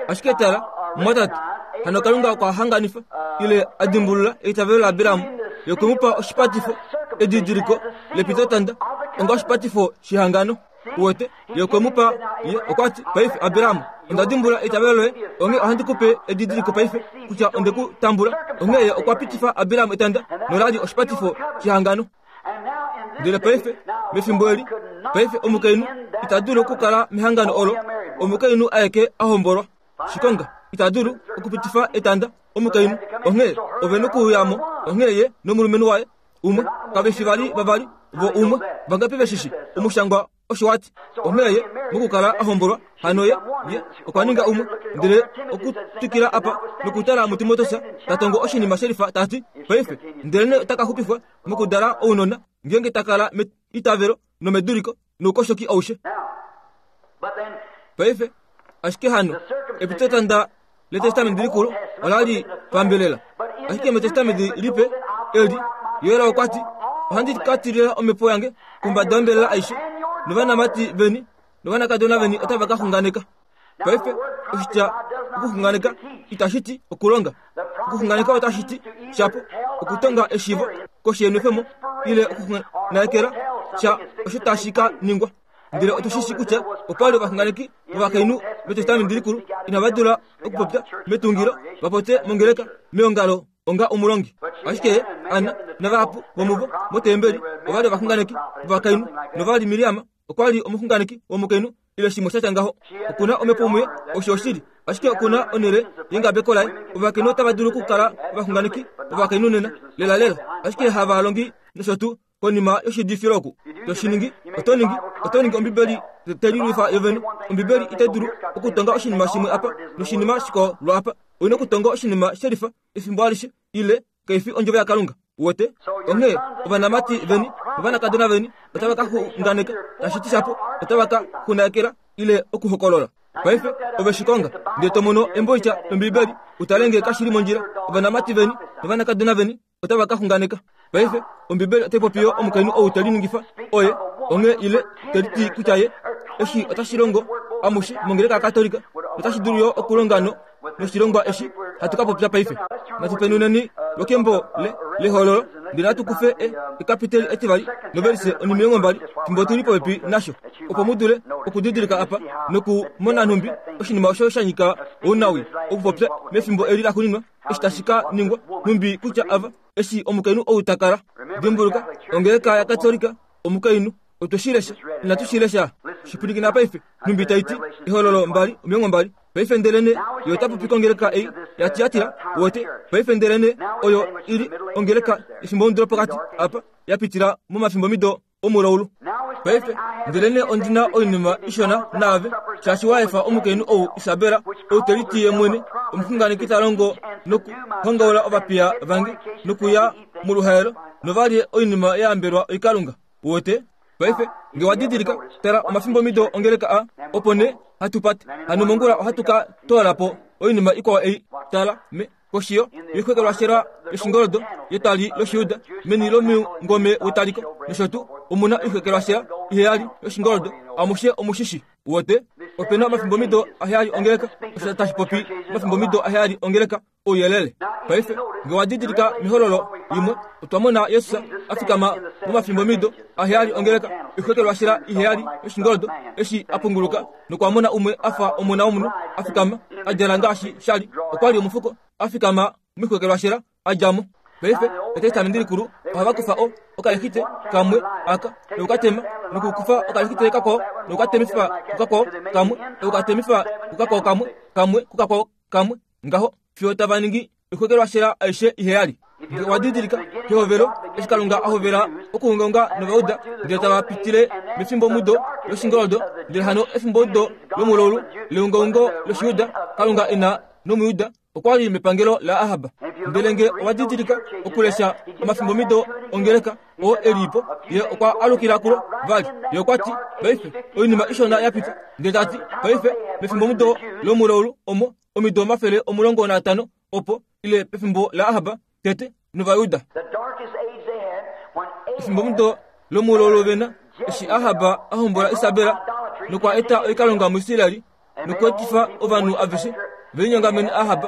Ashike tala, mumwatate, hano Kalunga okwa hanganifa ile a dimbulula eitavelo laAbraham yoku mu pa oshipatifo, edidiliko lepitotanda onga oshipatifo shehangano. Uwete, ye okwe mu pa, ye okwa ti, Paife, Abraham, onda dimbulula eitavelo loye, onghee ohandi ku pe edidiliko paife kutya onde ku tambula. Onghee ye okwa pitifa Abraham etanda, nola li oshipatifo shehangano. Ndele paife, mefimbo eli, paife omukainhu ita dulu okukala mehangano olo omukainhu aeke a hombolwa. Shikonga ita dulu okupitifa etanda omukainhu, onghee ove nokuuya mo. Onghee ye nomulumenhu waye umwe kave fi vali vavali, vo umwe. Vangapi ve shi shi? Omushangwa Osho a ti. Onghee ye mokukala a hombolwa, hano ye, ye okwa ninga umwe. Ndele okutwikila apa nokutala muTimoteus ta tongo oshinima shelifa ta ti, Paife, ndelenee ota ka xupifwa mokudala ounona, ngeenge ta kala meitavelo nomeduliko noukoshoki aushe. Paife, ashike hano, epitotanda lEtestamenti Likulu ola li pambelela. Ashike mEtestamenti Lipe eli, Yoel okwa ti, Ohandi ka tilila omhepo yange kombada yombelela aishe, novanamati veni novanakadona veni otava ka xunganeka. Paife oshitya okuxunganeka itashi ti okulonga. Okuxunganeka otashi ti shapo okutonga eshiivo koshi yenwefemo ile okuxunganekela sha osho tashi ka ningwa. Ndele otu shi shii kutya opa li ovaxunganeki vovakainhu mEtestamenti Likulu inava dula okupopya metungilo va popye mongeleka meongalo onga omulongi. Ashike Anna navahapu vomuvo motembeli ova li ovaxunganeki vovakainhu, nova li Miriam okwa li omuxunganeki womukainhu ile shimwe sha tya ngaho. Oku na omhepo muye, osho oshili, ashike oku na onhele yengabeko laye. Ovakainhu otava dulu okukala ovaxunganeki vovakainhu nena, lelalela, ashike havalongi nosho tuu. Konima yoshiudifilo oku to shi ningi, oto ningi, oto ningi Ombibeli te lilwifa yovene. Ombibeli itai dulu okutonga oshinima shimwe apa noshinima shikwao lwaapa. Oi na okutonga oshinima shelifa efimbo alishe, ile kai fi Ondjovo yaKalunga. Uwete? Onghee ovanamati veni novanakadona veni otava ka xunganeka, tashi ti shapo otava ka xunakela ile okuhokolola. Paife ove shi konga, ndele to mono emboitya lOmbibeli, u tale nge kashi li mondjila. Ovanamati veni novanakadona veni otava ka xunganeka. Paife, Ombibeli otai popi yo omukainhu ou te liningifa oye onghee ile te liti kutya ye eshi otashi longo amushe mongeleka yaKatolika notashi dulu yo okulonga no noshilongwa eshi hatu ka popya paife. Natu penuneni lwokembo le lehololo ndele natu kufe e, ekapiteli etivali novelise onimilongo mbali fimbo tu li popepi nasho opo mu dule okudidilika apa nokumona nhumbi oshinima osho sha nyika ounawi okupopya mefimbo eli laxuuninwa eshi tashi ka ningwa, nhumbi kutya ava, eshi omukainhu ou ta kala. Dimbuluka, ongeleka yaKatolika, omukainhu. Otwe shi lesha, inatu shi lesha? Shi pwilikina paife, nhumbi tai ti, Ehololo 2:20. Paife ndelene, ye ota popi kongeleka ei yaTiatira, uwete, paife ndelene, oyo i li ongeleka yefimbomudo lopokati apa, ya pitila momafimbomido omulaulu. Paife, ndelenee ondi na oinima ishona naave, shaashi wa efa omukainhu ou Isabel, ou te liti ye mwene omuxunganeki ta longo nokuhongaula ovapiya vange nokuya moluhaelo, nova lye oinima ya yambelwa oikalunga. Uwete? Paife, nge wa didilika, tala omafimbomido ongeleka a, opo nee hatu pate. Hano mongula ohatu ka toola po oinima ikwao ei. Tala, me. Koshi yo yoixwekelwashela yoshingoldo yetwali lOshijuda, meni lomungome wetaliko nosho tuu, omu na oixwekelwashela iheyali yoshingoldo. Amushe omu shi shii. Uwete? Ope na omafimbomido aheyali ongeleka, osho tashi popi omafimbomido aheyali ongeleka, ouyelele. Paife, nge wa didilika mehololo imwe, otwa mona Jesus a fikama momafimbomido aheyali ongeleka, oixwekelwashela iheyali yoshingoldo, eshi a punguluka nokwa mona umwe a fa omona womunhu a fikama, a djala ngaashi sha li. Okwa li omufuko, a fikama moixwekelwashela, a dja mo. Paife, Etestamenti Likulu, ohava kufa o, okalexite kamwe aka, noku ka tema, nokukufa okalexite kakwao, noku ka temifa kukakwao kamwe, noku ka temifa kukakwao kamwe, kamwe kukakwao kamwe, ngaho, fiyo tava ningi oixwekelwashela aishe iheyali. Nge owa didilika, kehovelo, eshi Kalunga a hovela okuungaunga nOvauda, ndele tava pitile mefimbomudo loshingoldo, ndele hano efimbomudo lomulaulu leungaungo lOshijuda, Kalunga e na nOmujuda okwa li mepangelo laAhab. Ndele nge owa didilika okulesha omafimbomido ongeleka oo e li po, ye okwa alukila kulo vali. Ye okwa ti, Paife, oinima ishona ya pita. Ndele ta ti, Paife, mefimbomudo lomulaulu omo, omido 150 opo, ile pefimbo laAhab tete nOvayuda. Efimbomudo lomulaulu vena, eshi Ahab a hombola Isabel nokwa eta oikalunga muIsrael nokweetifa ovanhu aveshe ve linyongamene Ahab,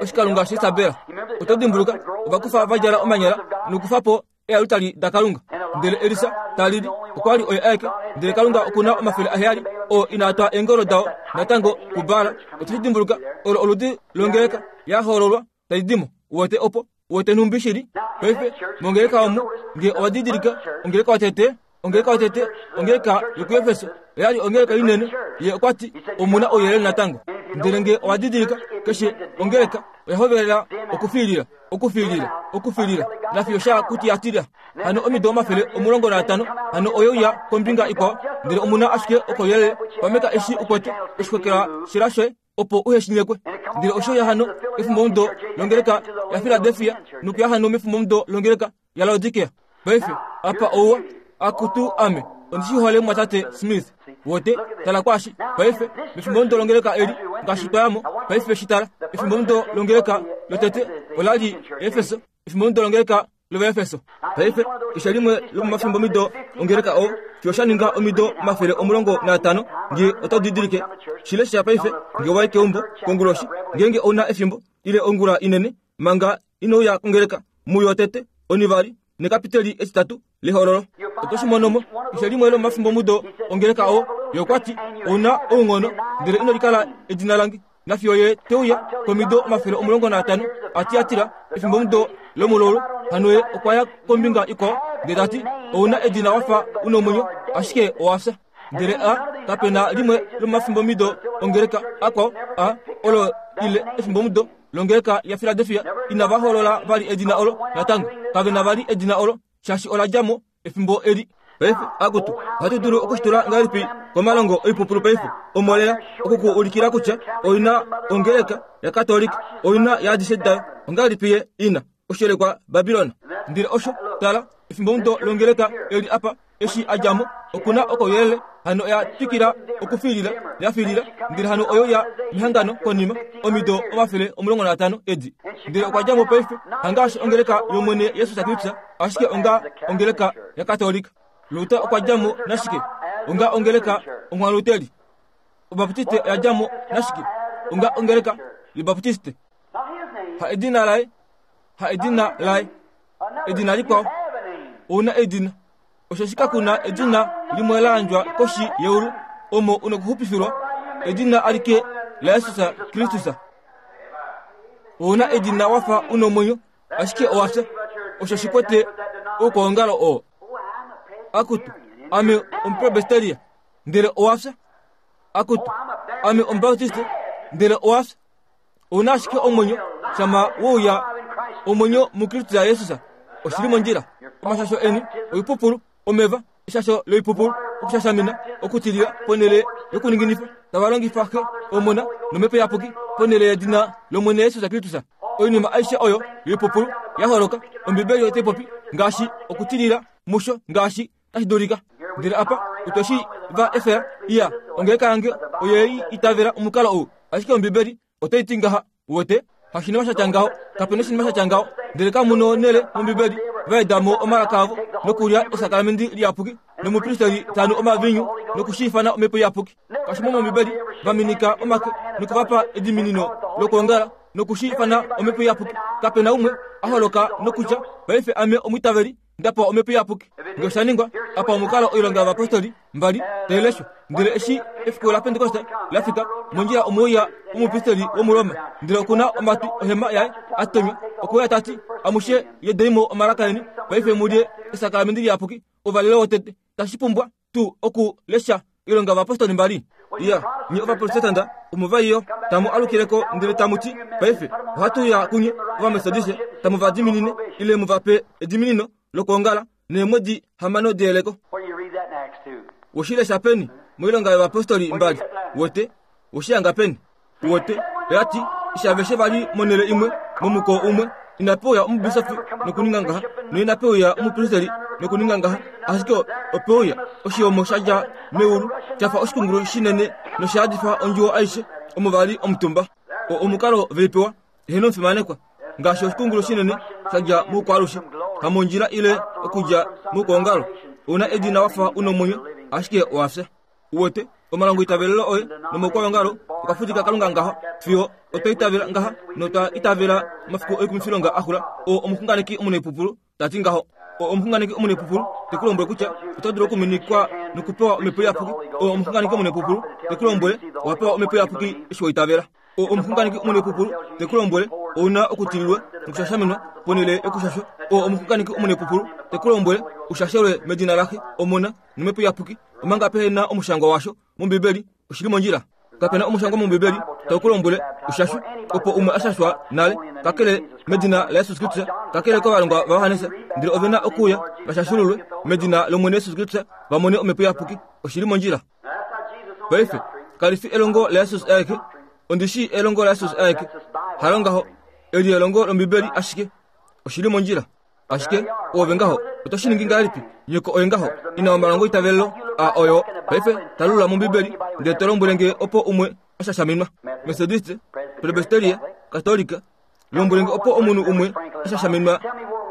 oshikalunga shaIsabel. Oto dimbuluka, ova kufa va djala omanyala nokufa po ealutali daKalunga. Ndele Elisa ta lili, okwa li oye aeke, ndele Kalunga oku na 700 oo inaa twa eengolo dao natango kuBaal. Oto shi dimbuluka, olo oludi longeleka ya hoololwa tai di mo. Uwete opo, uwete nhumbi shi li paife mongeleka omu, nge owa didilika ongeleka yotete, ongeleka yotete, ongeleka yokuEfeso, oya li ongeleka inene. Ye okwa ti, Omu na ouyelele natango. Ndele nge owa didilika, keshe ongeleka oya hovelela okufiilila, okufiilila, okufiilila, nafiyo sha kuti ya tilya. Hano omido 150, hano oye uya kombinga ikwao, ndele omu na ashike okouyelele. Pameka eshi u kwete oshikokela shela shoye, opo uhe shi nyekwe. Ndele osho ya hano mefimbomudo longeleka yaFiladelfia nokuya hano mefimbomudo longeleka yaLaodikea. Paife, apa ouwa, akutu ame, ondi shi hole mumwatate Smith. Wote, tala kwaashi. Paife, mefimbomudo longeleka eli, ngaashi twa ya mo, paife shi tala. Efimbomudo longeleka lotete ola li Efeso, efimbomudo longeleka lOvaefeso. Paife, keshe limwe lomomafimbomido ongeleka oo, fiyo sha ninga omido 150, nge oto didilike. Shi lesha paife, nge wa i keumbo, konguloshi, ngeenge ou na efimbo, ile ongula inene, manga ino uya kongeleka, muyo tete, onivali, nekapiteli etitatu lehololo. Oto shi mono mo, keshe limwe lomomafimbomudo ongeleka oo. Ye okwa ti, Ou na ounghono, ndele ino likala edina lange. Nafiyo ye te uya komido 150 a Tiatira, efimbomudo lomulaulu, hano ye okwa ya kombinga ikwao, ndele ta ti, Ou na edina wa fa u nomwenyo, ashike owa fya. Ndele a, kape na limwe lomomafimbomido ongeleka akwao a, olo ile efimbomudo longeleka yaFiladelfia, inava holola vali edina olo natango. Kave na vali edina olo, shaashi ola dja mo efimbo eli. Paife, akutu, ohatu dulu okushitula ngahelipi komalongo oipupulu paife? Omolela oku ku ulikila kutya oi na ongeleka yaKatolika, oi na yaadishe dayo. Ongahelipi ye i na oshelekwa Babilon? Ndele osho, tala, efimbomudo longeleka eli apa, eshi a dja mo, oku na okouyelele, hano oya twikila okufiilila, ya fiilila, ndele hano oyo ya mehangano konima, omido 150 edi. Ndele okwa dja mo paife, hangaashi ongeleka yOmwene Jesus Kristus, ashike onga ongeleka yaKatolika. Luther okwa dja mo nashike? Onga ongeleka onghwaluteli. Obaptiste oya dja mo nashike? Onga ongeleka yObaptiste. Ha edina laye, ha edina laye, edina likwao. Ou na edina. Osheshi kaku na edina limwe la yandjwa koshi yeulu omo u nokuxupifilwa, edina alike laJesus Kristus. Ou na edina wa fa u nomwenyo, ashike owa fya. Osho shi kwete oukwaongalo oo. Akutu, ame Omupresbiteria, ndele owa fya. Akutu, ame Omubaptiste, ndele owa fya. Ou na ashike omwenyo shama we uya omwenyo muKristus Jesus. Oshi li mondjila. Omashasho eni oipupulu, omeva, eshasho loipupulu, okushashamina, okutilila ponhele yokuninginifa, tava longifa Xe, Omona nOmhepo Iyapuki ponhele yedina lOmwene Jesus Kristus. Oinima aishe oyo yoipupulu ya holoka, Ombibeli otai popi ngaashi okutilila musho ngaashi tashi dulika. Ndele apa otwe shi va efela. Iya, ongeleka yange oye i itavela omukalo ou, ashike Ombibeli otai ti ngaha. Uwete? Hashinima sha tya ngaho, kape noshinima sha tya ngaho. Ndele kamu nonhele mOmbibeli va eda mo omalaka avo nokulya esakalamende liyapuki nomupristeri ta nu omaviinyu noku shi ifana Omhepo Iyapuki. Kashi mo mOmbibeli va minika omake noku va pa ediminino lokwoongala noku shi ifana Omhepo Iyapuki. Kape na umwe a holoka nokutya, Paife ame omwiitaveli, nda pewa Omhepo Iyapuki. Nge osha ningwa, apa omukalo Oilonga yOvapostoli mbali tai leshwa. Ndele eshi efiku laPentekoste la fika, mondjila omwe uya omupristeli wOmuroma, ndele oku na omatwi ohema yaye a tonywa. Okwe uya ta ti, Amushe yedei mo omalaka eni, paife mu lye esakalamende liyapuki, ouvalelo wotete. Tashi pumbwa tuu oku lesha Oilonga yOvapostoli mbali? Iya, nye Ovaprotestanta omu va iyo, tamu alukile ko ndele tamu ti, Paife ohatu uya kunye Ovametodiste, tamu va diminine ile mu va pe ediminino lokwoongala neemwedi hamano deyeleko. We shi lesha peni mOilonga yOvapostoli mbali? Wete, we shi hanga peni? Uwete, oya ti, eshi aveshe va li monhele imwe, momukoo umwe, inape uya omubisofi nokuninga ngaha, noinape uya omupristeli nokuninga ngaha, ashike ope uya oshihomo sha dja meulu, sha fa oshikungulu shinene nosha yadifa ondjuwo aishe omo va li omutumba. O omukalo ve i pewa, eheno omufimanekwa, ngaashi oshikungulu shinene sha dja moukwaalushe, hamondjila ile okudja moukwaongalo. Ou na edina wa fa u nomwenyo, ashike owa fya. Uwete, omalongoitavelelo oye nomaukwalongalo okwa fudika Kalunga ngaho, fiyo otwa itavela ngaha notwa itavela omafiku oikumifilonga a xula. Oo omuxunganeki omunaipupulu ta ti ngaho. Oo omuxunganeki omunaipupulu te ku lombwele kutya oto dulu okuminikwa nokupewa Omhepo Iyapuki. Oo omuxunganeki omunaipupulu te ku lombwele owa pewa Omhepo Iyapuki eshi wa itavela. Oo omuxunganeki omunaipupulu te ku lombwele ou na okutililwa nokushashaminwa ponhele yokushashwa. Oo omuxunganeki omunaipupulu te ku lombwele u shashelwe medina laXe, Omona nOmhepo Iyapuki, omanga pehe na omushangwa washo mOmbibeli. Oshi li mondjila. Kape na omushangwa mOmbibeli tau ku lombwele u shashwe opo umwe a shashwa nale, kakele medina laJesus Kristus, kakele kovalongwa vaJohannes, ndele ove na okuuya va shashululwe medina lOmwene Jesus Kristus va mone Omhepo Iyapuki. Oshi li mondjila. Paife, kali fi elongo laJesus aeke. Ondi shii elongo laJesus aeke. Halo ngaho. Eli elongo lOmbibeli ashike. Oshi li mondjila. Ashike, oove ngaho, oto shi ningi ngahelipi? Nyoko oye ngaho, ina omalongo itavelelo a oyo. Paife, talulula mOmbibeli, ndele to lombwele nge opo umwe a shashaminwa. Methodiste, Presbyteria, Katolika, Lombwele nge opo omunhu umwe a shashaminwa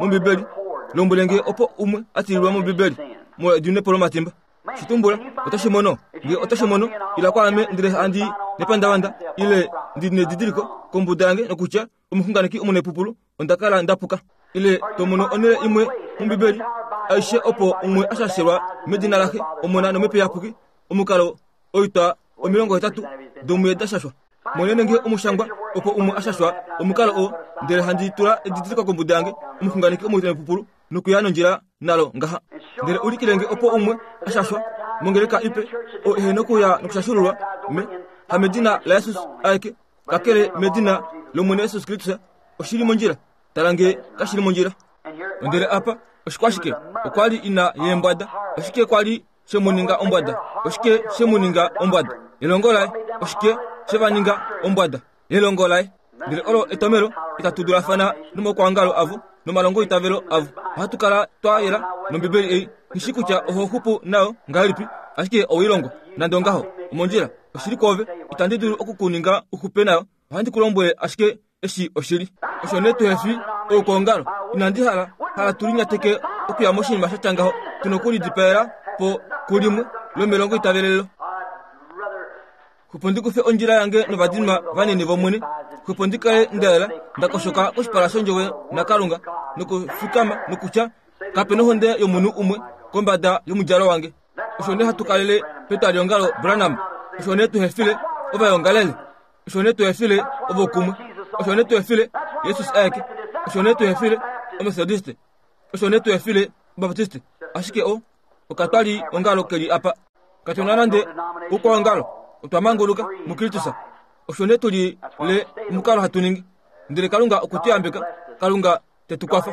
mOmbibeli. Lombwele nge opo umwe a tililwa mOmbibeli molwa edinepo lomatimba. Shi tumbula, oto shi mono. Nge oto shi mono, ila kwaame ndele handi nepandavanda ile ndi nedidiliko kombuda yange nokutya omuxunganeki omunepupulu onda kala nda puka. Ile to mono onhele imwe mOmbibeli aishe opo umwe a shashelwa medina laXe, Omona nOmhepo Iyapuki, omukalo oitwa 80 domuye da shashwa. Monene nge omushangwa opo umwe a shashwa omukalo oo, ndele handi tula edidiliko kombuda yange, omuxunganeki omuitavepupulu, nokuya nondjila nalo ngaha. Ndele ulikile nge opo umwe a shashwa mongeleka ipe, oo ehe nokuya nokushashululwa me, hamedina laJesus aeke, kakele medina lOmwene Jesus Kristus. Oshi li mondjila. Tala nge kashi li mondjila. Ndele apa oshikwashike? Okwa li ina yeembwada. Oshike kwa li she mu ninga ombwada? Oshike she mu ninga ombwada? Elongo laye. Oshike she va ninga ombwada? Elongo laye. Ndele olo etomelo itatu dulafana nomaukwaongalo avo nomalongoitavelo avo. Ohatu kala twa yela nOmbibeli ei. Nghi shii kutya oho xupu nayo ngahelipi, ashike owe i longwa. Nande ongaho, omondjila. Oshili kwoove, itandi dulu oku ku ninga u xupe nayo. Ohandi ku lombwele ashike eshi oshili. Osho nee tuhe fi oukwaongalo. Inandi hala, hala tu linyateke okuya moshinima sha tya ngaho. Tu nokulidipaela po kulimwe lomelongo itavelelelo. Xupo ndi kufe ondjila yange novadinwa vanini vOmwene. Xupo ndi kale nda yela, nda koshoka koshipala shOndjovo naKalunga, nokufikama nokutya, Kape nohonde yomunhu umwe kombada yomudjalo wange. Osho nee hatu kalele petwaliongalo Branham. Osho nee tuhe file ovaongalele. Osho nee tuhefile ovo kumwe. Osho nee tuhefile Jesus aeke. Osho nee tuhefile Omethodiste. Osho nee tuhefile Obaptiste. Ashike o, okatwali ongalo ke li apa. Katu na nande oukwaongalo. Otwa manguluka muKristus. Osho nee tu li le omukalo hatu ningi. Ndele Kalunga okwe tu yambeka. Kalunga te tu kwafa.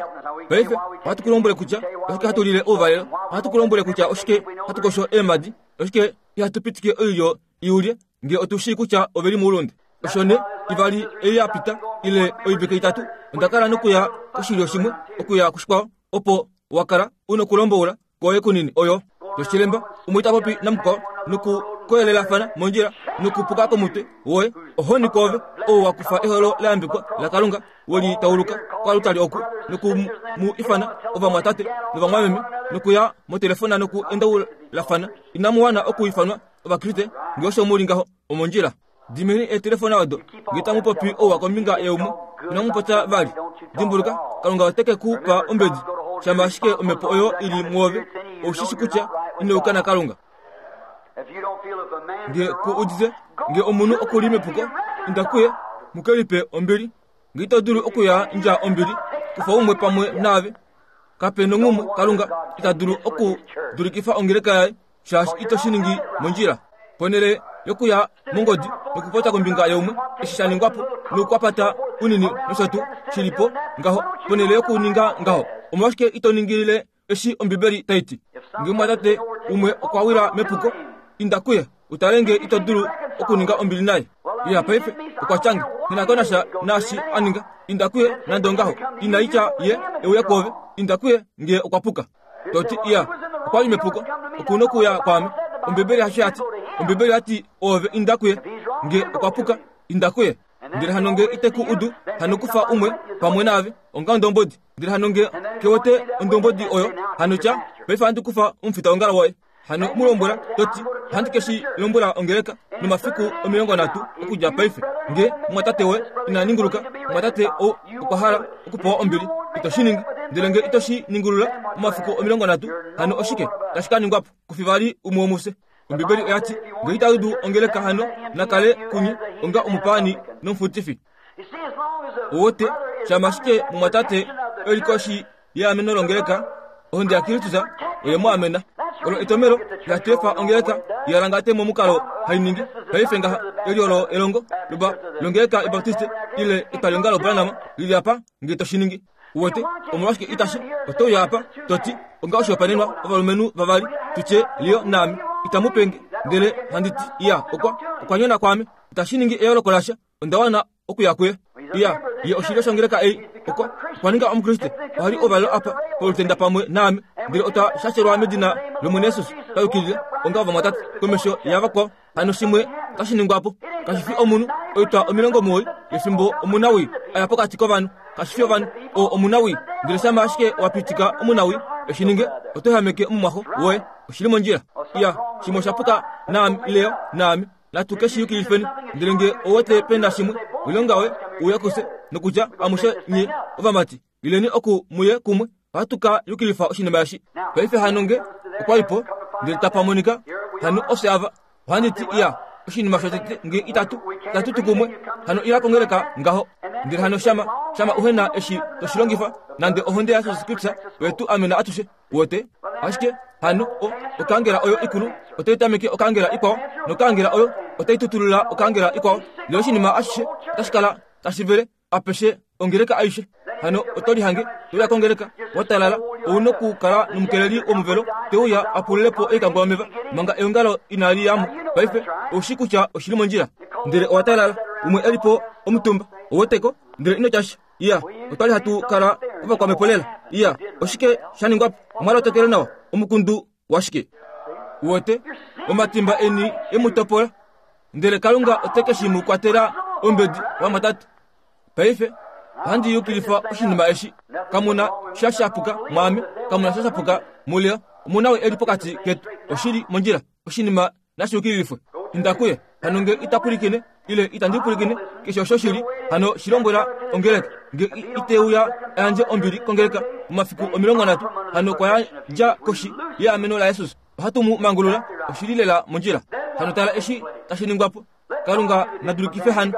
Paife ohatu ku lombwele kutya oshike hatu lile ouvalelo. Ohatu ku lombwele kutya oshike hatu kosho eemhadi. Oshike ihatu pitike oilyo i ulye nge otu shii kutya ove li moulunde. Osho nee, ivali ei ya pita, ile oivike itatu, onda kala nokuya koshilyo shimwe okuya kushikwao, opo wa kala u nokulomboula kwoye kunini oyo yoshilemba, umwe ta popi namukwao noku koyelelafana mondjila nokupuka komutwe woye. Ohoni koove ou wa kufa eholo la yambekwa laKalunga, we li tauluka koalutali oku, noku mu ifana ovamwatate novamwameme, nokuya motelefona noku endaulafana. Inamu wana oku ifanwa Ovakriste nge osho mu li ngaho omondjila. Dimeni eetelefona odo nge tamu popi ouwa kombinga yaumwe. Inamu popya vali. Dimbuluka, Kalunga ote ke ku pa ombedi shama ashike omhepo oyo i li mwoove. Ou shi shi kutya ino yuka naKalunga. Nge ku udite nge omunhu oku li mepuko, inda kuye mu ke lipe ombili. Nge ito dulu okuyandja ombili, kufa umwe pamwe naave. Kape nonghumwe Kalunga ita dulu okudulikifa ongeleka yaye shaashi ito shi ningi mondjila. Ponhele yokuya mongodi nokupopya kombinga yaumwe eshi sha ningwa po noukwapata unini nosho tuu shi li po ngaho, ponhele yokuninga ngaho, omolwashike ito ningilile eshi Ombibeli tai ti? Nge omumwatate umwe okwa wila mepuko, inda kuye u tale nge ito dulu okuninga ombili naye. Iya, paife okwa tya nge, Nghi na ko nasha naashi a ninga. Inda kuye nande ongaho. Ina tya ye e uye kwoove. Inda kuye nge okwa puka. To ti, Iya, okwa li mepuko. Oku nokuuya kwaame. Ombibeli hasho ya ti. Ombibeli oya ti, Oove inda kuye. Nge okwa puka, inda kuye. Ndele hano nge ite ku udu, hano kufa umwe pamwe naave, onga ondombodi. Ndele hano nge ke wete ondombodi oyo, hano tya, Paife ohandi kufa omufitaongalo woye. Hano mu lombwela, to ti, Ohandi ke shi lombwela ongeleka nomafiku 30 okudja paife. Nge mumwatate woye ina ninguluka, mumwatate ou okwa hala okupewa ombili, ito shi ningi. Ndele nge ito shi ningulula momafiku 30, hano oshike tashi ka ningwa po? Kufi vali umwe womufye. Ombibeli oya ti, Nge ita dudu ongeleka hano na kale kunye onga omupaani nomufutifi. Owote, shama ashike mumwatate e li koshi yeameno longeleka, ohonde yaKristus oye mu amena. Olo etomelo ihatu efa ongeleka i alangate momukalo hai ningi paife ngaha. Eli olo elongo loba longeleka yObaptiste ile etwaliongalo Branham li li apa nge to shi ningi. Uwete, omolwashike itashi? Oto uya apa, to ti, onga oshihopaenenwa ovalumenhu vavali, tu tye Leo naame, itamu pe nge, ndele handi ti, Iya, okwa, okwa nyona kwaame. Itashi ningi eyooloko lasha. Onda wana okuya kuye. Iya, ye oshilyo shongeleka ei. Okwa, okwa ninga Omukriste. Oha li ouvalelo apa polutenda pamwe naame. Ndele otwa shashelwa medina lOmwene Jesus, twa yukilile, onga ovamwatate, komesho yavakwao. Hano shimwe otashi ningwa po. Kashi fi omunhu, oitwa 90 yefimbo omunawii a ya pokati kovanhu. Kashi fi ovanhu, oo omunawii. Ndele shama ashike wa pitika omunawii e shi ninge, oto ehameke omumwaxo woye. Oshi li mondjila. Iya, shimwe osha puka naame, Leo, naame. Natu ke shi yukilifeni. Ndele nge ou wete pe na shimwe, oilonga yoye, uya kufye, nokutya, amushe nye ovamati, ileni oku mu ye kumwe, ohatu ka yukilifa oshinima eshi. Paife hano nge okwa li po, ndele tapa monika, hano ofye ava. Ohandi ti, iya, oshinima shotete nge itatu, itatu tu kumwe, hano ila kongeleka ngaho. Ndele hano shama, shama uhe na eshi to shi longifa, nande ohonde yaJesus Kristus oye tu amena atushe. Uwete? Ashike hano o, okangela oyo ikulu otai tameke okangela ikwao, nokangela oyo otai tutulula okangela ikwao. Ndele oshinima ashishe otashi kala tashi vele apeshe ongeleka aishe. Hano oto lihange to uya kongeleka wa talala, ou nokukala nomukeleli womuvelo te uya a pulule po oikangwa yomeva manga eongalo inali ya mo. Paife ou shii kutya oshi li mondjila. Ndele owa talala, umwe e li po omutumba, ou wete ko, ndele ino tya sha. Iya, otwa li hatu kala ovakwamhepo lela. Iya, oshike sha ningwa po? Omwa lotokele nawa. Omukundu washike? Uwete, omatimba eni e mu topola, ndele Kalunga ote ke shi mu kwatela ombedi, vamwatate. Paife, ohandi yukilifa oshinima eshi. Kamu na sha sha puka mwaame, kamu na sha sha puka muLeo. Omu na e li pokati ketu. Oshi li mondjila. Oshinima nashi yukililifwe. Inda kuye. Hano nge ita pwilikine, ile itandi pwilikine, keshe osho shi li, hano shi lombwela ongeleka. Nge ite uya a yandje ombili kongeleka momafiku 30, hano okwa yandja koshi yeameno laJesus. Ohatu mu mangulula. Oshi li lela mondjila. Hano tala eshi tashi ningwa po. Kalunga na dulikife hano.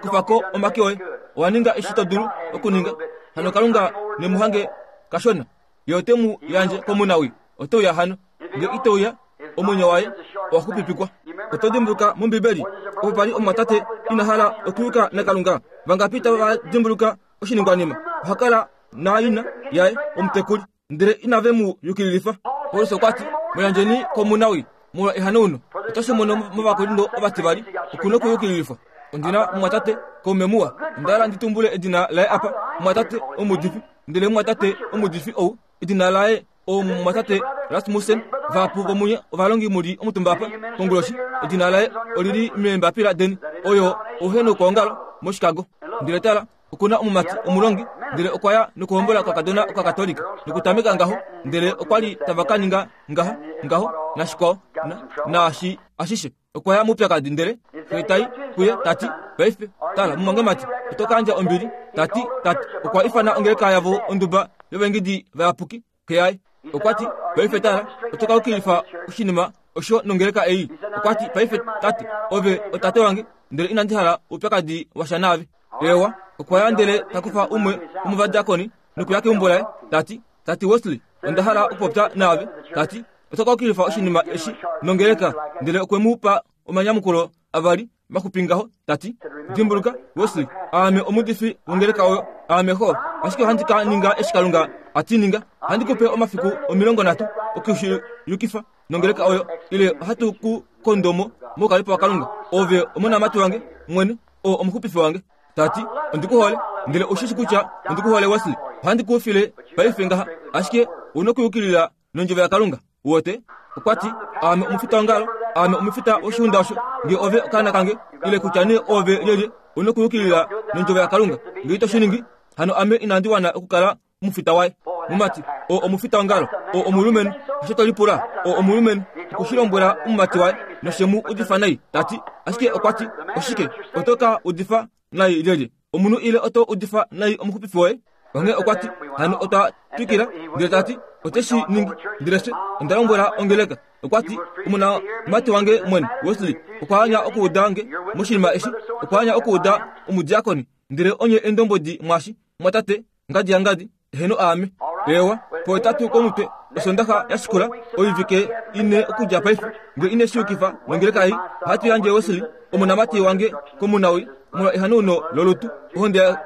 Kufa ko omake oye. Owa ninga eshi to dulu okuninga. Hano Kalunga ne mu hange kashona. Ye ote mu yandje komunawii. Ote uya hano. Nge ite uya, omwenyo waye owa xupipikwa. Oto dimbuluka mOmbibeli opo pa li omumwatate ina hala okuyuka naKalunga? Vangapi tava dimbuluka oshiningwanima? Oha kala naina yaye omutekuli, ndele inave mu yukililifa. Paulus okwa ti, Mu yandjeni komunawii molwa ehanauno. Oto shi mono mOvakorinto ovativali, oku nokuyukililifwa. Ondi na omumwatate kaume muwa, onda hala ndi tumbule edina laye apa, omumwatate omuudifi. Ndele omumwatate omuudifi ou, edina laye omumwatate Rasmussen. Vahapu vomunye ovalongi mu li omutumba apa konguloshi, edina laye oli li meembapila deni. Oyo ouhenoukaongalo moChicago. Ndele tala, oku na omumati omulongi, ndele okwa ya nokuhombola okakadona Okakatolika, nokutameka ngaho, ndele okwa li tava ka ninga ngaha, ngaho, nashikwao, na, naashi ashishe. Okwa ya moupyakadi ndele xe tai kuye ta ti, Paife, tala, mumwangemati, oto ka yandja ombili. Ta ti, Tate okwa ifana ongeleka yavo onduba yovaingidi vayapuki. Xe yaye okwa ti, Paife tala, oto ka yukilifa oshinima osho nongeleka ei. Okwa ti, Paife, tate, ove otate wange, ndele inandi hala oupyakadi washa naave. Eewa, okwa ya ndele ta kufa umwe womovadiakoni nokuya keumbo laye, ta ti, Tate Wesley, onda hala okupopya naave. Ta ti, Oto ka yukilifa oshinima eshi nongeleka. Ndele okwe mu pa omanyamukulo avali maxupi ngaho, ta ti, Dimbuluka, Wesley, aame omuudifi wongeleka oyo, aame xo, ashike ohandi ka ninga eshi Kalunga a ti ninga. Ohandi ku pe omafiku 30 oku shi yukifa nongeleka oyo, ile ohatu ku kondo mo moukalipo waKalunga. Ove omonamati wange mwene, oo omuxupifi wange. Ta ti, Ondi ku hole, ndele ou shi shi kutya ondi ku hole, Wesley. Ohandi ku file paife ngaha, ashike ou na okuyukilila nondjovo yaKalunga. Uwete? Okwa ti, Aame omufitaongalo, aame omufita woshiunda osho. Nge ove okaana kange, ile kutya nee oove lyelye, u nokuyukilila nondjovo yaKalunga. Nge ito shi ningi, hano ame inandi wana okukala omufita waye. Mumati, oo omufitaongalo, oo omulumenhu, osho to lipula, oo omulumenhu, oku shi lombwela omumati waye, noshe mu udifa nai, ta ti, ashike okwa ti, Oshike, oto ka udifa nai lyelye? Omunhu ile oto udifa nai omuxupifi woye? Onghee okwa ti, Hano otwa twikila, ndele ta ti, Ote shi ningi. Ndele fye, onda lombwela ongeleka. Okwa ti, Omonamati wange mwene, Wesley, okwa anya okuuda nge moshinima eshi. Okwa anya okuuda omudiakoni. Ndele onye eendombwedi mwaashi, mwatate, ngadi yangadi, eheno aame. Eewa, pohetatu komutwe Osondaxa ya shikula, oivike ine okudja paife, nge ine shi yukifa nongeleka ei, ohatu yandje Wesley, omonamati wange, komunawi, molwa ehanauno lolutu, ohonde ya,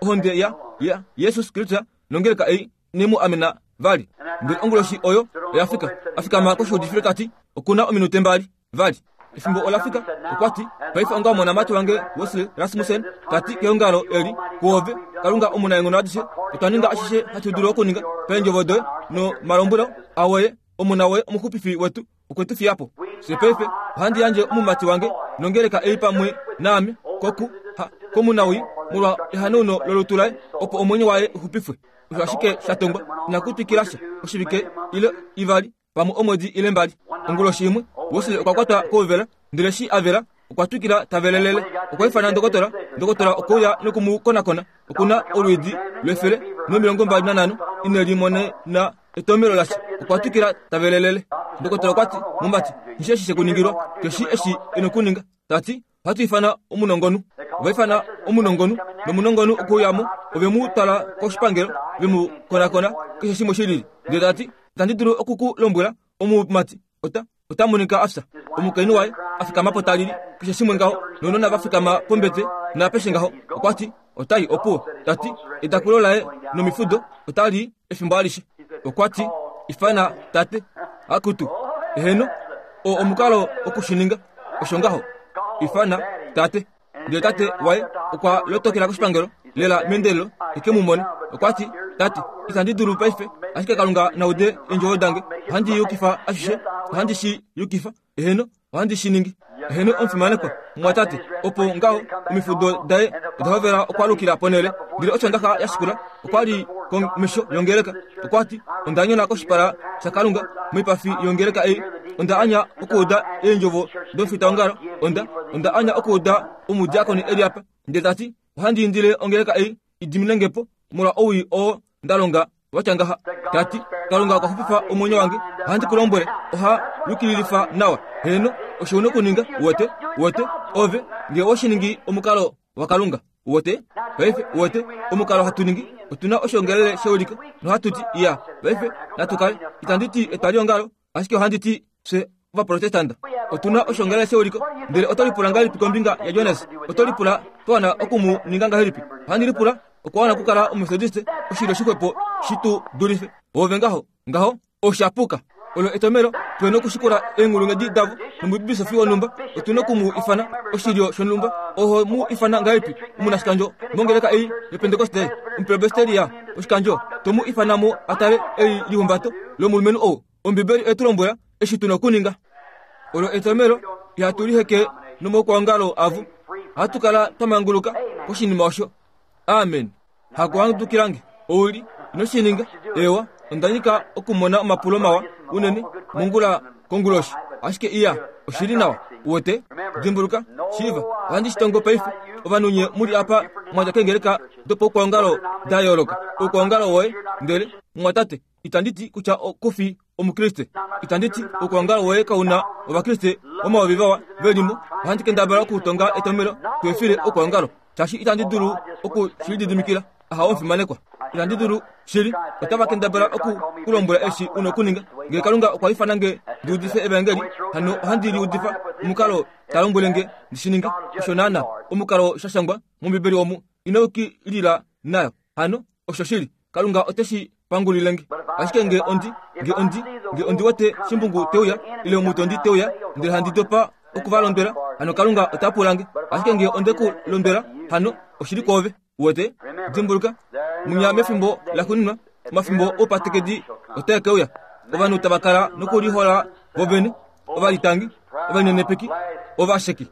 ohonde ya, ya Jesus Kristus nongeleka ei ine mu amena vali. Ndele onguloshi oyo oya fika, a fikama koshiudifilo ta ti, Oku na ominute mbali vali. Efimbo ola fika. Okwa ti, Paife onga omonamati wange Wesley Rasmussen ta ti keongalo eli, kuove, Kalunga omunaenghono adishe, otwa ninga ashishe hatu dulu okuninga paendjovo doye nomalombwelo awoye, omona woye omuxupifi wetu okwe tu fiya po. Fye paife ohandi yandje omumati wange nongeleka ei pamwe naame koku ha komunawii molwa ehanauno lolutu laye, opo omwenyo waye u xupifwe. Osho ashike sha tongwa, inaku twikila sha oshivike ile ivali pamwe omwedi ile mbali. Onguloshi imwe, Wesley okwa kwatwa kouvela, ndele eshi a vela, okwa twikila ta velelele. Okwa ifana ndokotola, ndokotola okwe uya noku mu konakona. Oku na olwiidi lwe-125 ine limonena etomelo lasha. Okwa twikila ta velelele. Ndokotola okwa ti, Mumati, nghi shii eshi she ku ningilwa, keshi eshi e nokuninga. Ta ti, Ohatu ifana omunongonhu. Ova ifana omunongonhu, nomunongonhu okwe uya mo. Ove mu twala koshipangelo, ve mu konakona, keshe shimwe shi lili. Ndele ta ti, Itandi dulu oku ku lombwela, omumati ota, ota monika a fya. Omukainhu waye a fikama po ta lili, keshe shimwe ngaho, nounona va fikama pombete, naapeshe ngaho. Okwa ti, Ota i opuwo. Ta ti, Etakulo laye nomifudo ota li efimbo alishe. Okwa ti, Ifana tate. Akutu, eheno, oo omukalo oku shi ninga. Osho ngaho. Ifana tate. Ndele tate waye okwa lotokela koshipangelo lela meendelelo e ke mu mone. Okwa ti, Tate, itandi dulu paife, ashike Kalunga na ude eendjovo dange. Ohandi yukifa ashishe. Ohandi shi yukifa. Eheno, ohandi shi ningi. Eheno, omufimanekwa, mumwatate. Opo ngaho, omifudo daye oda hovela okwaalukila ponhele. Ndele Osondaxa ya shikula, okwa li komesho yongeleka. Okwa ti, Onda nyona koshipala shaKalunga moipafi yongeleka ei. Onda anya okuuda eendjovo domufitaongalo. Onda, onda anya okuuda omudiakoni e li apa. Ndele ta ti, Ohandi indile ongeleka ei i dimine nge po molwa owii oo nda longa wa tya ngaha. Ta ti, Kalunga okwa xupifa omwenyo wange. Ohandi ku lombwele, oha yukililifa nawa. Heeno, osho u na okuninga, uwete, uwete, ove, nge owe shi ningi omukalo waKalunga. Uwete? Paife, uwete, omukalo hatu ningi, otu na oshiongelele sheuliko, nohatu ti, Iya, paife, natu kale. Itandi ti etwaliongalo, Ashike ohandi ti, fye Ovaprotestanta otu na oshoongalele sheuliko, ndele oto lipula ngahelipi kombinga yaJonas? Oto lipula twa wana oku mu ninga ngahelipi? Ohandi lipula okwa wana okukala Omumetodiste, oshilyo shixwepo shi tu dulife. Oove ngaho, ngaho, osha puka. Olo etomelo tu na okushikula eenghulunghedi davo nomubisofi wonhumba. Otu na oku mu ifana oshilyo shonhumba. Oho mu ifana ngahelipi omunashikandjo mongeleka ei yOpentekoste, Omupresbiteria woshikandjo? To mu ifana mo a tale elihumbato lomulumenhu ou. Ombibeli oye tu lombwela eshi tu na okuninga. Olo etomelo ihatu liheke nomaukwaongalo avo. Ohatu kala twa manguluka koshinima osho. Amen. Hakuhandukilange. Ou li, ino shi ninga. Eewa, onda nyika okumona omapulo mawa unene mongula konguloshi. Ashike iya, oshi li nawa. Uwete? Dimbuluka, shiiva, ohandi shi tongo paife. Ovanhu nye mu li apa mwa dja keengeleka dopaukwaongalo da yooloka. Oukwaongalo woye, ndele, mumwatate, Itandi ti kutya ku fi Omukriste. Itandi ti okwoongalo woye kau na Ovakriste omayovi vawa ve li mo. Ohandi kendabala okutonga etomhelo tu efile okwoongalo, shaashi itandi dulu oku shi lididimikila. Aha, omufimanekwa. Itandi dulu shili. Otava kendabala oku ku lombwela eshi u na okuninga. Ngee Kalunga okwa ifana nge ndi udife Evaengeli, hano ohandi li udifa omukalo ta lombwele nge ndi shi ninge. Osho naana omukalo sha shangwa mOmbibeli omu. Ino yukilila nayo. Hano, oshoshili. Kalunga ote shi pangulile nge. Ashike nge ondi, nge ondi, nge ondi wete shimbungu te uya, ile omutondi te uya, ndele handi dopa oku va londwela, hano Kalunga ota pula nge. Ashike nge onde ku londwela, hano oshi li kwoove. Uwete? Dimbuluka, munya mefimbo laxuuninwa, omafimbo oupatekedi otae ke uya. Ovanhu tava kala nokulihola vovene, ovalitangi, ovalinenepeki, ovasheki.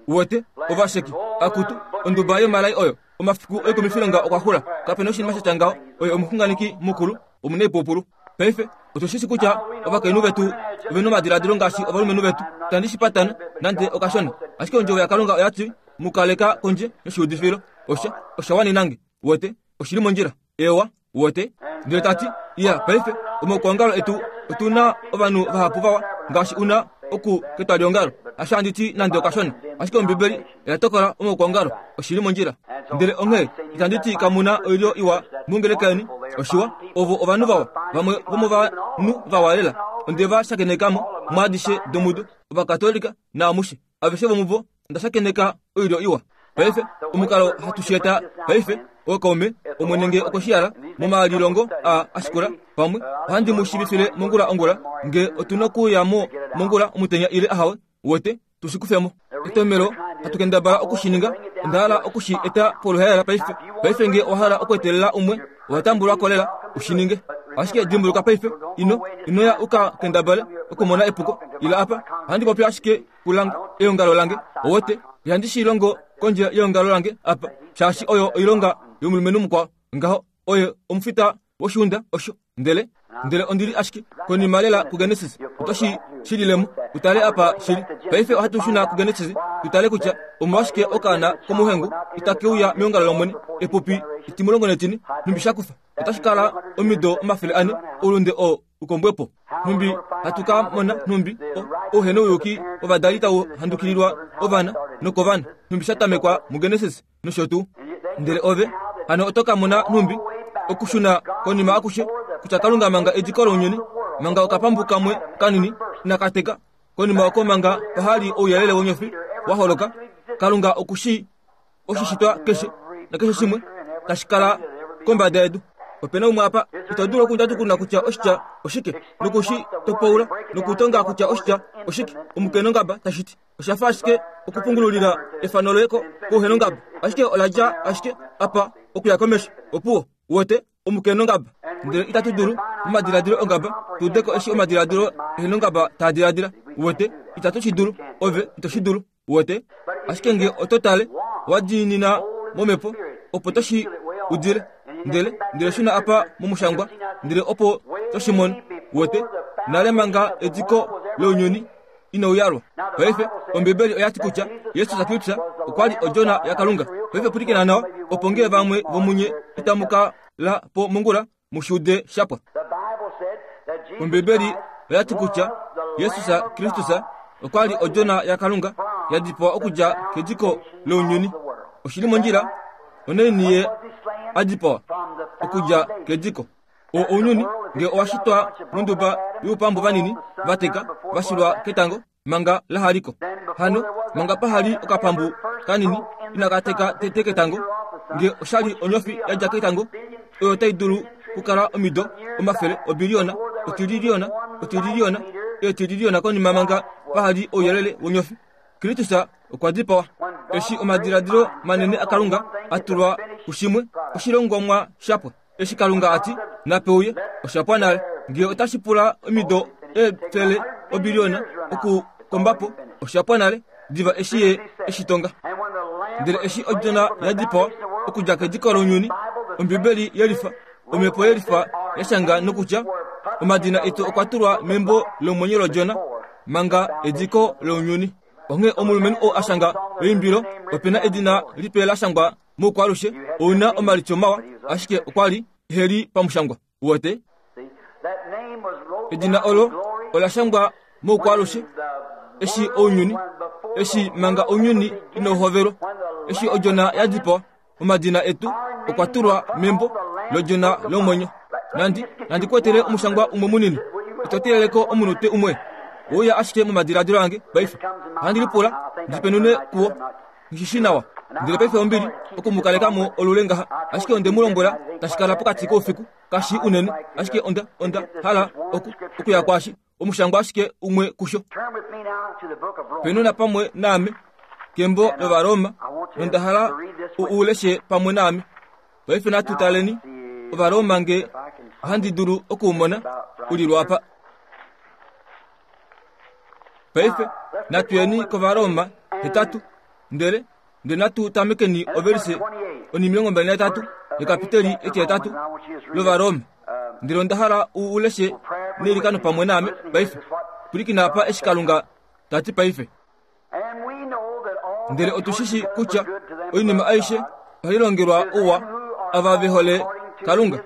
Uwete? Ovasheki. Akutu, onduba yomalai oyo. Omafiku oikumifilonga okwa xula. Kape na oshinima sha tya ngaho. Oye omuxunganeki mukulu, omunaipupulu. Paife, otu shi shi kutya ovakainhu vetu ove na omadiladilo ngaashi ovalumenhu vetu. Itandi shi patana, nande okashona. Ashike Ondjovo yaKalunga oya ti, Mu kaleka kondje yoshiudifilo. Osha, osha wanena nge. Uwete? Oshi li mondjila. Eewa. Uwete? Ndele ta ti, Iya, paife, omaukwaongalo etu, otu na ovanhu vahapu vawa ngaashi u na oku ketwaliongalo. Hasho handi ti nande okashona. Ashike Ombibeli oya tokola omaukwaongalo. Oshi li mondjila. Ndele onghee itandi ti kamu na oilyo iwa mongeleka yeni. Oshiwa, ovo ovanhu vawa, vamwe vomovanhu vawa lela. Onde va shakeneka mo mwaadishe domudo, Ovakatolika naamushe. Aveshe vomuvo onda shakeneka oilyo iwa. Paife, omukalo hatu shi eta paife, ookaume, Omwene nge okwe shi hala, momalilongo aa a shikula, pamwe ohandi mu shiivifile mongula ongula, nge otu nokuya mo mongula omutenya ile ahawe, uwete, tu shi kufe mo. Etomhelo hatu kendabala oku shi ninga, onda hala oku shi eta poluhaela paife. Paife nge owa hala okweetelela umwe, owa tambulwa ko lela u shi ninge. Ashike dimbuluka paife, ino, ino ya u ka kendabale okumona epuko, ila apa. Ohandi popi ashike kulange, eongalo lange, owete, ihandi shi longo kondje yeongalo lange apa, shaashi oyo oilonga yomulumenhu mukwao. Ngaho, oye omufita woshiunda osho. Ndele, ndele ondi li ashike konima lela kuGenesis, oto shi shilile mo, u tale apa shi li. Paife ohatu shuna kuGenesis tu tale kutya omolwashike okaana komuhengu itake uya meongalo lOmwene, epupi etimulongo netine, nhumbi sha kufa. Otashi kala omido 400 oulunde oo u kombwe po. Nhumbi hatu ka mona nhumbi ouhenouyuki wovadali tau handukililwa ovana nokovana, nhumbi sha tamekwa muGenesis nosho tuu. Ndele ove hano oto ka mona nhumbi okushuna konima akushe kutya Kalunga manga ediko lounyuni, manga okapambu kamwe kanini inaka teka, konima oko manga paha li ouyelele wonyofi wa holoka, Kalunga oku shii oshishitwa keshe nakeshe shimwe tashi kala kombada yedu. Ope na umwe apa ito dulu okundjatukuna kutya oshitya oshike noku shi topaula nokutonga kutya oshitya oshike omukenongaba tashi ti. Osha fa ashike okupungululila efano loye kouhenongaba, ashike ola dja ashike apa okuya komesho. Opuwo, uwete, omukenongaba. Ndele itatu dulu, momadiladilo ongaba, tu ude ko eshi omadiladilo ehenongaba taa diladila. Uwete, itatu shi dulu. Ove ito shi dulu. Uwete? Ashike nge oto tale, wa diinina momhepo, opo to shi udile. Ndele, ndele shuna apa momushangwa, ndele opo to shi mono. Uwete? Nale manga ediko lounyuni inau yalwa. Paife, Ombibeli oya ti kutya Jesus Kristus okwa li Odjona yaKalunga. Paife pwilikina nawa, opo nge vamwe vomunye itamu ka la po mongula, mu shi ude sha pwa. Ombibeli oya ti kutya Jesus Kristus okwa li Odjona yaKalunga ya dipawa okudja kediko lounyuni. Oshi li mondjila, onaini ye a dipawa? Okudja kediko. O ounyuni nge owa shitwa monduba youpambu vanini va teka va shilwa ketango manga la haliko. Hano manga paha li okapambu kanini inaka teka tete ketango, nge osha li onyofi ya dja ketango oyo tai dulu kukala omido omafele obiliyona, otililiyona, otililiyona, eetililiyona konima manga paha li ouyelele wonyofi. Kristus okwa dipawa. Eshi omadiladilo manene aKalunga a tulwa kushimwe, oshilongomwa sha pwa. Eshi Kalunga a ti, Nape uye, osha pwa nale. Nge otashi pula omido eefele obiliona okukomba po, osha pwa nale, diva eshi ye eshi tonga. Ndele eshi odjona ya dipawa okudja kediko lounyuni, Ombibeli yelifa, Omhepo yelifa ya shanga nokutya omadina etu okwa tulwa membo lomwenyo lodjona manga ediko lounyuni. Onghee omulumenhu oo a shanga eimbilo ope na edina lipe la shangwa moukwaalushe, ou na omalityo mawa, ashike okwa li ehe li pamushangwa. Uwete? Edina olo ola shangwa moukwaalushe eshi ounyuni, eshi manga ounyuni inau hovelwa, eshi odjona ya dipawa, omadina etu okwa tulwa membo lodjona lomwenyo. Nandi, nandi kwetele omushangwa umwe munini. Ito teeleleko omunute umwe. Ouya ashike momadiladilo ange paife. Ohandi lipula ndi penune kuwo. Nghi shi nawa. Ndele paife ombili oku mu kaleka mo olule ngaha. Ashike onde mu lombwela tashi kala pokati koufiku, kashi unene, ashike onda, onda hala oku, okuya kwaashi, omushangwa ashike umwe kusho. Penuna pamwe naame kembo lOvaroma, nonda hala u u leshe pamwe naame. Paife natu taleni Ovaroma nge ohandi dulu oku u mona u li lwaapa. Paife natu yeni kOvaroma hetatu, ndele ndele natu tamekeni ovelise onimilongo mbali nahetatu yekapiteli etihetatu lOvaroma. Ndele onda hala u u leshe neilikano pamwe naame paife. Pwilikina apa eshi Kalunga ta ti paife. Ndele otu shi shi kutya oinima aishe ohai longelwa ouwa ava ve hole Kalunga,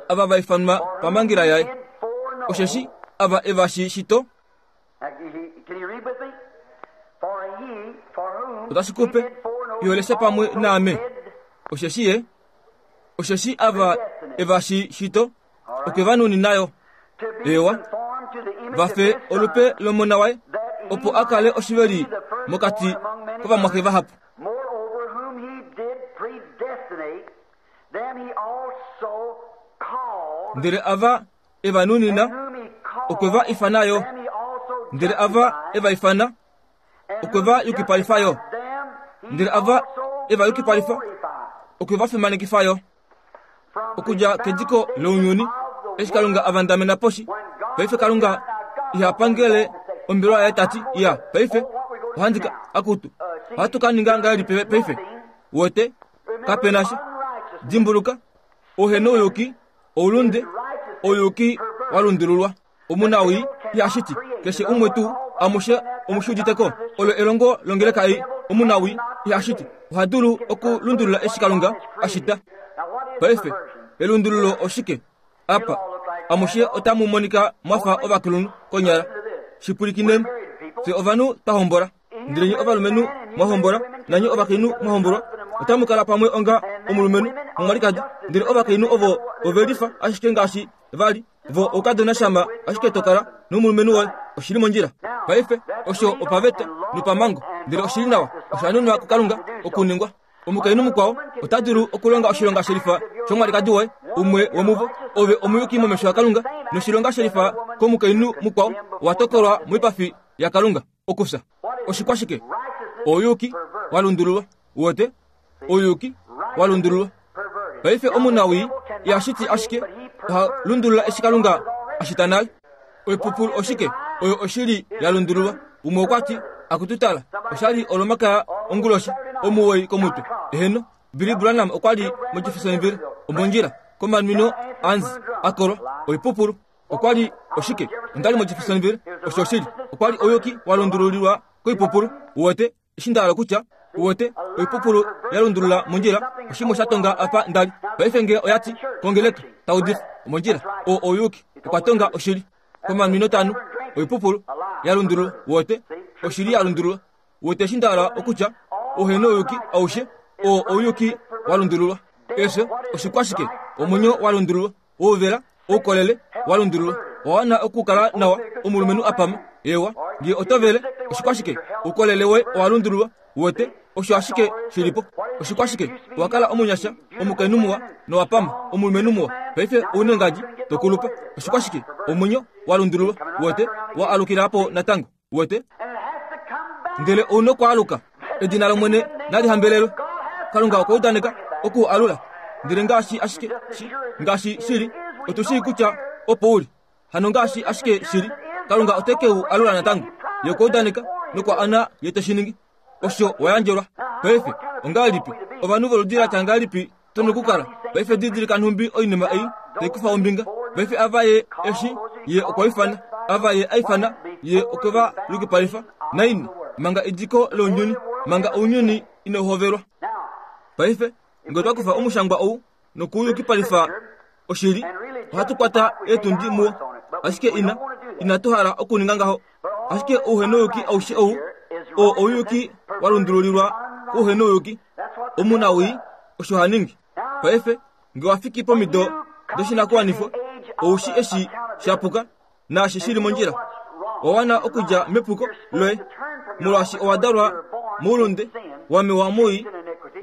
ava va ifanwa pamhangela yaye. Osheshi ava e va shi shito, otashi ku pe yo lesha pamwe naame. Osheshi ye, osheshi ava e va shi shito, okwe va nunina yo ewa va fe olupe lomona waye, opo a kale oshiveli mokati kovamwaxe vahapu. Moreover, whom he did predestinate, them he also called, Ndele ava e va nunina, and whom he called, okwe va ifana yo. them he also Ndele ava e va ifana, justified, and okwe whom va he yukipalifa yo. justified, them he Ndele ava also e va yukipalifa, glorified. okwe va fimanekifa yo. From the Okudja kediko lounyuni, foundation of the eshi Kalunga a vandamena poshi, when God paife Kalunga iha pangele ombelwa yaye ta ti, Iya, paife ohandi ka akutu. Ohatu ka ninga ngahelipi paife? Wete, kape na sha. Dimbuluka, ouhenouyuki, oulunde, ouyuki wa lundululwa. Omunawii iha shiti keshe umwe tuu, amushe omu shi udite ko. Olo elongo longeleka ei. Omunawii iha shiti, oha dulu okulundulula eshi Kalunga a shita. Paife, elundululo oshike? Apa, amushe otamu monika mwa fa ovakulunhu konyala. Shi pwilikineni. Fye ovanhu twa hombola. Ndele nye ovalumenhu mwa hombola, nanye ovakainhu mwa hombolwa, otamu kala pamwe onga omulumenhu nomwalikadi. Ndele ovakainhu ovo ove lifa ashike ngaashi va li vo oukadona shama ashike to kala nomulumenhu woye. Oshi li mondjila. Paife, osho opaveta nopamhango, ndele oshi li nawa. Osha nunwa kuKalunga okuningwa. Omukainhu mukwao ota dulu okulonga oshilonga shelifa shomwalikadi woye, umwe womuvo. Ove omuyuki momesho aKalunga, noshilonga shelifa komukainhu mukwao owa tokolwa moipafi yaKalunga okufya. Oshikwashike? Ouyuki wa lundululwa. Uwete? Ouyuki wa lundululwa. Paife omunawii iha shiti ashike, oha lundulula eshi Kalunga a shita nale. Oipupulu oshike? Oyo oshili ya lundululwa. Umwe okwa ti, Akutu tala, osha li Olomakaya onguloshi, omuwoi komutwe. Eheno, Billy Branham okwa li moJeffersonville, omondjila, komanwino aAnzi a kolwa. Oipupulu. Okwa li oshike? Onda li moJeffersonville, osho oshili. Okwa li ouyuki wa lundululilwa koipupulu. Uwete? Eshi nda hala okutya, uwete, oipupulu ya lundulula mondjila, oshimwe sha tonga apa nda li. Paife nge oya ti, kongeleka, ta udifa, omondjila, oo ouyuki, okwa tonga oshili. Komanwino tanu, oipupulu ya lundulula, uwete, oshili ya lundulula. Uwete eshi nda hala okutya, ouhenouyuki aushe, oo ouyuki wa lundululwa. Efyo, oshikwashike? Omwenyo wa lundululwa. Ouvela, oukolele wa lundululwa. Owa wana okukala nawa, omulumenhu a pama. Eewa, nge oto vele, oshikwashike? Oukolele woye owa lundululwa. Uwete, osho ashike shi li po. Oshikwashike? Owa kala omunyasha, omukainhu muwa, nowa pama, omulumenhu muwa. Paife ou nengadi, to kulupa. Oshikwashike? Omwenyo wa lundululwa. Uwete, wa alukila po natango. Uwete? Ndele ou nokwaaluka. Edina lOmwene nali hambelelwe. Kalunga okwa udaneka oku u alula. Ndele ngaashi ashike shi, ngaashi shi li, otu shii kutya opo u li. Hano ngaashi ashike shi li. Kalunga ote ke u alula natango. Ye okwa udaneka nokwa ana ye te shi ningi. Osho wa yandjelwa. Paife, ongahelipi ovanhu voludi la tya ngahelipi tu nokukala? Paife didilika nhumbi oinima ei tai kufa ombinga. Paife ava ye eshi ye okwa ifana, ava ye a ifana, ye okwe va yukipalifa. Naini? Manga ediko lounyuni, manga ounyuni inau hovelwa. Paife, nge otwa kufa omushangwa ou nokuuyukipalifa oshili, ohatu kwata eetundi muwo. Ashike ina, inatu hala okuninga ngaho. Ashike ouhenouyuki aushe ou, oo ouyuki wa lundululilwa kouhenouyuki. Omunawii osho ha ningi. Paife, nge wa fiki pomido doshinakuwanifwa, ou shi eshi sha puka naashi shi li mondjila. Owa wana okudja mepuko loye, molwaashi owa dalwa moulunde, wa mewa mowii,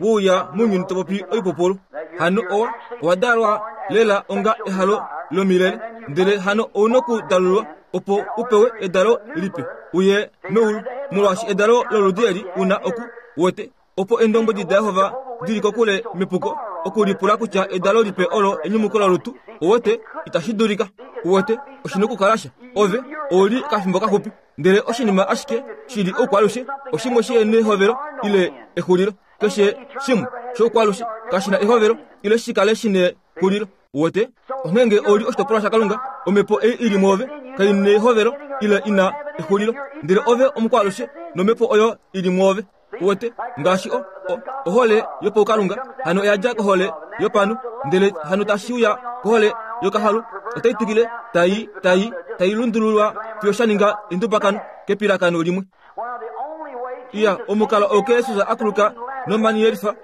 we uya mounyuni to popi oipupulu. Hano owa, owa dalwa lela onga ehalo lomilele, ndele hano ou nokudalulwa opo u pewe edalo lipe, uye meulu, molwaashi edalo loludi eli u na oku wete Opo Eendombwedi daJehova di li kokule mepuko okulipula kutya edalo lipe olo enyumuko lolutu, uwete, itashi dulika. Uwete, oshi nokukala sha. Ove ou li okafimbo kaxupi, ndele oshinima ashike shi li oukwalushe oshimwe shi nehovelo ile exulilo. Keshe shimwe shoukwalushe kashi na ehovelo ile shi kale shi nexulilo. Uwete? Onghee nge ou li oshitopolwa shaKalunga, omhepo ei i li mwoove kai nehovelo ile i na exulilo, ndele ove omukwaalushe nomhepo oyo i li mwoove. Uwete, ngaashi o, o, ohole yopaukalunga, hano oya dja kohole yopanhu, ndele hano tashi uya kohole yokahalu, otai twikile tai, tai, tai lundululwa fiyo sha ninga endubakano kepilakano limwe. Iya, omukalo oo Jesus a kuluka nomani yelifa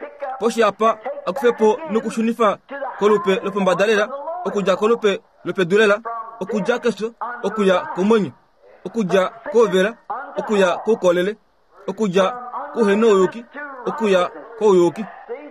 poshi apa a kufe po nokushunifa kolupe lopombada lela, okudja kolupe lopedu lela, okudja kefyo okuya komwenyo, okudja kouvela okuya koukolele. okudja kouhenouyuki okuya kouyuki.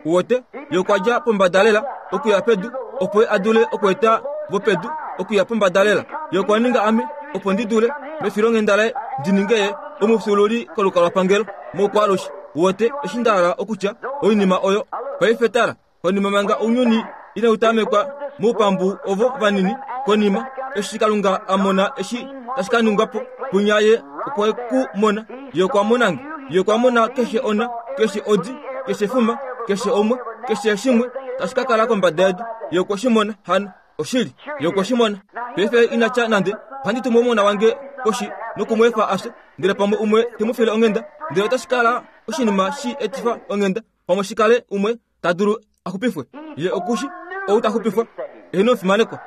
Uwete, ye okwa dja pombada lela okuya pedu, opo ye a dule okweeta vopedu okuya pombada lela. Ye okwa ninga ame, opo ndi dule, mefilonghenda laye, ndi ninge ye omufyuululi kolukalwapangelo moukwaalushe. Uwete eshi nda hala okutya? Oinima oyo. Paife tala. Konima manga ounyuni inau tamekwa moupambu ovo vanini, konima eshi Kalunga a mona eshi tashi ka ningwa po, punya ye okwe ku mona. Ye okwa mona nge. Ye okwa mona keshe ona, keshe odi, keshe fuma, keshe omwe, keshe shimwe tashi ka kala kombada yedu. Ye okwe shi mona hano. Oshili, ye okwe shi mona. Paife ina tya nande, Ohandi tumu omona wange poshi noku mu efa a fye, ndele pamwe umwe te mu file onghenda, ndele otashi kala oshinima shi etifa onghenda. Pamwe shi kale umwe ta dulu a xupifwe. Ye oku shi ou ta xupifwa, eheno omufimanekwa.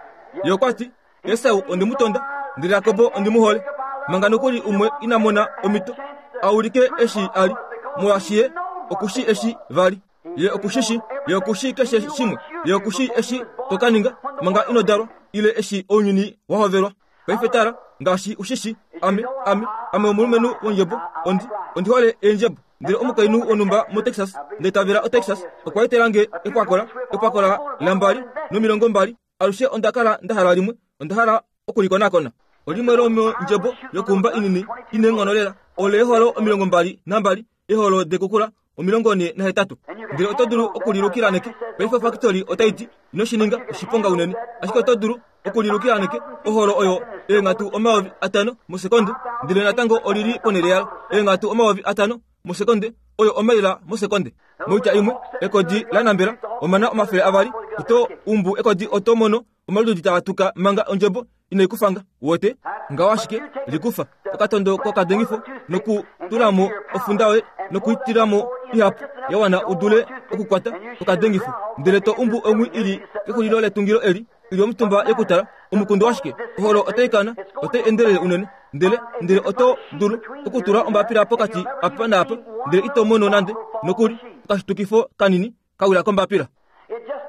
Ye okwa ti, Esau ondi mu tonda, ndele Jakob ondi mu hole. Manga nokuli umwe ina mona omhito a ulike eshi a li, molwaashi ye oku shi eshi va li. Ye oku shi shi, ye oku shi keshe shimwe. Ye oku shi eshi to ka ninga manga ino dalwa, ile eshi ounyuni wa hovelwa. Paife tala, ngaashi u shi shi, ame, ame, ame omulumenhu wondjebo, ondi, ondi hole eendjebo. Ndele omukainhu wonhumba moTexas, nda itavela oTexas, okwa etela nge epwakola, epwakola lambali nomilongombali. Alushe onda kala nda hala limwe, onda hala oku li konakona. Olimwe lomondjebo yokuumba inini i neenghono lela, oleeholo 22 eholo dekukula 48. Ndele oto dulu oku li lukila neke. Paife ofakitoli otai ti, Ino shi ninga, oshiponga unene. Ashike oto dulu oku li lukila neke, oholo oyo eenghatu 5000 mosekonde, ndele natango oli li ponhele yalo. Eenghatu 5000 mosekonde, oyo omaila mosekonde. Moitya imwe, ekodi la nambela omana 200, oto umbu ekodi oto mono omalududi taa tuka manga ondjebo inai ku fanga. Wote, ngaho ashike, likufa okatondo kokadengifo nokutula mo ofunda yoye nokuitila mo ihapu ya wana u dule okukwata okadengifo, ndele to umbu ongwi i li kexulilo letungilo eli i li omutumba yokutala. Omukundu washike? Oholo otai kana, otai endelele unene, ndele, ndele oto dulu okutula ombapila pokati apa naapa, ndele ito mono nande nokuli okashitukifo kanini ka wila kombapila.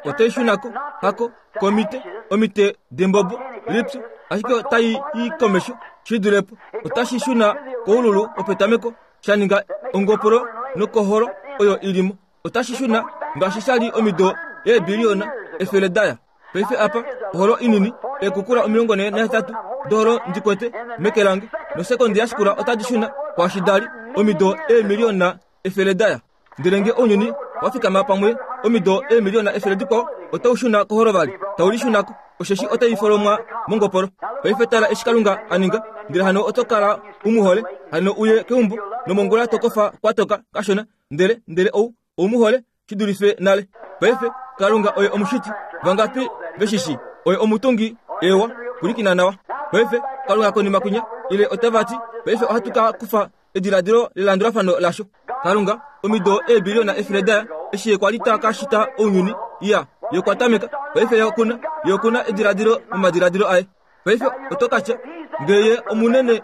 Otai shuna ko, hako, komite, omite dembobo, lipyu, ashike otai i komesho shi dule po. Otashi shuna koululu wopetameko, sha ninga ongopolo nokoholo oyo i li mo. Otashi shuna ngaashi sha li omido eebiliyona efele da ya. Paife apa, oholo inini, eekukula 48 doholo ndi kwete meke lange, nosekondi ya shikula otadi shuna kwaashi da li omido eemiliyona efele da ya. Ndele nge ounyuni wa fikama pamwe omido eemiliyona efele dikwao, otau shuna koholo vali, tau lishuna ko, osheshi otai folomwa mongopolo. Paife tala eshi Kalunga a ninga. Ndele hano oto kala u mu hole, hano uye keumbo, nomongula to kofa kwa toka kashona, ndele, ndele ou, ou mu hole shi dulife nale. Paife, Kalunga oye omushiti. Vangapi ve shi shii? Oye omutungi. Eewa, pwilikina nawa. Paife, Kalunga konima kwinya, ile otava ti, paife ohatu ka kufa ediladilo lelandulafano lasho. Kalunga, omido eebiliona efele daya, eshi Ye kwa li ta ka shita ounyuni, iya, Ye okwa tameka. Paife Ye oku na, Ye oku na ediladilo momadiladilo Aye. Paife oto ka tya, Nge Ye omunene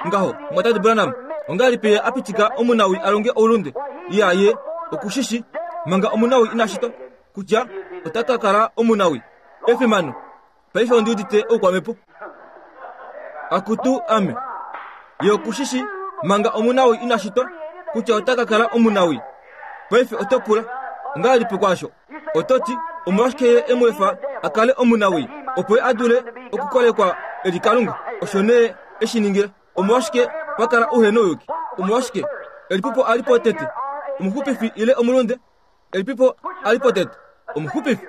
ngaho, Mumwatate Branham, ongahelipi Ye a pitika omunawii a longe oulunde? Iya, Ye oku shi shi, manga omunawii ina shitwa, kutya ota ka kala omunawii. Efimano! Paife ondi udite oukwamhepo. Akutu ame! Ye oku shi shi, manga omunawii ina shitwa, kutya ota ka kala omunawii. Paife oto pula, Ongahelipi kwaasho? Oto ti, Omolwashike Ye e mu efa a kale omunawii, opo Ye a dule okukolekwa e li Kalunga? Osho nee e shi ningila. Omolwashike pa kala ouhenouyuki? Omolwashike elipipo a li po tete, omuxupifi ile omulunde? Elipipo a li po tete, omuxupifi?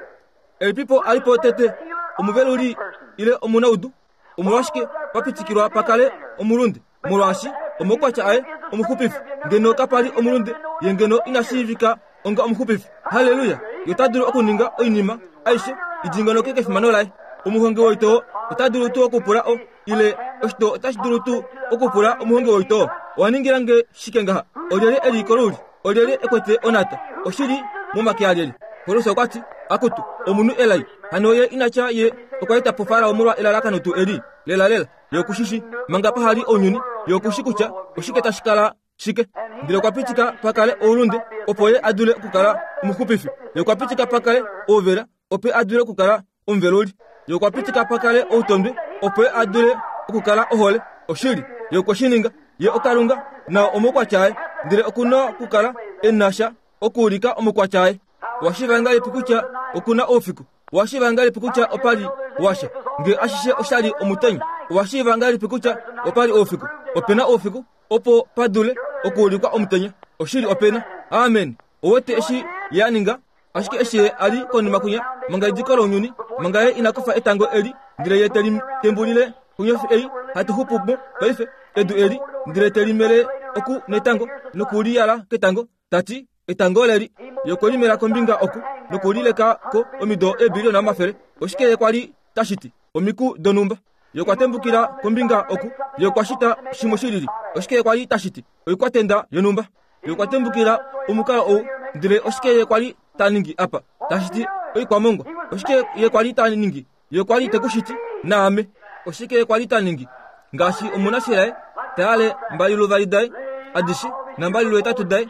Elipipo a li po tete, omuveluli ile omunaudu? Omolwashike pa pitikilwa pa kale omulunde? Molwaashi omaukwatya aye omuxupifi. Ngeno kapa li omulunde, ye ngeno ina shiivika onga omuxupifi. Halleluya! Ye ota dulu okuninga oinima aishe i dingonoke kefimano laye. Omuhongi woitoo ota dulu tuu okupula o, ile oshitoo otashi dulu tuu okupula omuhongi woitoo, Owa ningila nge shike ngaha? Olyelye e li koluli? Olyelye e kwete onhata? Oshi li momake alyelye? Paulus okwa ti, Akutu, omunhu elai! Hano ye ina tya ye okwa eta po Farao molwa elalakano tuu eli? Lelalela, ye oku shi shii. Manga paha li ounyuni, ye oku shi kutya oshike tashi kala shike. Ndele okwa pitika pa kale oulunde, opo ye a dule okukala omuxupifi. Ye okwa pitika pa kale ouvela, opo ye a dule okukala omuveluli. Ye okwa pitika pa kale outondwe, opo ye a dule okukala ohole. Oshili, ye okwe shi ninga. Ye oKalunga, nao omaukwatya aye, ndele oku na okukala e na sha okuulika omaukwatya aye. Owa shiiva ngahelipi kutya oku na oufiku? Owa shiiva ngahelipi kutya opa li washa? Nge ashishe osha li omutenya, owa shiiva ngahelipi kutya opa li oufiku? Ope na oufiku opo pa dule okuulikwa omutenya. Oshili ope na. Amen. Owete eshi ye a ninga? Ashike eshi ye a li konima kwinya, manga ediko lounyuni, manga ye ina kufa etango eli, ndele ye te li tembulile konyofi ei hatu xupu mo paife, edu eli, ndele te li mele oku netango, noku li yala ketango, ta ti, Etango oleli. Ye okwe li mela kombinga oku, noku li leka ko omido eebiliona omafele. Oshike ye kwa li ta shiti? Omiku donhumba. Ye okwa tembukila kombinga oku. Ye okwa shita shimwe shi lili. Oshike ye kwa li ta shiti? Oikwatenda yonhumba. Ye okwa tembukila omukalo ou, ndele oshike ye kwa li ta ningi apa? Ta shiti oikwamongwa. Oshike ye kwa li ta ningi? Ye okwa li te ku shiti, naame. Oshike ye kwa li ta ningi? Ngaashi omunashelaye ta yale mbaliluvali daye adishe nambaliluhetatu daye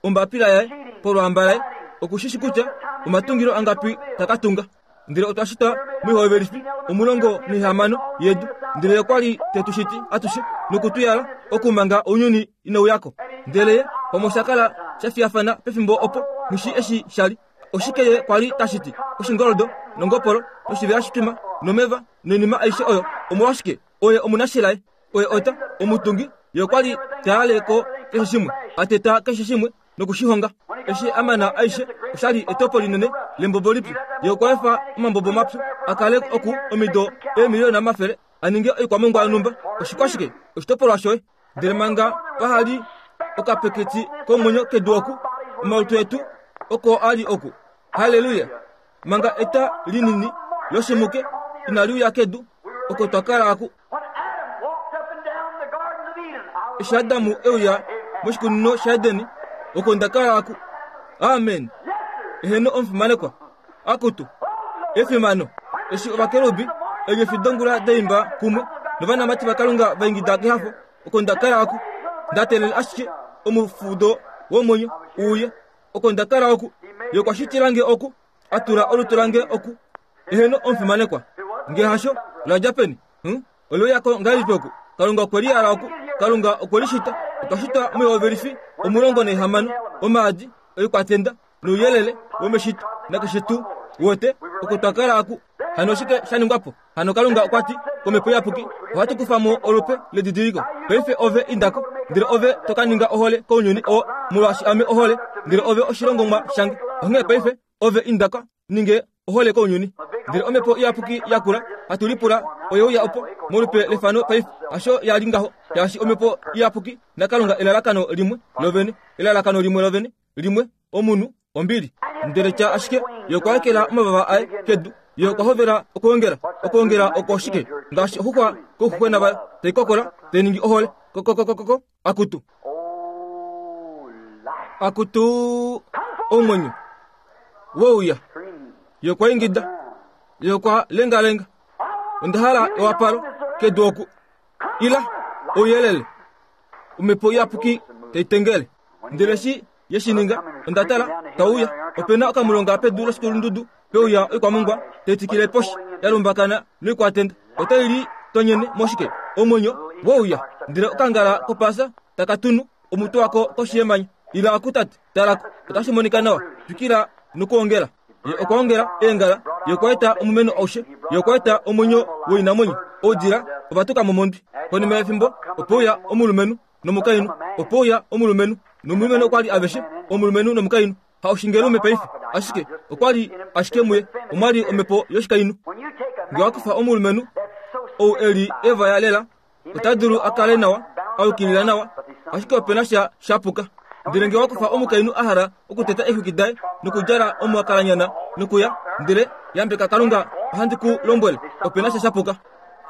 ombapila yaye polwaamba laye, oku shi shi kutya omatungilo angapi ta ka tunga. Ndele otwa shitwa moihovelifi 16 yedu, ndele ye okwa li te tu shiti atushe noku tu yala okumanga ounyuni inau ya ko. Ndele ye pamwe osha kala sha fiyafana pefimbo opo, nghi shii eshi sha li. Oshike ye kwa li ta shiti? Oshingoldo, nongopolo, noshivela shitwima, nomeva, noinima aishe oyo. Omolwashike? Oye omunashelaye. Oye ota, omutungi. Ye okwa li ta yale ko keshe shimwe, a teta keshe shimwe noku shi honga. Eshi a mana aishe, osha li etopo linene lembobo lipyu. Ye okwa efa omambobo mapyu a kale oku omido eemiliyona omafele, a ninge oikwamongwa yonhumba. Oshikwashike? Oshitopolwa shoye. Ndele manga paha li okapeketi komwenyo kedu oku, omalutu etu oko a li oku. Halleluya! Manga eta linini loshimuke inali uya kedu, oko twa kala aku. Eshi Adamu e uya moshikunino shaEdeni, oko nda kala aku. Amen! Eheno omufimanekwa. Akutu, efimano! Eshi ovakerubi eenyofi dongula da imba kumwe novanamati vaKalunga va ingida kehafo, oko nda kala oku, nda teelela ashike omufudo womwenyo u uye. Oko nda kala oku, Ye okwa shitila nge oku, a tula olutu lange oku. Eheno omufimanekwa. Nge hasho, la dja peni? Hum? Ole uya ko ngahelipi oku? Kalunga okwe li yala oku. Kalunga okwe li shita. Otwa shitwa moihovelifi 16, omaadi, oikwatenda, nouyelele womeshito nakeshe tuu wote oko twa kala aku. Hano oshike sha ningwa po? Hano Kalunga okwa ti kOmhepo Iyapuki, ohatu kufa mo olupe ledidiliko. Paife ove inda ko, ndele ove to ka ninga ohole kounyuni oo, molwaashi ame ohole, ndele ove oshilongomwa shange. Onghee paife ove inda ka ninge ohole kounyuni. Ndele Omhepo Iyapuki yakula, hatu lipula, oye uya opo, molupe lefano paife. Hasho ya li ngaho, shaashi Omhepo Iyapuki naKalunga elalakano limwe lovene, elalakano limwe lovene, limwe, omunhu, ombili. Ndele tya ashike, Ye okwa ekela omavava aye kedu, Ye okwa hovela okwoongela. Okwoongela oko oshike? Ngaashi oxuxwa kouxuxwena vayo, tai kokola, tai ningi ohole, kokokokoko, akutu. Akutu, omwenyo wouya. Ye okwa ingida. Ye okwa lengalenga. Onda hala ewapalo kedu oku. Ila, ouyelele. Omhepo Iyapuki tai tengele. Ndele eshi ye shi ninga, onda tala, tau uya. Ope na okamulonga pedu loshikulundudu, pe uya oikwamongwa tai tikile poshi, ya lumbakana noikwatenda. Otai li tonyene moshike? Omwenyo we uya. Ndele okangala kopaasa taka tunu omutwe wako koshi yemanya. Ila oku, tate, tala ko. Otashi monika nawa. Twikila nokwoongela. Ye okwa ongela eengala, ye okwa eta omumeno aushe, ye okwa eta omwenyo woinamwenyo, oudila ova tuka mo mondwi. Konima yefimbo, ope uya omulumenhu nomukainhu, ope uya omulumenhu nomulumenhu okwa li aveshe omulumenhu nomukainhu. Ha oshingelume paife, ashike okwa li ashike muye omwa li omhepo yoshikainhu. Nge wa kufa omulumenhu ou e li evaya lela, ota dulu a kale nawa, a yukilila nawa, ashike ope na sha sha puka. Ndele nge wa kufa omukainhu a hala okuteta eexwiki daye nokudjala omuakalanyana nokuya, ndele, yambeka Kalunga, ohandi ku lombwele, ope na sha sha puka.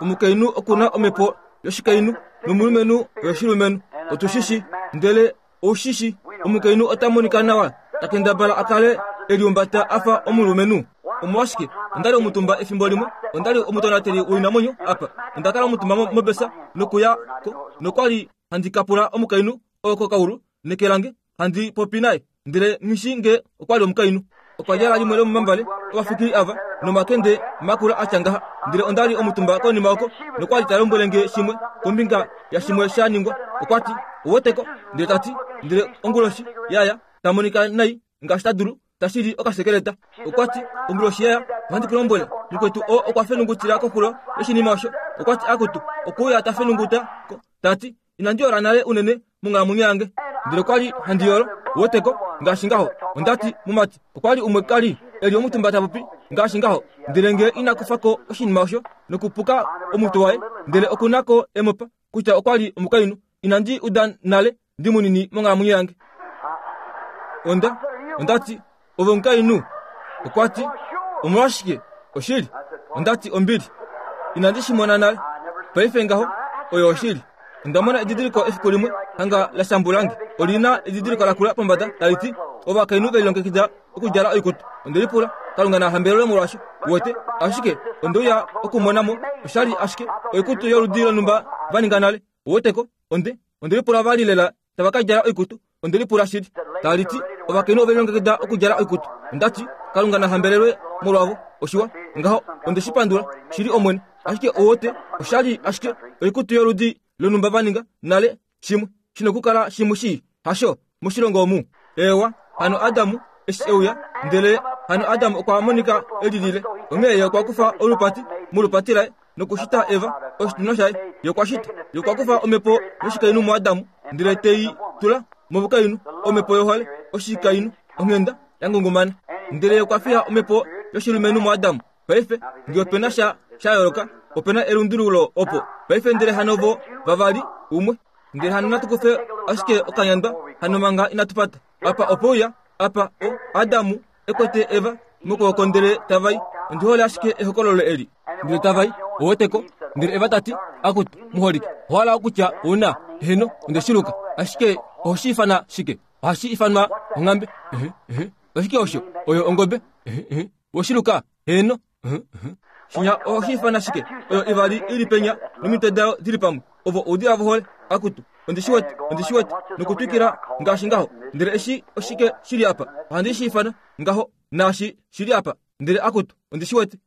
Omukainhu oku na omhepo yoshikainhu nomulumenhu oyoshilumenhu. Otu shi shi. Ndele ou shi shi, omukainhu ota monika nawa, ta kendabala a kale e liumbata a fa omulumenhu. Omolwashike, onda li omutumba efimbo limwe, onda li omutonateli woinamwenyo apa. Onda kala omutumba mobesa nokuya ko, nokwa li handi ka pula omukainhu oo kokaulu neke lange, handi popi naye, ndele nghi shii nge okwa li omukainhu. Okwa djala limwe lomomambale ovafikili ava nomakende makula a tya ngaha. Ndele onda li omutumba konima oko, nokwa li ta lombwele nge shimwe kombinga yashimwe sha ningwa. Okwa ti, Ouweteko? Ndele ta ti, Ndele onguloshi ya ya, ta monika nai ngaashi ta dulu, ta shili okasekeleta. Okwa ti, Onguloshi ya ya, ohandi ku lombwele, mukwetu oo okwa fenungutila koxulo yoshinima osho. Okwa ti, Akutu, okwe uya ta fenunguta ko, ta ti, Inandi yola nale unene monghalamwenyo yange. Ndele okwa li handi yolo, uweteko, ngaashi ngaho. Onda ti, Mumati, okwa li umwe ka li e li omutumba ta popi, ngaashi ngaho. Ndele nge ina kufa ko oshinima osho nokupuka omutwe waye, ndele oku na ko emopa, kutya okwa li omukainhu. Inandi uda nale ndi munini monghalamwenyo yange. Onda, onda ti, Ove omukainhu? Okwa ti, Omolwashike, oshili. Onda ti, Ombili. Inandi shi mona nale. Paife ngaho, oyo oshili. Onda mona edidiliko efiku limwe, hanga la shambulange. Oli na edidiliko lakula pombada tali ti, Ovakainhu ve lilongekida okudjala oikutu. Onde lipula, Kalunga na hambelelwe molwasho. Uwete? Ashike, onde uya okumona mo, osha li ashike oikutu yoludi lonhumba va ninga nale. Uweteko? Onde, onde lipula va li lela tava ka djala oikutu. Onde lipula shili. Tali ti, Ovakainhu ove lilongekida okudjala oikutu. Onda ti, Kalunga na hambelelwe molwavo. Oshiwa. Ngaho, onde shi pandula, shili Omwene. Ashike uwete, osha li ashike oikutu yoludi lonhumba va ninga nale, shimwe, shi nokukala shimwe shii, hasho, moshilongo omu. Eewa, hano Adam eshi e uya, ndele hano Adam okwa monika e lilile. Onghee ye okwa kufa olupati molupati laye nokushita Eva, oshitunwa shaye. Ye okwa shita. Ye okwa kufa omhepo yoshikainhu muAdam, ndele te i tula momukainhu, omhepo yohole, oshikainhu, onghenda ya ngungumana. Ndele ye okwa fiya omhepo yoshilumenhu muAdam. Paife, nge ope na sha sha yooloka, ope na elundululo opo. Paife ndele hano vo vavali, umwe. Ndele hano natu kufe ashike okanyandwa hano manga inatu pata. Apa ope uya, apa, o, Adamu e kwete Eva mokwooko ndele tava i. Ondi hole ashike ehokololo eli. Ndele tava i, ouweteko, ndele Eva ta ti, Akutu, muholike, owa hala okutya ou na, eheno, onde shi luka. Ashike oho shi ifana shike? Ohashi ifanwa onghambe. Ehe, ehe. Oshike osho? Oyo ongobe. Ehe, ehe. Woshiluka? Heeno. Shinya ohashi ifana shike? Oyo ivali i li penya nomitwe dayo di li pamwe. Ovo oudila vohole. Akutu, ondi shi wete, ondi shi wete. Nokutwikila ngaashi ngaho. Ndele eshi oshike shi li apa? Ohandi shi ifana ngaho, naashi shi li apa. Ndele akutu, ondi shi wete.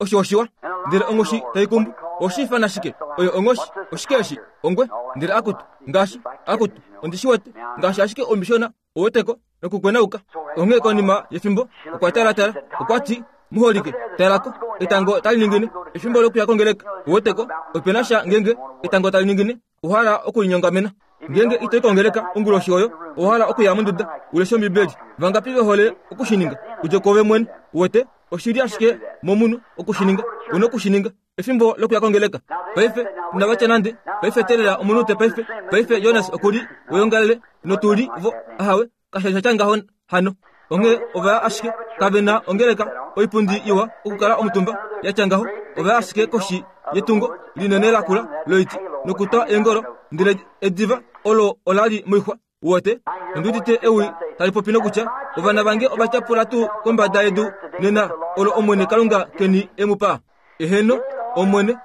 Osho oshiwa. Ndele onghoshi tai kumbu. Oshi ifana shike? Oyo onghoshi. Oshike eshi? Ongwe. Ndele akutu, ngaashi, akutu, ondi shi wete. Ngaashi ashike omishona Oweteko nokukwenauka. Onghee konima yefimbo okwa talatala, okwa ti, Muholike, tala ko, etango tali ningine, efimbo lokuya kongeleka. Oweteko, ope na sha ngeenge etango tali ningine, owa hala okulinyongamena. Ngeenge ito i kongeleka onguloshi oyo, owa hala okuya monduda u leshe Ombibeli. Vangapi ve hole oku shi ninga? Udje kwoove mwene. Uwete? Oshi li ashike momunhu oku shi ninga. U noku shi ninga. Efimbo lokuya kongeleka. Paife, inava tya nande, Paife teelela omunute paife. Paife Jonas oku li weongalele, notu li vo. Ahawe, kasha li sha tya ngaho hano. Onghee ova ya ashike, kave na ongeleka, oipundi iwa okukala omutumba ya tya ngaho. Ova ya ashike koshi yetungo linene lakula loiti nokutwa eengolo, ndele ediva olo ola li moixwa. Uwete, ondi udite ewi tali popi nokutya, Ovana vange ova tyapula tuu kombada yedu nena olo Omwene Kalunga keni e mu pa? Eheno, Omwene,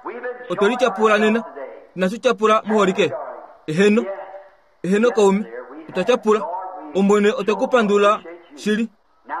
otwe li tyapula nena. Inatu tyapula muholike. Eheno, eheno kaume, otwa tyapula. Omwene, otwe ku pandula shili.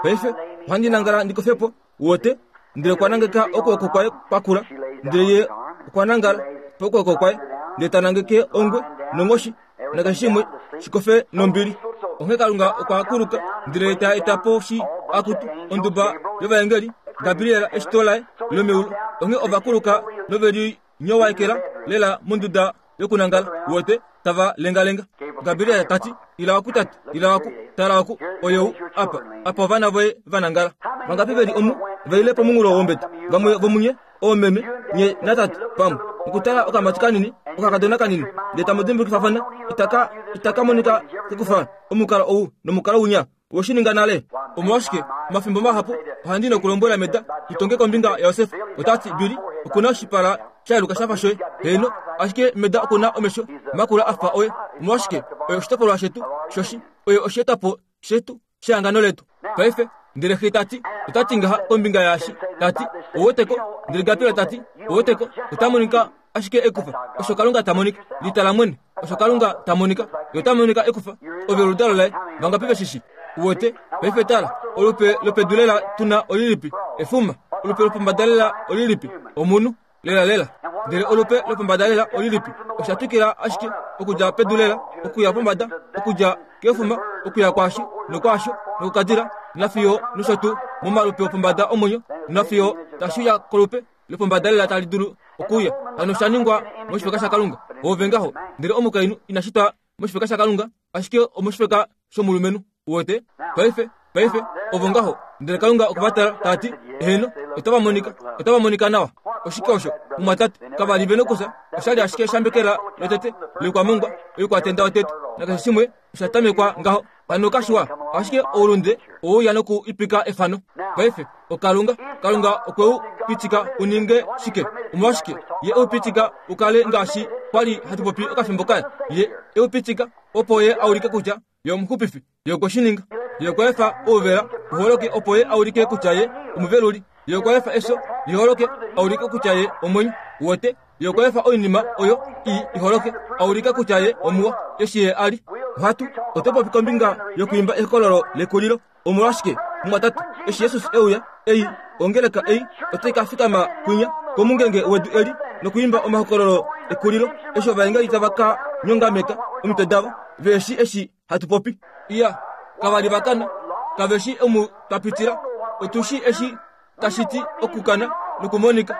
Paife ohandi nangala ndi kofe po, uwete. Ndele okwa nangeka okwooko kwaye kwakula, ndele ye okwa nangala pokwooko kwaye, ndele ta nangeke ongwe nonghoshi nakeshe shimwe shi kofe nombili. Onghee Kalunga okwa kuluka ndele ta eta po shi akutu onduba yovaengeli, Gabriel eshito laye lomeulu. Onghee ova kuluka nove li nyowaekela lela monduda yokunangala, uwete, tava lengalenga. Gabriel ta ti, Ila oku, tate, ila oku, tala oku, oyou apa, apa ovana voye va nangala. Vangapi ve li omu, va ile pomunghulo wombete? Vamwe vomunye, oomeme, nye natate, pamwe. Okutala okamati kanini, okakadona kanini, ndele tamu dimbulukifafana, itaka, itaka monika kekufa omukalo ou nomukalo winya. Owe shi ninga nale? Omolwashike, omafimbo mahapu ohandi nokulombwela Meda tu tonge kombinga yaJosef. Ota ti, Billy, oku na oshipala sha yeluka sha fa shoye. Heeno, ashike Meda oku na omesho makula a fa oye. Omolwashike, oye oshitopolwa shetu shoshi. Oye osheetwapo shetu shehangano letu. Paife, ndele xe ta ti, ota ti ngaha kombinga yaashi, ta ti, Ou wete ko? Ndele Gabriel ta ti, Ou wete ko? Ota monika ashike ekufa. Osho Kalunga ta monika. Litala mwene. Osho Kalunga ta monika. Ye ota monika ekufa. Ove oludalo laye. Vangapi ve shi shi? Uwete? Paife tala. Olupe lopedu lela tu na olilipi? Efuma. Olupe lopombada lela olilipi? Omunhu. Lela lela. Ndele olupe lopombada lela olilipi? Osha twikila ashike okudja pedu lela okuya pombada, okudja kefuma okuya kwaashi nokwaasho nokukadila nafiyo nosho tuu momalupe opombada omwenyo nafiyo tashi uya kolupe lopombada lela tali dulu okuuya. Hano osha ningwa moshifeka shaKalunga. Oove ngaho. Ndele omukainhu ina shitwa moshifeka shaKalunga, ashike omoshifeka shomulumenhu. Uwete? Paife, paife, ovo ngaho. Ndele Kalunga okwa va tala, ta ti, Eheno, otava monika, otava monika nawa. Oshike osho, mumwatate? Kava li ve nokufya. Osha li ashike eshambekela lotete loikwamongwa, oikwatenda yotete, nakeshe shimwe osha tamekwa ngaho. Hano kashiwa, ashike oulunde oweuya noku ipika efano. Paife, oKalunga, Kalunga okwe u pitika u ninge shike? Omolwashike Ye e u pitika u kale ngaashi kwa li hatu popi okafimbo kaya? Ye e u pitika opo Ye a ulike kutya Ye omuxupifi. Ye okwe shi ninga. Ye okwa efa ouvela u holoke opo Ye a ulike kutya Ye omuveluli. Ye okwa efa efyo li holoke a ulike kutya Ye omwenyo. Uwete? Ye okwa efa oinima oyo ii i holoke, a ulike kutya Ye omuwa, eshi Ye a li. Ohatu, oto popi kombinga yokwiimba ehokololo lekulilo. Omolwashike, mumwatate, eshi Jesus e uya, ei, ongeleka ei otai ka fikama kwinya komungenge wedu eli nokwiimba omahokololo ekulilo, eshi ovaengeli tava ka nyongameka omitwe davo, ve shi eshi hatu popi. Iya, kava li va kana, kave shi omu twa pitila, otu shi eshi tashi ti okukana nokumonika.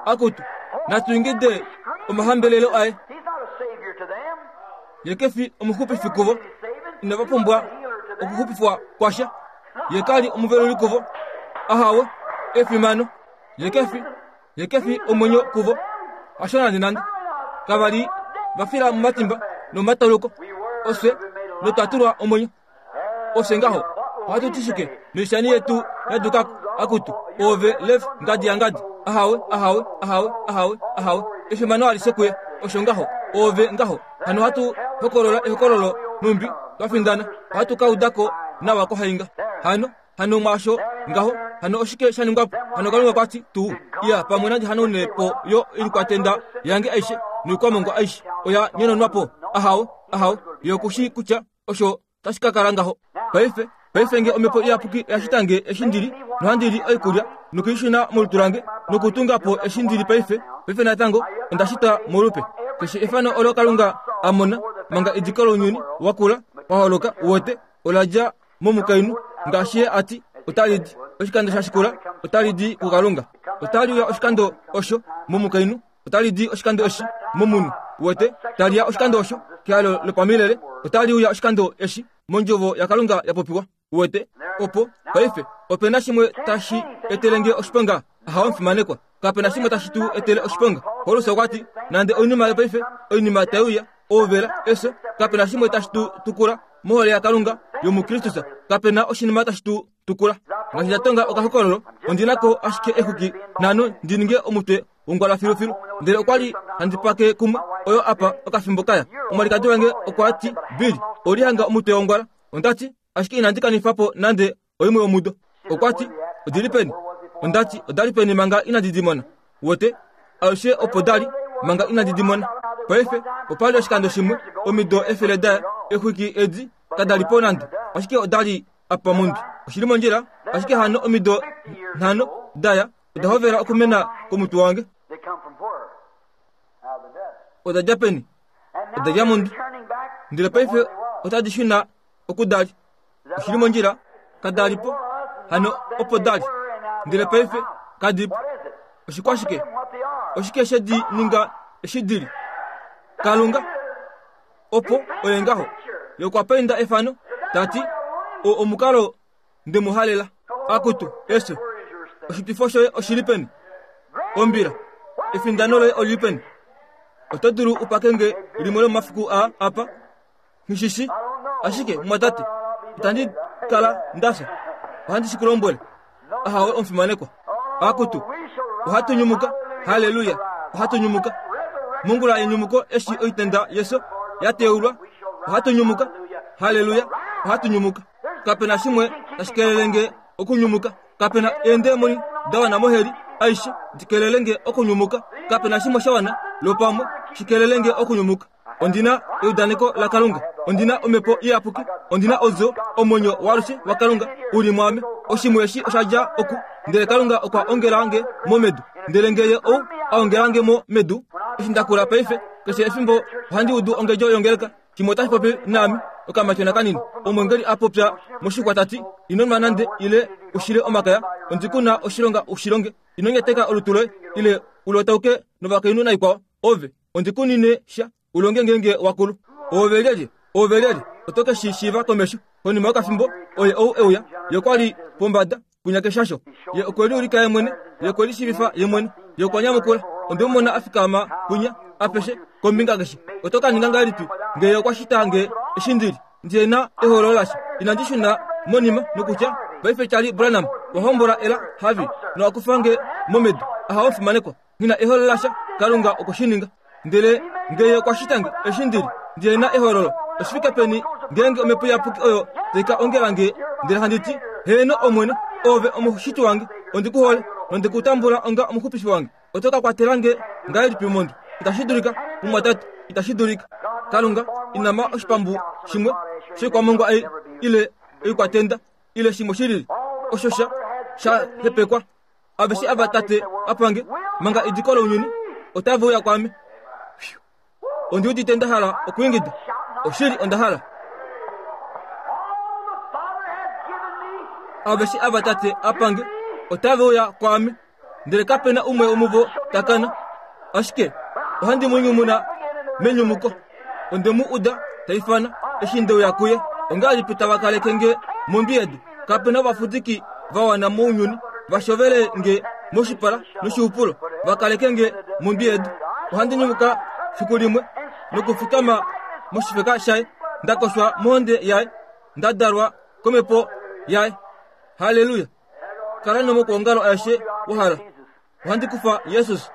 Akutu, natu ingide omahambelelo aye. Ye ke fi omuxupifi kuvo, inava pumbwa okuxupifwa kwasha. Ye ka li omuveluli kuvo. Ahawe, efimano. Ye ke fi, ye ke fi omwenyo kuvo. Hasho nande nande. Kava li va fila momatimba nomomatauluko. Ofye notwa tulwa omwenyo. Ofye ngaho ohatu ti shike noishani yetu ya duka ko? Akutu, oove Lev, ngadi yangadi. Ahawe, ahawe, ahawe, ahawe, ahawe. Efimano alishe kuye. Osho ngaho, oove ngaho. Hano ohatu hokolola ehokololo nhumbi twa findana. Ohatu ka uda ko nawa kohainga. Hano, hano mwaasho ngaho, hano oshike sha ningwa po? Hano Kalunga kwa ti tuu, Iya pamwe nandi hanaune po yo oikwatenda yange aishe noikwamongwa aishe oya nyononwa po. Ahawe, ahawe, ye oku shii kutya osho tashi ka kala ngaho. Paife, paife nge Omhepo Iyapuki oya shita nge eshi ndi li, nohandi li oikulya, nokuishuna molutu lange, nokutunga po eshi ndi li paife, paife natango onda shitwa molupe. Keshe efano olo Kalunga a mona manga ediko lounyuni wa kula wa holoka, uwete, ola dja momukainhu, ngaashi ye a ti, otali di. Oshikando sha shikula, otali di kuKalunga. Otali uya oshikando osho momukainhu, otali di oshikando eshi momunhu. Uwete, tali ya oshikando osho kehalo lopamilele, otali uya oshikando eshi mondjovo yaKalunga ya popiwa. Uwete? Opo, paife, ope na shimwe tashi etele nge oshiponga? Ahawe omufimanekwa. Kape na shimwe tashi tu etele oshiponga. Paulus okwa ti, Nande oinima yopaife, oinima tai uya, ouvela, efyo, kape na shimwe tashi tu tukula mohole yaKalunga yomuKristus. Kape na oshinima tashi tu tukula. Ngaashi nda tonga okahokololo, ondi na ko ashike exuki nhano ndi ninge omutwe wongwala filufilu. Ndele okwa li handi pake kumwe oyo apa okafimbo kaya. Omwalikadi wange okwa ti, Bill, ouli hanga omutwe wongwala. Onda ti, Ashike inandi kanifa po nande oimwe yomudo. Okwa ti, Odi li peni? Onda ti, Oda li peni manga inandi di mona? Wote, alushe opo da li manga inandi di mona. Paife, opa li oshikando shimwe, omido efele da ya, exwiki edi kada li po nande, ashike oda li apa mondwi. Oshi li mondjila, ashike hano omido nhano da ya, oda hovela okumena komutwe wange. Oda dja peni? Oda dja mondwi. Ndele paife otadi shuna oku da li. Oshi li mondjila, kada li po, hano opo da li. Ndele paife kadi po. Oshikwashike? Oshike she di ninga eshi di li? Kalunga opo oye ngaho. Ye okwa painda efano, ta ti, O omukalo nde mu halela. Akutu, efyo, oshitwifo shoye oshi li peni? Ombila, efindano loye oli li peni? Oto dulu u pake nge limwe lomomafiku aa apa? Nghi shi shi. Ashike, mumwatate, itandi kala nda fya. Ohandi shi ku lombwele. Ahawe, omufimanekwa. Akutu, ohatu nyumuka. Halleluya! Ohatu nyumuka. Mongula yenyumuko eshi oitenda yefyo ya teulwa, ohatu nyumuka. Halleluya! Ohatu nyumuka. Kape na shimwe tashi kelele nge okunyumuka. Kape na eendemoni da wana moheli aishe di kelele nge okunyumuka. Kape na shimwe sha wana lwopamwe shi kelele nge okunyumuka. Ondi na eudaneko laKalunga. Ondi na Omhepo Iyapuki. Ondi na Odjo, Omwenyo waalushe waKalunga u li mwaame. Oshimwe eshi osha dja oku, ndele Kalunga okwa ongela nge mo medu. Ndele nge Ye ou a ongela nge mo medu, eshi nda kula paife, keshe efimbo ohandi udu ongedjo yongeleka. Shimwe otashi popi naame, okamatyona kanini. Omwengeli a popya moshixwa ta ti, Ino nwa nande ile u shile omakaya. Ondi ku na oshilonga u shi longe. Ino nyateka olutu loye ile u lotauke novakainhu naikwao. Ove, ondi ku nine sha, u longe ngeenge wa kulu. Oove lyelye? Oove lyelye? Oto ke shi shiiva komesho. Konima yokafimbo, oye ou e uya. Ye okwa li pombada, kwinya keshasho. Ye okwe liulika ye mwene. Ye okwe lishiivifa ye mwene. Ye okwa nyamukula. Onde mu mona a fikama kwinya, apeshe, kombinga keshe. Oto ka ninga ngahelipi nge Ye okwa shita nge eshi ndi li? Ndi na ehoololo lasha. Inandi shuna monima nokutya, Paife Charlie Branham, wa hombola Ella Harvey nowa kufa nge mo medu. Ahawe omufimanekwa. Nghi na ehoololo lasha, Kalunga okwe shi ninga. Ndele nge Ye okwa shita nge eshi ndi li, ndi na ehoololo, oshi fike peni ngeenge Omhepo Iyapuki oyo tai ka ongela nge, ndele handi ti, Heeno, Omwene, Oove Omushiti wange, ondi ku hole, nonde ku tambula onga Omuxupifi wange. Oto ka kwatela nge ngahelipi mondwi? Itashi dulika, mumwatate, itashi dulika. Kalunga, ina ma oshipambu shimwe shoikwamongwa ei, ile oikwatenda, ile shimwe shi lili, osho sha, sha hepekwa. Aveshe ava Tate a pa nge, manga ediko lounyuni, otave uya kwaame. Phew. Ondi udite nda hala okwiingida. Oshili onda hala. Aveshe ava Tate a pa nge, otave uya kwaame. Ndele kape na umwe womuvo ta kana. Ashike ohandi mu nyumuna menyumuko. Onde mu uda ta ifana eshi nde uya kuye. Ongahelipi tava kaleke nge mondwi yedu? Kape na ovafudiki va wana mounyuni va shovele nge moshipala noshihupulo va kaleke nge mondwi yedu. Ohandi nyumuka fiku limwe nokufikama moshifeka shaye, nda koshwa mohonde yaye, nda dalwa komhepo yaye. Halleluya! Kala nomokwoongalo aeshe wa hala. Ohandi kufa Jesus.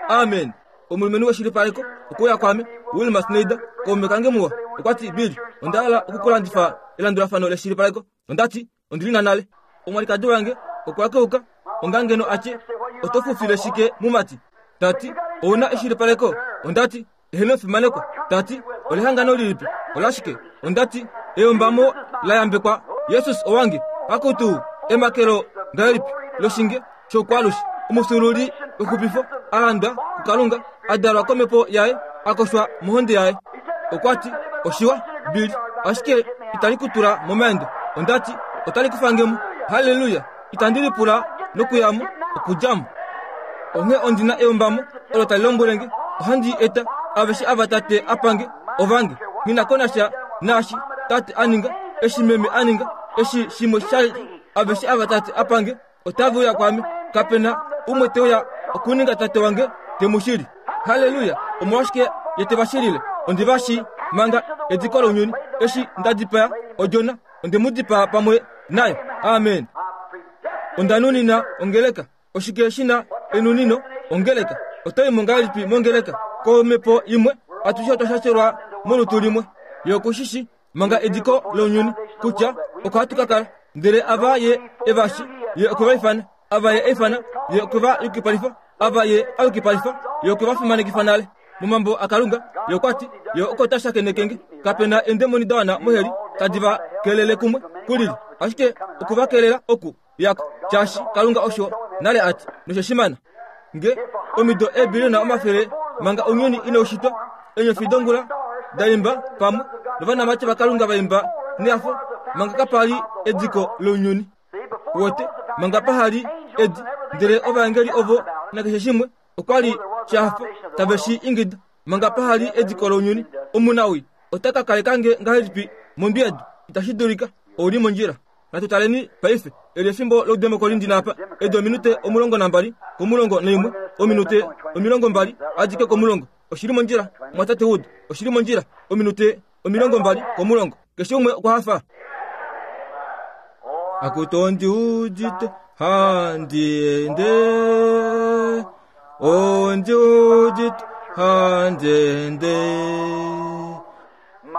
Amen. Omulumenhu weshilipaleko okwe uya kwaame, Wilma Snyder, kaume kange muwa. Okwa ti, Bill, onda hala oku ku landifa elandulafano leshilipaleko. Onda ti, Ondi li na nale. Omwalikadi wange okwa keuka onga ngeno a tye, Oto fufile shike, mumati? Ta ti, Ou na eshilipaleko? Onda ti, Eheno fimanekwa. Ta ti, Olehangano lilipi? Olashike? Onda ti, Eyombamo la yambekwa Jesus owange. Akutu, emakelo ngahelipi loshinge shoukwalushe, omufyuululi wexupifo, a landwa kuKalunga, a dalwa komhepo yaye, a koshwa mohonde yaye. Okwa ti, Oshiwa, Billy, ashike itali ku tula momaendo. Onda ti, Otali ku fange mo. Halleluya! Itandi lipula nokuya mo, okudja mo. Onghee ondi na eyombamo olo tali lombwele nge, ohandi i eta, aveshe ava Tate a pa nge, ovange. Nghi na ko nasha naashi Tate a ninga, eshi Meme a ninga. Eshi shimwe sha aveshe ava Tate a pange, otave uya kwaame. Kape na umwe te uya okuninga Tate wange te mu shili. Halleluya! Omolwashike Ye te va shilile? Ondi va shii manga ediko lounyuni. Eshi nda dipaya odjona, onde mu dipaa pamwe nayo. Amen. Onda nunina ongeleka. Oshike shi na enunino? Ongeleka. Oto i mo ngahelipi mongeleka? Komhepo imwe, atushe otwa shashelwa molutu limwe. Ye oku shi shii manga ediko lounyuni kutya oko hatu ka kala. Ndele ava Ye e va shi, Ye okwe va ifana. Ava Ye a ifana, Ye okwe va yukipalifa. Ava Ye a yukipalifa, Ye okwe va fimanekifa nale. Momambo aKalunga, Ye okwa ti, Ye oko ta shakeneke nge. Kape na eendemoni da wana moheli tadi va kelele kumwe kulili, ashike oku va kelela oku yako, shaashi Kalunga osho nale a ti, noshe shi mana. Nge omido eebiliona omafele manga ounyuni inau shitwa, eenyofi dongula da imba pamwe novanamati vaKalunga va imba nehafo manga kapa li ediko lounyuni. Wote, manga paha li edi, ndele ovaengeli ovo nakeshe shimwe okwa li sha hafa tave shi ingida manga paha li ediko lounyuni. Omunawii ota ka kaleka nge ngahelipi mondwi yedu? Itashi dulika. Ou li mondjila. Natu taleni paife. Eli efimbo loudemokoli ndi na apa. Edi ominute 12 komulongo naimwe, ominute 20 adike komulongo. Oshi li mondjila, Mumwatate Wood? Oshi li mondjila, ominute 20 komulongo. Keshe umwe okwa hafa? Akutu ondi udite handi ende, ondi udite handi ende.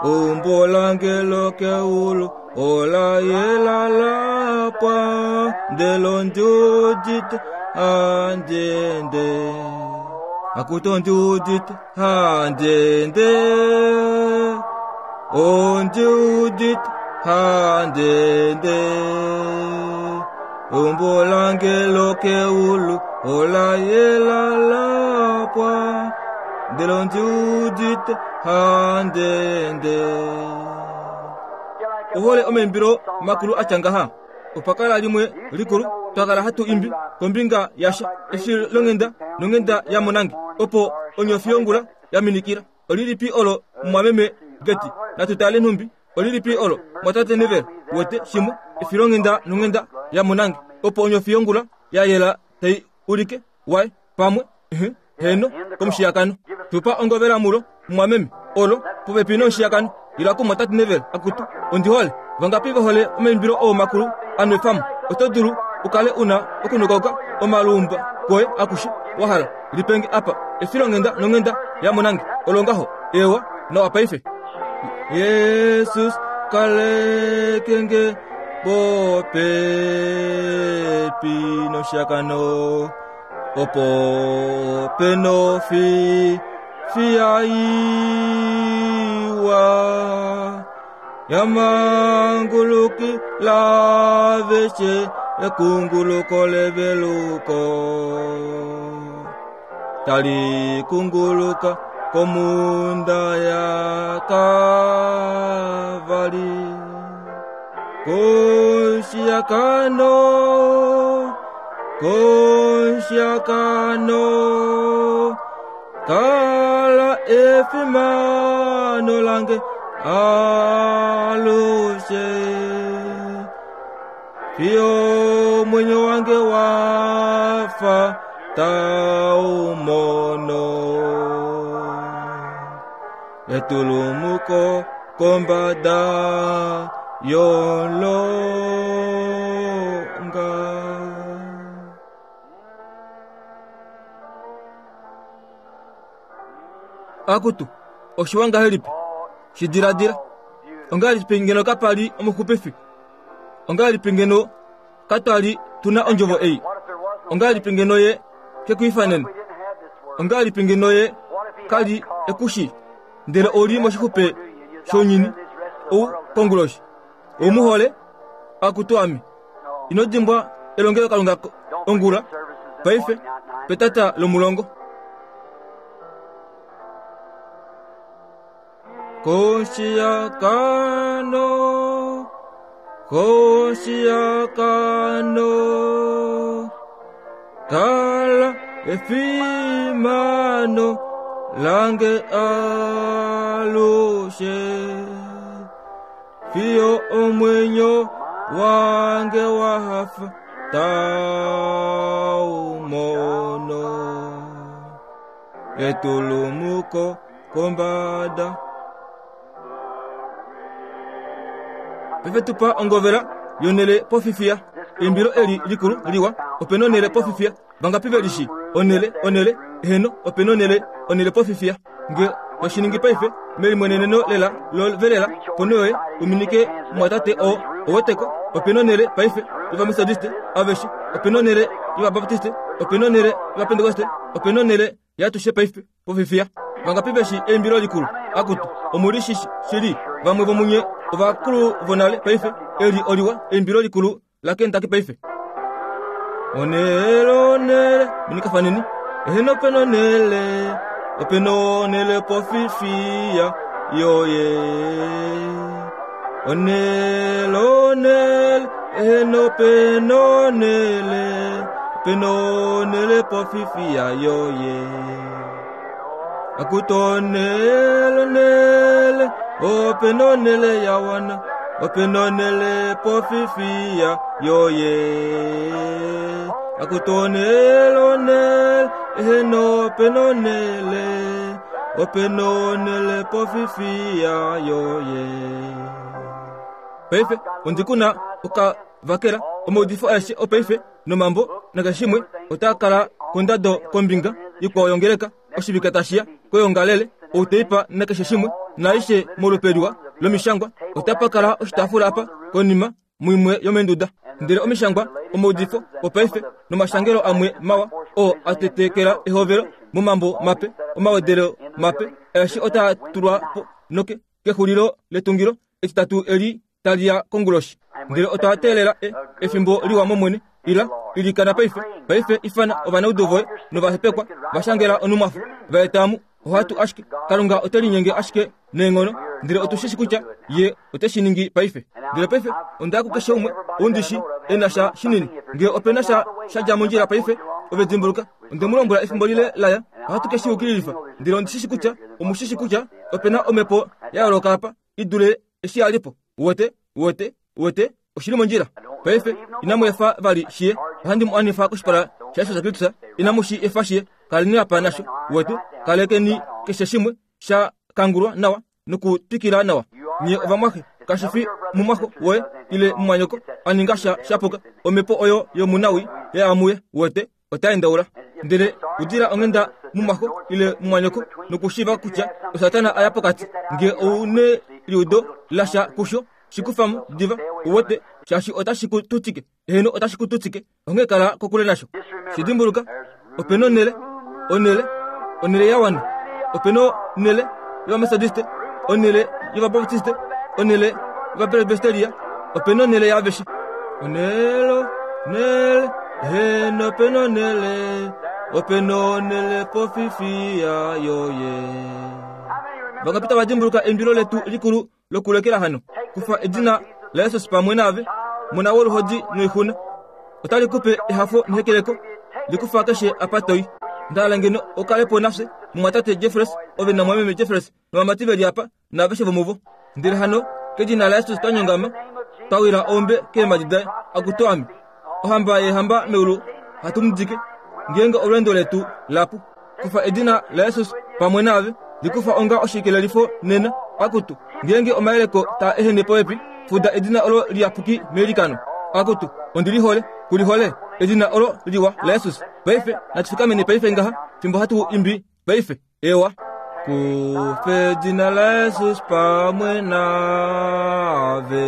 Eumbo lange lokeulu ola yela la pwa, ndele ondi udite handi ende. Akutu ondi udite handi ende, ondi udite handi ende. Eumbo lange lokeulu ola yela la pwa, ndele ondi udite handi ende. Ohole omaimbilo makulu a tya ngaha. Opa kala limwe likulu twa kala hatu imbi kombinga yasha eshi longhenda nonghenda ya monange opo onyofi yongula ya minikila. Olilipi olo mumwameme Geti? Natu tale nhumbi olilipi olo mwatate Neville wete shimwe efilonghenda nonghenda ya monange opo onyofi yongula ya yela tai ulike waye pamwe ehe heno komushiyakano. Tupa ongovela mulo mumwameme olo popepi nomushiyakano. Ila ku mwatate Neville akutu ondi hole. Vangapi ve hole omaimbilo oo makulu a nwefamo? Oto dulu u kale u na okunukauka omaluumba koye akushe wa hala. Lipenge apa efilonghenda nonghenda ya monange. Olo ngaho. Eewa, nawa paife. Jesus kaleke nge popepi noshakano opo penofi fiyaiwa yamanguluki laveshe ekunguluko leveluko tali kunguluka komunda ya Kavali koshiakano koshiakano kala efimano lange alushe fiyo omwenyo wange wafa tau mono etulumuko kombada yolonga. Akutu, oshiwa ngahelipi? Shi diladila. Ongahelipi ngeno kapa li omuxupifi? Ongahelipi ngeno katwa li tu na ondjovo ei? Ongahelipi ngeno ye ke ku ifanene? Ongahelipi ngeno ye ka li e ku shii? Ndele ou li moshixupe shounyuni ou konguloshi. Ou mu hole? Akutu ame. Ino dimbwa elongelokalunga ongula, paife, petata lomulongo. Koshiakano, koshiakano, kala efimano lange alushe, fiyo omwenyo wange wa hafa tau mono etulumuko kombada. Paife tupa ongovela yonele pofifiya. Eimbilo eli likulu liwa opena onele pofifiya. Vangapi ve lishi? Onele, onele, eheno, opena onele, onele pofifiya. Nge toshiningi paife, melimweneneno lela love lela, ponho yoye, uminike mumwatate oo, oweteko, opena onele paife yOvametodiste aveshe, opena onele yOvabaptiste, opena onele yOvapentekoste, opena onele yatushe paife pofifiya. Vangapi veshi eimbilo likulu? Akutu, omu li shi shili, vamwe vomunye ovakulu vonale paife, eli oliwa, eimbilo likulu laKentucky paife. Onele, onele, minikafaneni, eheno opena onele, opena onele pofifiya yoye. Onele, onele, eheno opena onele, opena onele pofifiya yoye. Akutu onele, onele, opena onele ya wana, opena onele pofifiya yoye. Akutu onele, onele, eheno opena onele, opena onele pofifiya yoye. Paife ondi ku na okavakela omaudifo aeshe opaife nomambo nakeshe shimwe otaa kala kondado kombinga ikwao yongeleka oshivike tashi ya koyoongalele outeipa nakeshe shimwe naaishe molupe liwa lomishangwa. Otapa kala oshitaafula apa konima muimwe yomeenduda. Ndele omishangwa, omaudifo opaife nomashangelo amwe mawa oo a tetekela ehovelo momambo mape, omawedelo mape aeshe otaa tulwa po noke kexulilo letungilo etitatu eli tali ya konguloshi. Ndele otwa teelela e, efimbo liwa mOmwene. Ila, ilikana paife. Paife ifana ovanaudu voye novahepekwa, va shangela onumwafo, va eta mu. Ohatu ashike, Kalunga ote linyenge ashike neenghono, ndele otu shi shi kutya Ye ote shi ningi paife. Ndele paife onda ya kukeshe umwe ou ndi shi e na sha shinini. Nge ope na sha sha dja mondjila paife, ove dimbuluka, onde mu lombwela efimbo lile la ya, ohatu ke shi yukililifa. Ndele ondi shi shi kutya omu shi shi kutya ope na omhepo ya yooloka apa i dule eshi ya li po. Uwete? Uwete? Uwete? Oshi li mondjila. Paife, inamu efa vali shi ye. Ohandi mu anifa koshipala shaJesus Kristus. Inamu shi efa shi ye. Kaleni apa nasho. Uwete? Kalekeni keshe shimwe sha kangulwa nawa nokutwikila nawa. Nye ovamwaxe, kashi fi mumwaxo woye ile mumwanyoko a ninga sha shapuka. Omhepo oyo yomunawii ya ya muye. Uwete? Ota endaula. Ndele udila onghenda mumwaxo ile mumwanyoko nokushiiva kutya oSatana a ya pokati. Nge ou neliudo lasha kusho, shi kufa mo diva, uwete, shaashi otashi ku tutike. Eheno, otashi ku tutike. Onghee kala kokule nasho. Shi dimbuluka, ope nonhele, onhele, onhele ya wana. Ope nonhele yOvametodiste, onhele yOvabaptiste, onhele yOvapresbesteria, ope nonhele yaaveshe. Onhele, onhele, eheno, ope nonhele, ope nonhele pofifiya yoye. Vangapi tava dimbuluka eimbilo letu likulu lokulekela hano? Kufa edina laJesus pamwe naave, mona woluhodi noixuna. Otali ku pe ehafo nehekeleko, li kufa keshe apa to i. Nda hala ngeno u kale po nafye, mumwatate Jeffreys, ove namwameme Jeffreys, novamati ve li apa, naaveshe vomuvo. Ndele hano, kedina laJesus twa nyongama, twa wila oombe keemhadi daye, Akutu ame, Ohamba yeehamba meulu, hatu mu dike, ngeenge olweendo letu la pu. Kufa edina laJesus pamwe naave, li kufa onga oshikelelifo nena. Akutu, ngeenge omayeleko taa ehene popepi, fuda edina olo liyapuki meilikano. Akutu, ondi li hole, ku li hole, edina olo liwa laJesus. Paife, natu fikameni paife ngaha, fimbo hatu imbi paife. Ewa. Kufa edina laJesus pamwe naave,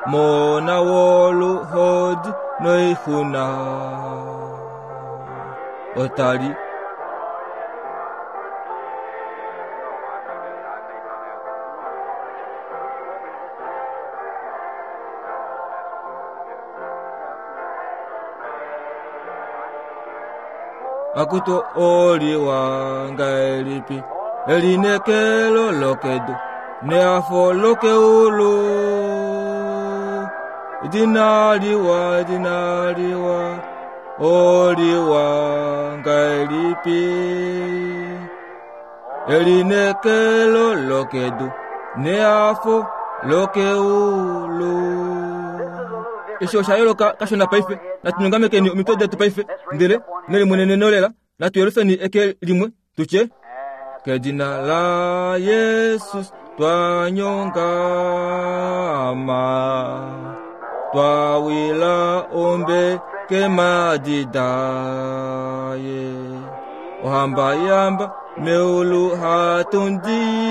mona woluhodi noixuna. Otali Akutu oliwa ngahelipi elinekelo lokedu nehafo lokeulu edina liwa edina liwa oliwa ngahelipi elinekelo lokedu nehafo lokeulu. Eshi osha yooloka kashona paife. Natu nyongamekeni omitwe detu paife, ndele nelimweneneno lela, natu yelufeni eke limwe, tu tye, Kedina la Jesus twa nyongama, twa wila ombe kemadi daye. Ohamba yamba meulu hatundike,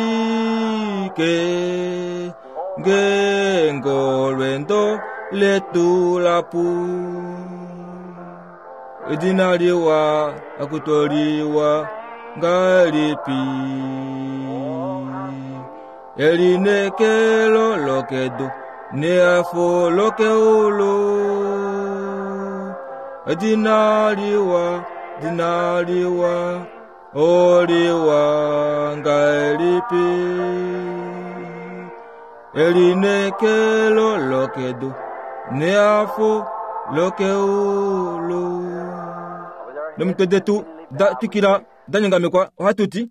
ngeenge olwendo letu lapu. Edina liwa akutoliwa ngahelipi? Elinekelo lokedu nehafo lokeulu. Edina liwa, dina liwa, oliwa ngahelipi? Elinekelo lokedu nehafo lokeulu. Nomitwe detu da twikila da nyongamekwa, ohatu ti.